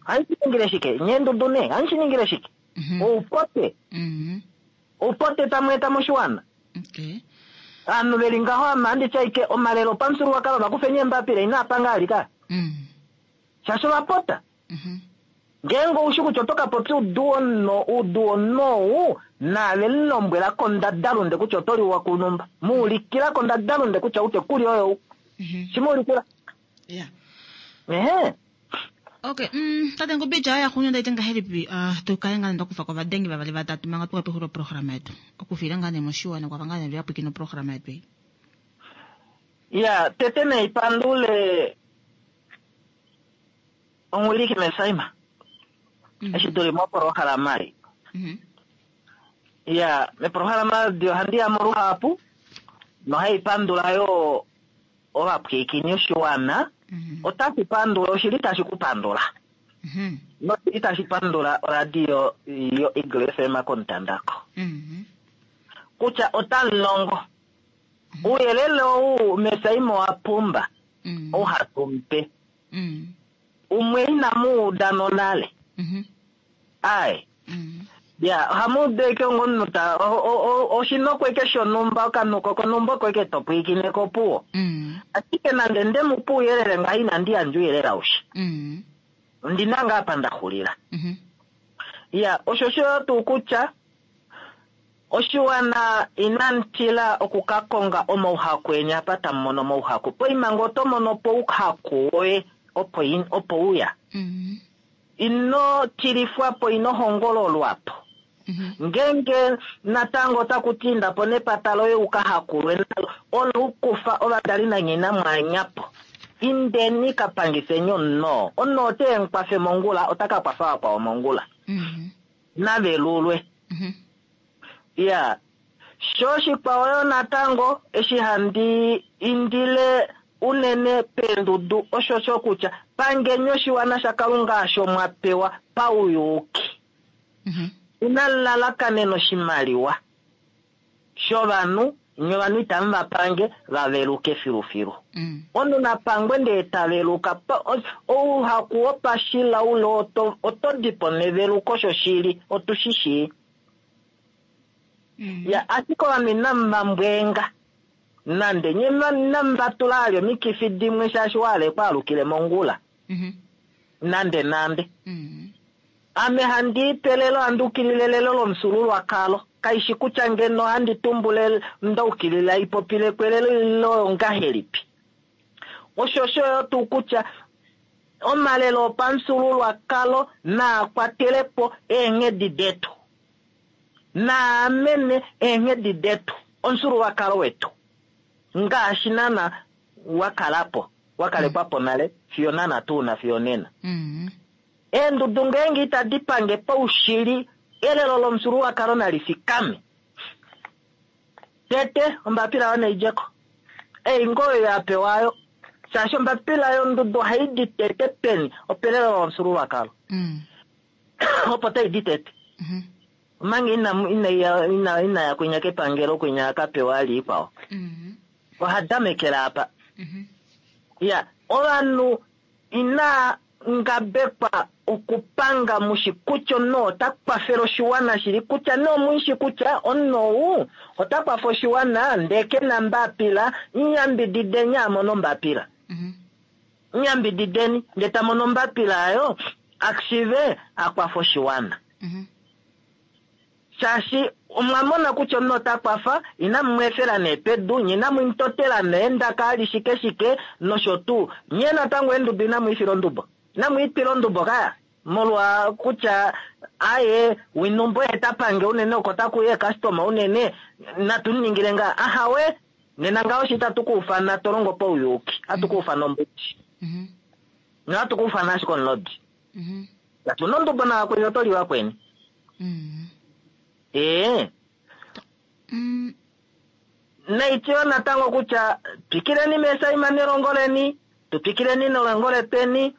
[SPEAKER 6] Ohashi ningile shike? Nye ndudu nee, ohashi ningile shike? Oupote. Oupote tamu eta moshiwana. Ovanhu veli ngaho ame ohandi ti ashike omalelo opamufyuululwakalo va kufeni eembapila inaa panga alika. Shaashi ova pota. Ngeenge oushi kutya oto ka popya oudu womunhu ou, naave mu lombwela kondadalunde kutya oto liwa kunumba. Mu ulikila kondadalunde kutya ou te ku li oyo ou. Shi mu ulikila. Ehe.
[SPEAKER 1] Okay, tate Ngubija oya xunyu ndaite ngahelipi, tu kale ngaa nda kufa kovadengi vavali vatatu manga tuka pexulilo programa yetu. Okufila ngaa nee moshiwana kwafa ngaa nee vyapwikina oprograma yetu ei.
[SPEAKER 6] Ya, tete naipandule omuwiliki Mesaima. Eshi tuli moprograma ei. Ya, meprograma edi ohandi ya mo luhapu nohai pandula yo ovapwiikini oshiwana. Otashi pandula, oshili tashi ku pandula. Noitashi pandula oradio yo Eagle FM komutandako. Kutya otamulongo. Uuyelele ou mesaimo wa pumba. Ou hatu mupe. Umwe inamu uda nonale. Aye. Ya, ohamu udu eke ongomunhu ta oshinokweke shonhumba okanuko konhumba oko eke to pwiikine kopuwo. Ashike nande nde mu pe ouyelele ngaho inandi yandja ouyelele aushe. Ondina ngaa apa nda xulila. Ya, osho osho tuu kutya oshiwana inamu tila okukakonga omauhaku eni apa tamu mono omauhaku. Poima ngee oto mono po ouhaku woye opo opo uya. Ino tilifwa po, ino hongololwa po. Ngeenge natango otaku ti inda po nepata loye u ka hakulwe nalo, olo u kufa ovadali nanye inamu anya po. Indeni ka pangifeni omunhu oo. Omunhu oo ote mu kwafe mongula, ota ka kwafa vakwao mongula. Navelulwe. Iya. Sho oshikwao yo natango, eshi handi indile unene peendudu oshosho kutya pangeni oshiwana shaKalunga osho mwa pewa pauyuuki. Inamu lalakanena oshimaliwa shovanhu, nye ovanhu itamu va pange va veluke filufilu. Omunhu na pangwe ndee ta veluka. Ouhaku wopashilaule oto di po neveluko shoshili, otu shi shii. Ya, ashike ovanhu inamu va mbweenga. Nande nye inamu va tula ali omikifi dimwe shaashi wa hala ekwaalukile mongula. Nande nande. Ame handi ipe elelo, handi ukilile elelo lomufyuululwakalo. Kaishi kutya ngeno handi tumbula nda ukilila ipopile ko elelo ile ongahelipi. Osho osho yo tuu kutya omalelo opamufyuululwakalo naa kwatele po eenghedi detu. Naa amene eenghedi detu, omufyuululwakalo wetu, ngaashi naana wa kala po, wa kalekwa po nale fiyo naana tuu na fiyo onena. Eendudu ngeenge itadi pange paushili, elelo lomufyuululwakalo nali fikame. Tete, ombapila yo nai dje ko. Ei ngoo oyo ya pewa ayo. Shaashi ombapila yondudu ohai di tete peni? Opelelo lomufyuululwakalo. Opo tai di tete. Omanga ina, ina, ina, ina ya kwinya kepangelo, kwinya a ka pewa ali ikwao. Oha damekela apa. Ya, ovanhu ina ngabekwa okupanga mushi kutya omunhu ota kwafele oshiwana shili, kutya nee omuishi kutya omunhu ou ota kwafa oshiwana ndee ke na mbapila, nyambidideni a mone ombapila. Nyambidideni ndee ta mono ombapila ayo a shiive a kwafe oshiwana. Shaashi omwa mona kutya omunhu ota kwafa, inamu mu efela nee pedu, nye inamu mu totela neendaka ali shike shike nosho tuu. Nye natango eendudu inamu i fila ondubo. Inamu i twila ondubo kaya, molwa kutya aye winumbo ye ta pange unene oko taku uya eekastoma unene, natu mu ningile ngaa. Ahawe, nena ngaho shi itatu ku ufana to longo pauyuuki, ohatu ku ufana ombudi. Nohatu ku ufana ashike omulodi. Katu na ondubo navakweni, oto li vakweni. Ee. Naityo natango kutya twikileni meesaima nelongo leni, tu twikileni nelongo letweni,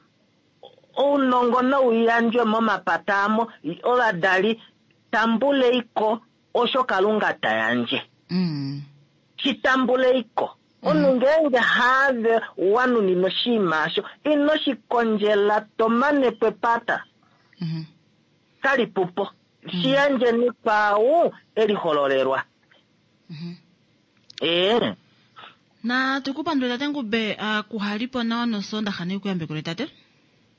[SPEAKER 6] ounongo nau yandjwe momapata amo, ovadali tambuleiko osho Kalunga ta yandje. Shi tambuleiko. Omunhu ngeenge haave wa nuninwa oshinima osho, ino shi kondjela to mane po epata. Kali pupo. Shi yandjeni kwaau e lihololelwa. Ee.
[SPEAKER 1] Natu ku pandule tate Ngube, kuhalipo nawa nosoondaxa neikuyambekule tate.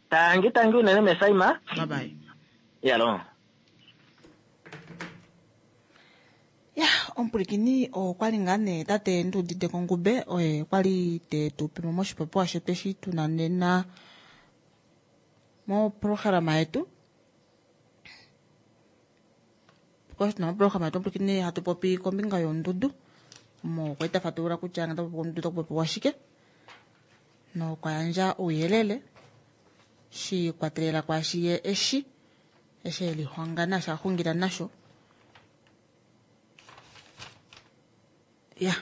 [SPEAKER 6] Tangi tangi unene mesaima.
[SPEAKER 1] Bye bye.
[SPEAKER 6] Yalo.
[SPEAKER 1] Ya, omupwilikini okwa li ngaa nee tate Nduudite Kongube oye kwa li te tu pe mo moshipopiwa shetu eshi tu na nena moprograma yetu. Tuna moprograma yetu omupwilikini hatu popi kombinga yondudu, omo kwali ta fatulula kutya ngee tapopi ondudu otaku popiwa shike, nokwa yandja ouyelele shi ikwatelela kwaashi ye eshi eshi e lihonga naashi a xungila nasho. Ya,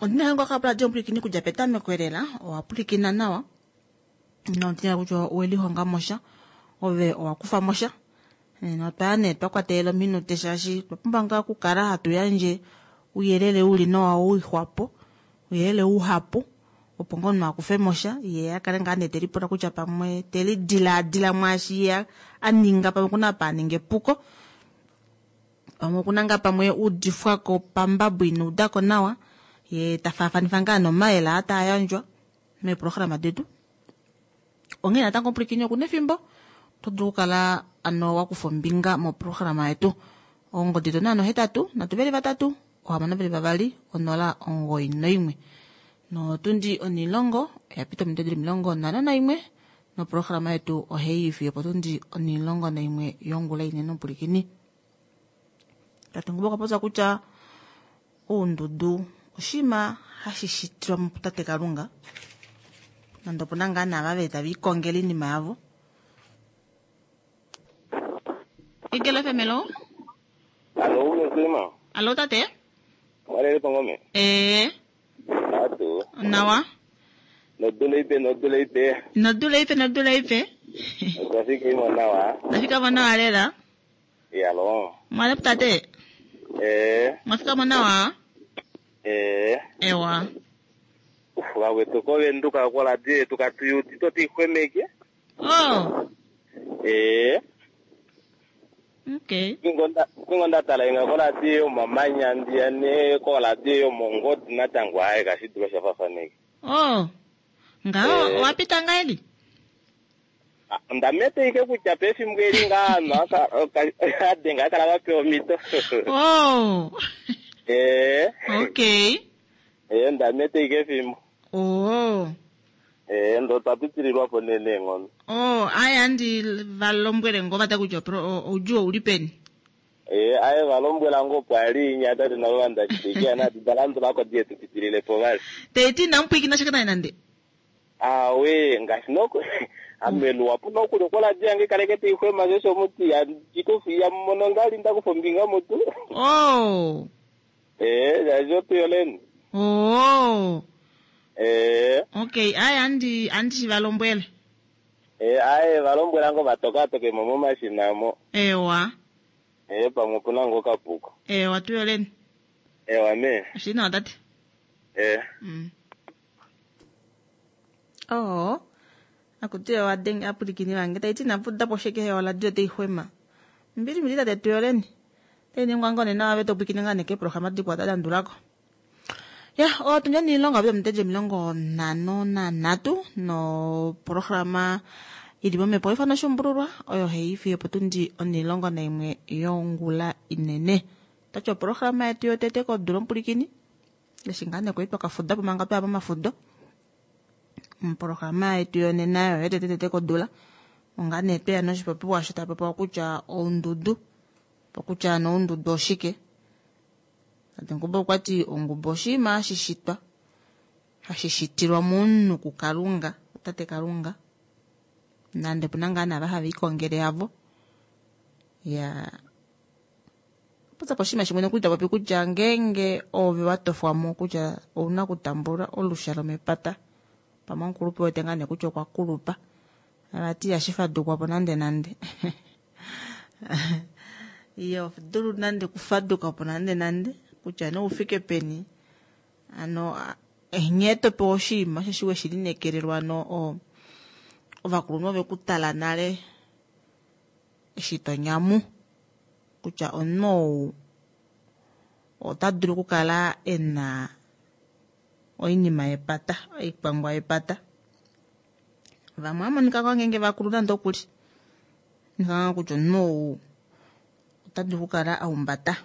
[SPEAKER 1] ondina yangu akapula omupwilikini kudja petameko elela, owa pwilikina nawa. Nomutina kutya owelihonga mosha ove owa kufa mosha. Notwaya nee twa kwatelela ominute shaashi otwa pumbwa ngaa okukala hatu yandje ouyelele uli nawa wixwapo, ouyelele uhapu opo ngoo omunhu akufe mosha yee akale ngaa nee telipula kutya pamwe telidilaadila mwaashi yee aninga pamwe okuna apa aninga epuko, pamwe okuna ngaa pamwe udifwako pambabo ina udako nawa yee tafaafanifa ngaa nomayele aa taayandjwa meeprograma detu. Onghee natango omupwilikini okuna efimbo oto dulu okukala ano wakufa ombinga moprograma yetu. Ongodi yetu naano 8 3 3 6 2 0 91. Notundi 10 oyapita ominute dili 51 noprograma yetu ohaiyi fiyo opotundi 11 yongula inene omupwilikini. Tate Ngubo okwa popya kutya oundudu oshinima hashi shitilwa mutate Kalunga nande opuna ngaa naava veli tava ikongele oinima yavo. Eagle FM, hello.
[SPEAKER 10] Alo, Musima.
[SPEAKER 1] Alo tate.
[SPEAKER 10] Walele pangome.
[SPEAKER 1] Eh.
[SPEAKER 10] Atu.
[SPEAKER 1] Nawa.
[SPEAKER 10] Nodula ipe, nodula ipe.
[SPEAKER 1] Nodula ipe, nodula ipe.
[SPEAKER 10] Otwafika imo nawa.
[SPEAKER 1] Nafika mo nawa lela.
[SPEAKER 10] Yalo.
[SPEAKER 1] Mwale tate.
[SPEAKER 10] Eh.
[SPEAKER 1] Mwafika mo nawa.
[SPEAKER 10] Eh.
[SPEAKER 1] Ewa.
[SPEAKER 10] Vakwetu kovenduka koradio yetu katuyuti totixwemeke.
[SPEAKER 1] Oh.
[SPEAKER 10] Eh.
[SPEAKER 1] Okay.
[SPEAKER 10] Kwingo ndatala inga koradio yomamanya ndiya ne koradio yomongodi natango aye kashidula shafafaneke.
[SPEAKER 1] Oh. Ngaho
[SPEAKER 10] Eh.
[SPEAKER 1] wapita ngaeli?
[SPEAKER 10] Ndamete ike kutya pefimbo eli ngaa anhu adenga akala vapewa omhito.
[SPEAKER 1] Oh.
[SPEAKER 10] Eh.
[SPEAKER 1] Okay.
[SPEAKER 10] Eh, ndamete ike efimbo.
[SPEAKER 1] Oh.
[SPEAKER 10] Eh, ndo twapitililwapo nee neenghono.
[SPEAKER 1] Oh, aya andi valombwele ngo vata kutya oudjuu ouli peni.
[SPEAKER 10] Eh, aye valombwela ngo opo ali inya tate navo vandashitekia nati dalandulako diye tupitililepo vali.
[SPEAKER 1] Teiti inamupwiikina shaka naye nande.
[SPEAKER 10] Awe, ngaashi noko amelu wapu nokuli koradio yange kaleke teixwema shosho muti yandikufi yamono ngali ndakufa ombinga mutu.
[SPEAKER 1] Oh.
[SPEAKER 10] Eh, shaashi otuyoleni.
[SPEAKER 1] Oh.
[SPEAKER 10] Eh.
[SPEAKER 1] Okay, aya andi andi valombwele.
[SPEAKER 10] Eh, aye valombwela ngo vatokatokemo momashina mo.
[SPEAKER 1] Ewa.
[SPEAKER 10] Eh, pamwe opuna ngo kapuko.
[SPEAKER 1] Ewa tuyoleni.
[SPEAKER 10] Ewa me.
[SPEAKER 1] Oshili nawa tate.
[SPEAKER 10] Eh.
[SPEAKER 1] Oh. Akutiwa wadenge apwilikini vange taiti inapudapo sheke oradio teixwema. Mbili mbili tate tuyoleni. Tainingwa ngoo nena ave topwiikine ngaa nekeeprograma dikwao dalandulako. Ya, otundi oniilonga yapita ominute 53 noprograma ili momhepo oifano oshumbululwa oyo haiyi fiyo opotundi 11 yongula inene. Otati oprograma yetu yotete kodula omupwilikini eshi ngaa nee kwali twakafudapo manga twaya momafudo. Oprograma yetu yonena oyo yotete tete kodula ongaa nee tweya noshipopiwa sho tapopiwa kutya oundudu, kutya ano oundudu oshike. Tate Ngubo okwati ongubo oshinima hashi shitwa hashi shitilwa momunhu kuKalunga, tate Kalunga. Nande opuna ngaa naava hava ikongele yavo. Ya popya po oshinima shimwe nokuli tapopi kutya ngeenge ove watofwamo kutya ouna okutambula olusha lomepata pamwe omukulupe wete ngaa nee kutya okwa kulupa vati ihashi fadukwapo nande nande. Iyo dulu nande okufadukapo nande nande kutya nee oufike peni ano nghee topewa oshinima osheshi weshilinekelelwa ano ovakulunhu ovekutala nale eshi tonyamu kutya omunhu ou ota dulu okukala ena oinima yepata oikwangwa yepata. Vamwe ohamonika ngoo ngeenge vakulu nande okuli monika kutya omunhu ou ota dulu okukala aumbata.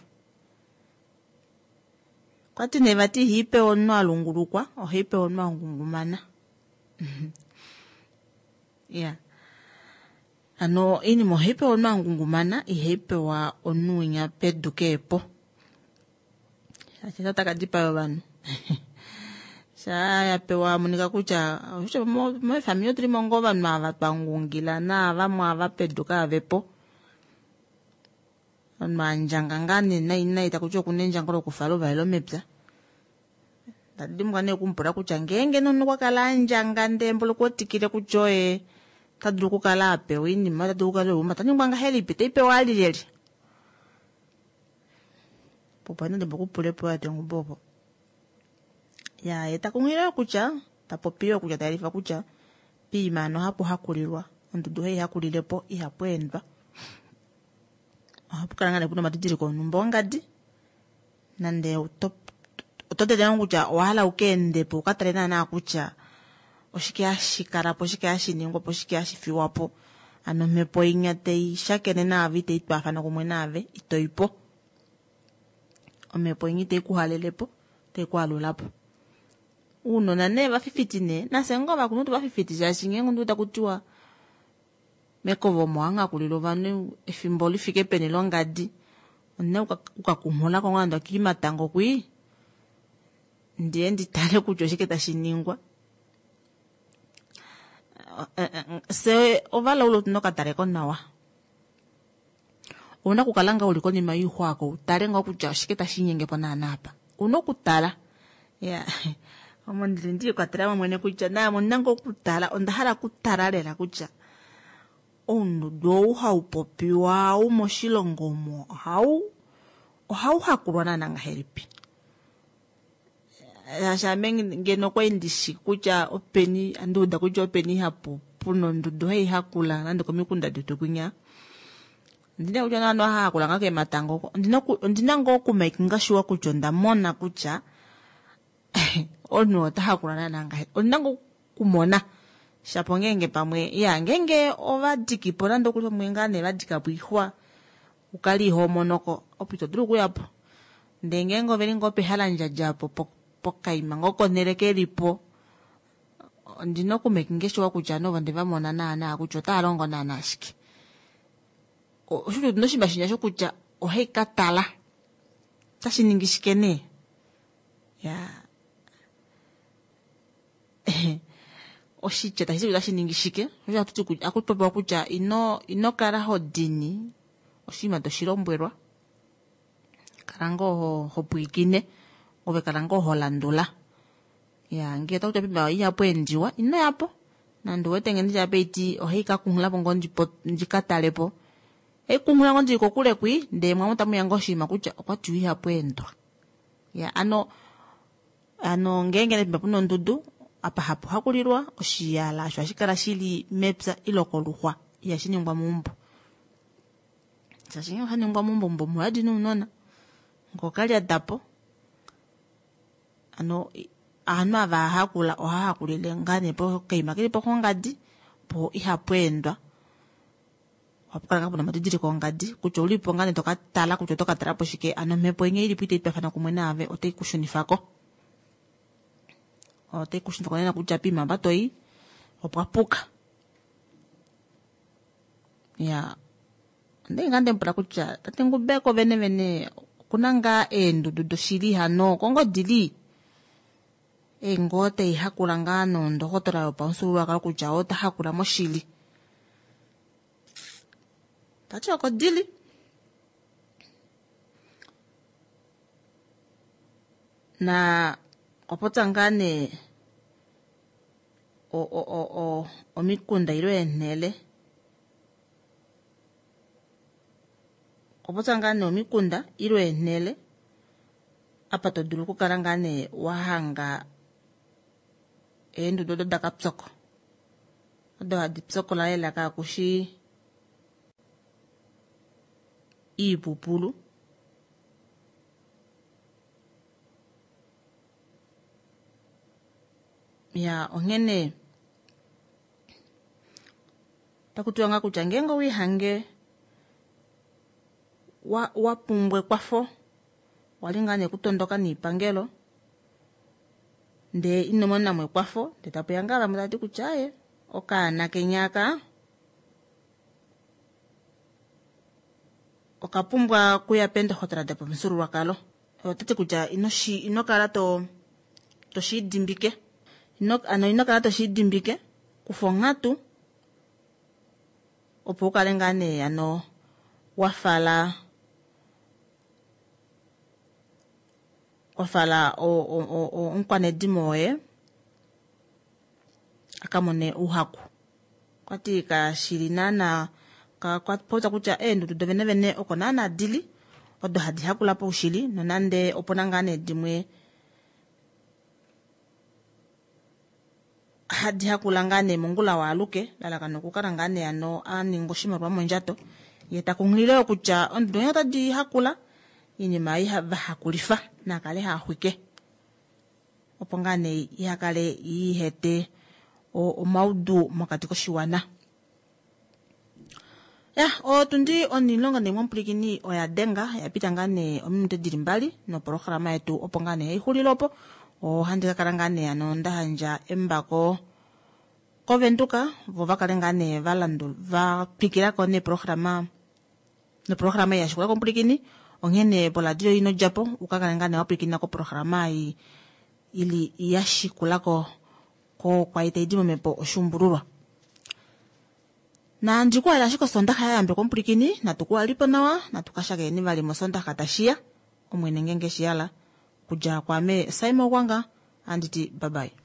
[SPEAKER 1] Okwati nee vati ihaipewa omunhu alungulukwa ohaipewa omunhu angungumana. Ya hano oinima ohaipewa omunhu angungumana ihaipewa omunhu winya pedu keepo. Shaashi otaka dipaya ovanhu. Shaa yapewa monika kutya meefamili otulimo ngoo ovanhu ava twangungila naavamwe ava pedu kaavepo. Omunhu andjanga ngaa nee nai nai takuti okuna endjango lokufala ouvalelo mepya. Ndadimbwa nee okumupula kutya ngeenge nomunhu okwa kala andjanga ndee mboli okwetikile kutya oye ota dulu okukala a pewa oinima, ota dulu okukala euma, ta ningwa ngahelipi, taipewa ali lyelye? Popo nande mbokupule po ate ngubo opo. Ya ye ta kunghilile kutya, ta popi yo kutya ta yelifa kutya piima ano hapu hakulilwa, ondudu hai hakulile po ihapu endwa. Ohapu kala ngaa puna omadidiliko onhumba ongadi nande oto oto tete ngoo kutya owa hala uka ende po uka tale naana kutya oshike hashi kala po, oshike hashi ningwa po, oshike hashi fiwa po. Ano omhepo inya tai shakene naave itai twaafana kumwe naave ito i po. Omhepo inya itai ku halele po, otai ku alula po. Uunona nee vafifiti nee, nafye ngoo ovakulunhu tuvafifiti shaashi ngeenge omunhu taku tiwa mekovo omo hamuhakulilwa ovanhu efimbo lifike peni longadi, ondina okukakunghulako ngoo nande okiimatango kwii ndiye ndi tale kutya oshike tashi ningwa. Fye ovalaule otuna okataleko nawa. Ouna okukala ngaa uli konima yoixwa oko utale ngoo kutya oshike tashi linyenge po naana apa. Ouna okutala. Ya omo ndili ndiikwatela mo mwene kutya naame ondina ngoo okutala, onda hala okutala lela kutya oundudu ou hau popiwa ou moshilongo omo ohau ohau hakulwa naana ngahelipi. Shaashi ame ngeno okwali ndishi kutya openi, andiuda kutya openi hapu puna ondudu hai hakula nande komikunda detu kwinya. Ondina kutya naana oha hakula ngaa keematango oko. Ondina ngoo okumakinga sure kutya onda mona kutya omunhu ota hakula naana ngahelipi. Ondina ngoo okumona shapo ngeenge pamwe ya ngeenge ova dikipo nande okuli pamwe ngaa nee va dikapo oixwa ukale iho monoko opo ito dulu okuyapo. Ndee ngeenge oveli ngoo pehalandjadja opo pokaima ngoo konhele kelipo ondina okumakinga sure kutya nova onde va mona naana kutya otava longo naana shike. Osho otuna oshinima shinya shokutya ohai ka tala otashi ningi shike nee. Ya oshitya tashi ti otashi ningi shike, osho hatu ti ohaku popiwa kutya ino ino kala ho dini oshinima toshi lombwelwa, kala ngoo ho ho pwilikine ove kala ngoo ho landula. Ya ngee otaku tiwa poima ihapu endiwa ino yapo nande uwete ngee nditya apa ohai ka kunghulapo ngoo ndika talepo, ohai kunghula ngoo ndili kokule kwii ndee mwamo tamuya ngoo oshinima kutya okwa tiwa ihapu endwa. Ya ano ano ngeenge nee puna ondudu apa hapu hakulilwa oshiyala osho hashi kala shili mepya ile koluxwa ihashi ningwa meumbo. Shaashi ngee osha ningwa meumbo, meumbo omuyadi nounona ngokalyatapo. Ano ovanhu ava hakula ohava hakulile ngaa nee pokaima keli po kongadi po ihapu endwa. Ohapu kala ngaa puna omadidiliko ongadi kutya oulipo ngaa nee toka tala kutya oto ka talapo shike, ano omhepo inya ilipo itai twafana kumwe naave otai ku shunifako. Otai ku shunifako nena kutya poima apa toi opwa puka. Ya ondali ngaa ndemupula kutya tate Ngubeko vene vene okuna ngaa eendudu doshili hano oko ngoo dili? Eengoo tai hakula ngaa nondohotola yopamufyuululwakalo kutya ota hakula moshili. Tati oko dili. Na okwa popya ngaa nee omikunda ile eenhele. Okwa popya ngaa nee omikunda ile eenhele apa to dulu okukala ngaa nee wa hanga eendudu odo dakapyoko. Odo hadi pyokola lela kaakushi iipupulu. Ya onghene otaku tiwa ngaa kutya ngeenge owiihange wa wa pumbwa ekwafo wali ngaa nee kutondoka niipangelo ndee ino monamo ekwafo ndee tapuya ngaa vamwe tava ti kutya aaye okaana kenya aka oka pumbwa okuya peendohotola dopamufyuululwakalo. Otati kutya ino shi ino kala to toshiidimbike ino ano ino kala toshiidimbike kufa onghatu opo ukale ngaa nee ano wafala Wa fala omukwanedimo woye a ka mone ouhaku. Okwati kashili naana kwa popya kutya eendudu dovenevene oko naana dili odo hadi hakula paushili nonande opuna ngaa nee dimwe hadi hakula ngaa nee mongula waaluke lalakano okukala ngaa nee ano a ninga oshimaliwa mondjato ye ta kunghilile yo kutya ondudu onye otadi hakula iinima ei vahakulifa nakale haaxwike opo ngaa nee ihakale ihete omaudu mokati koshiwana. Ya otundi onilongo naimwe omupulikini oya denga ya pita ngaa nee ominute dili mbali noprograma yetu opo ngaa nee haixulile opo ohandi ka kala ngaa nee ano nda handja embako kovenduka vo va kale ngaa nee valandu va twikilako neprograma noprograma ei yashikula komupulikini onghene poladio ino djapo uka kale ngaa nee wapwilikina koprograma ei ili yashikulako ko kwai taidi momhepo oshuumbululwa. Nandi ku ashike osondaxa ya yambekwa omupulikini natu ku alipo nawa natu ka shakeni vali mosondaxa tashiya omwene ngenge shiyala kudja kwaame Simon Gwanga anditi bye bye.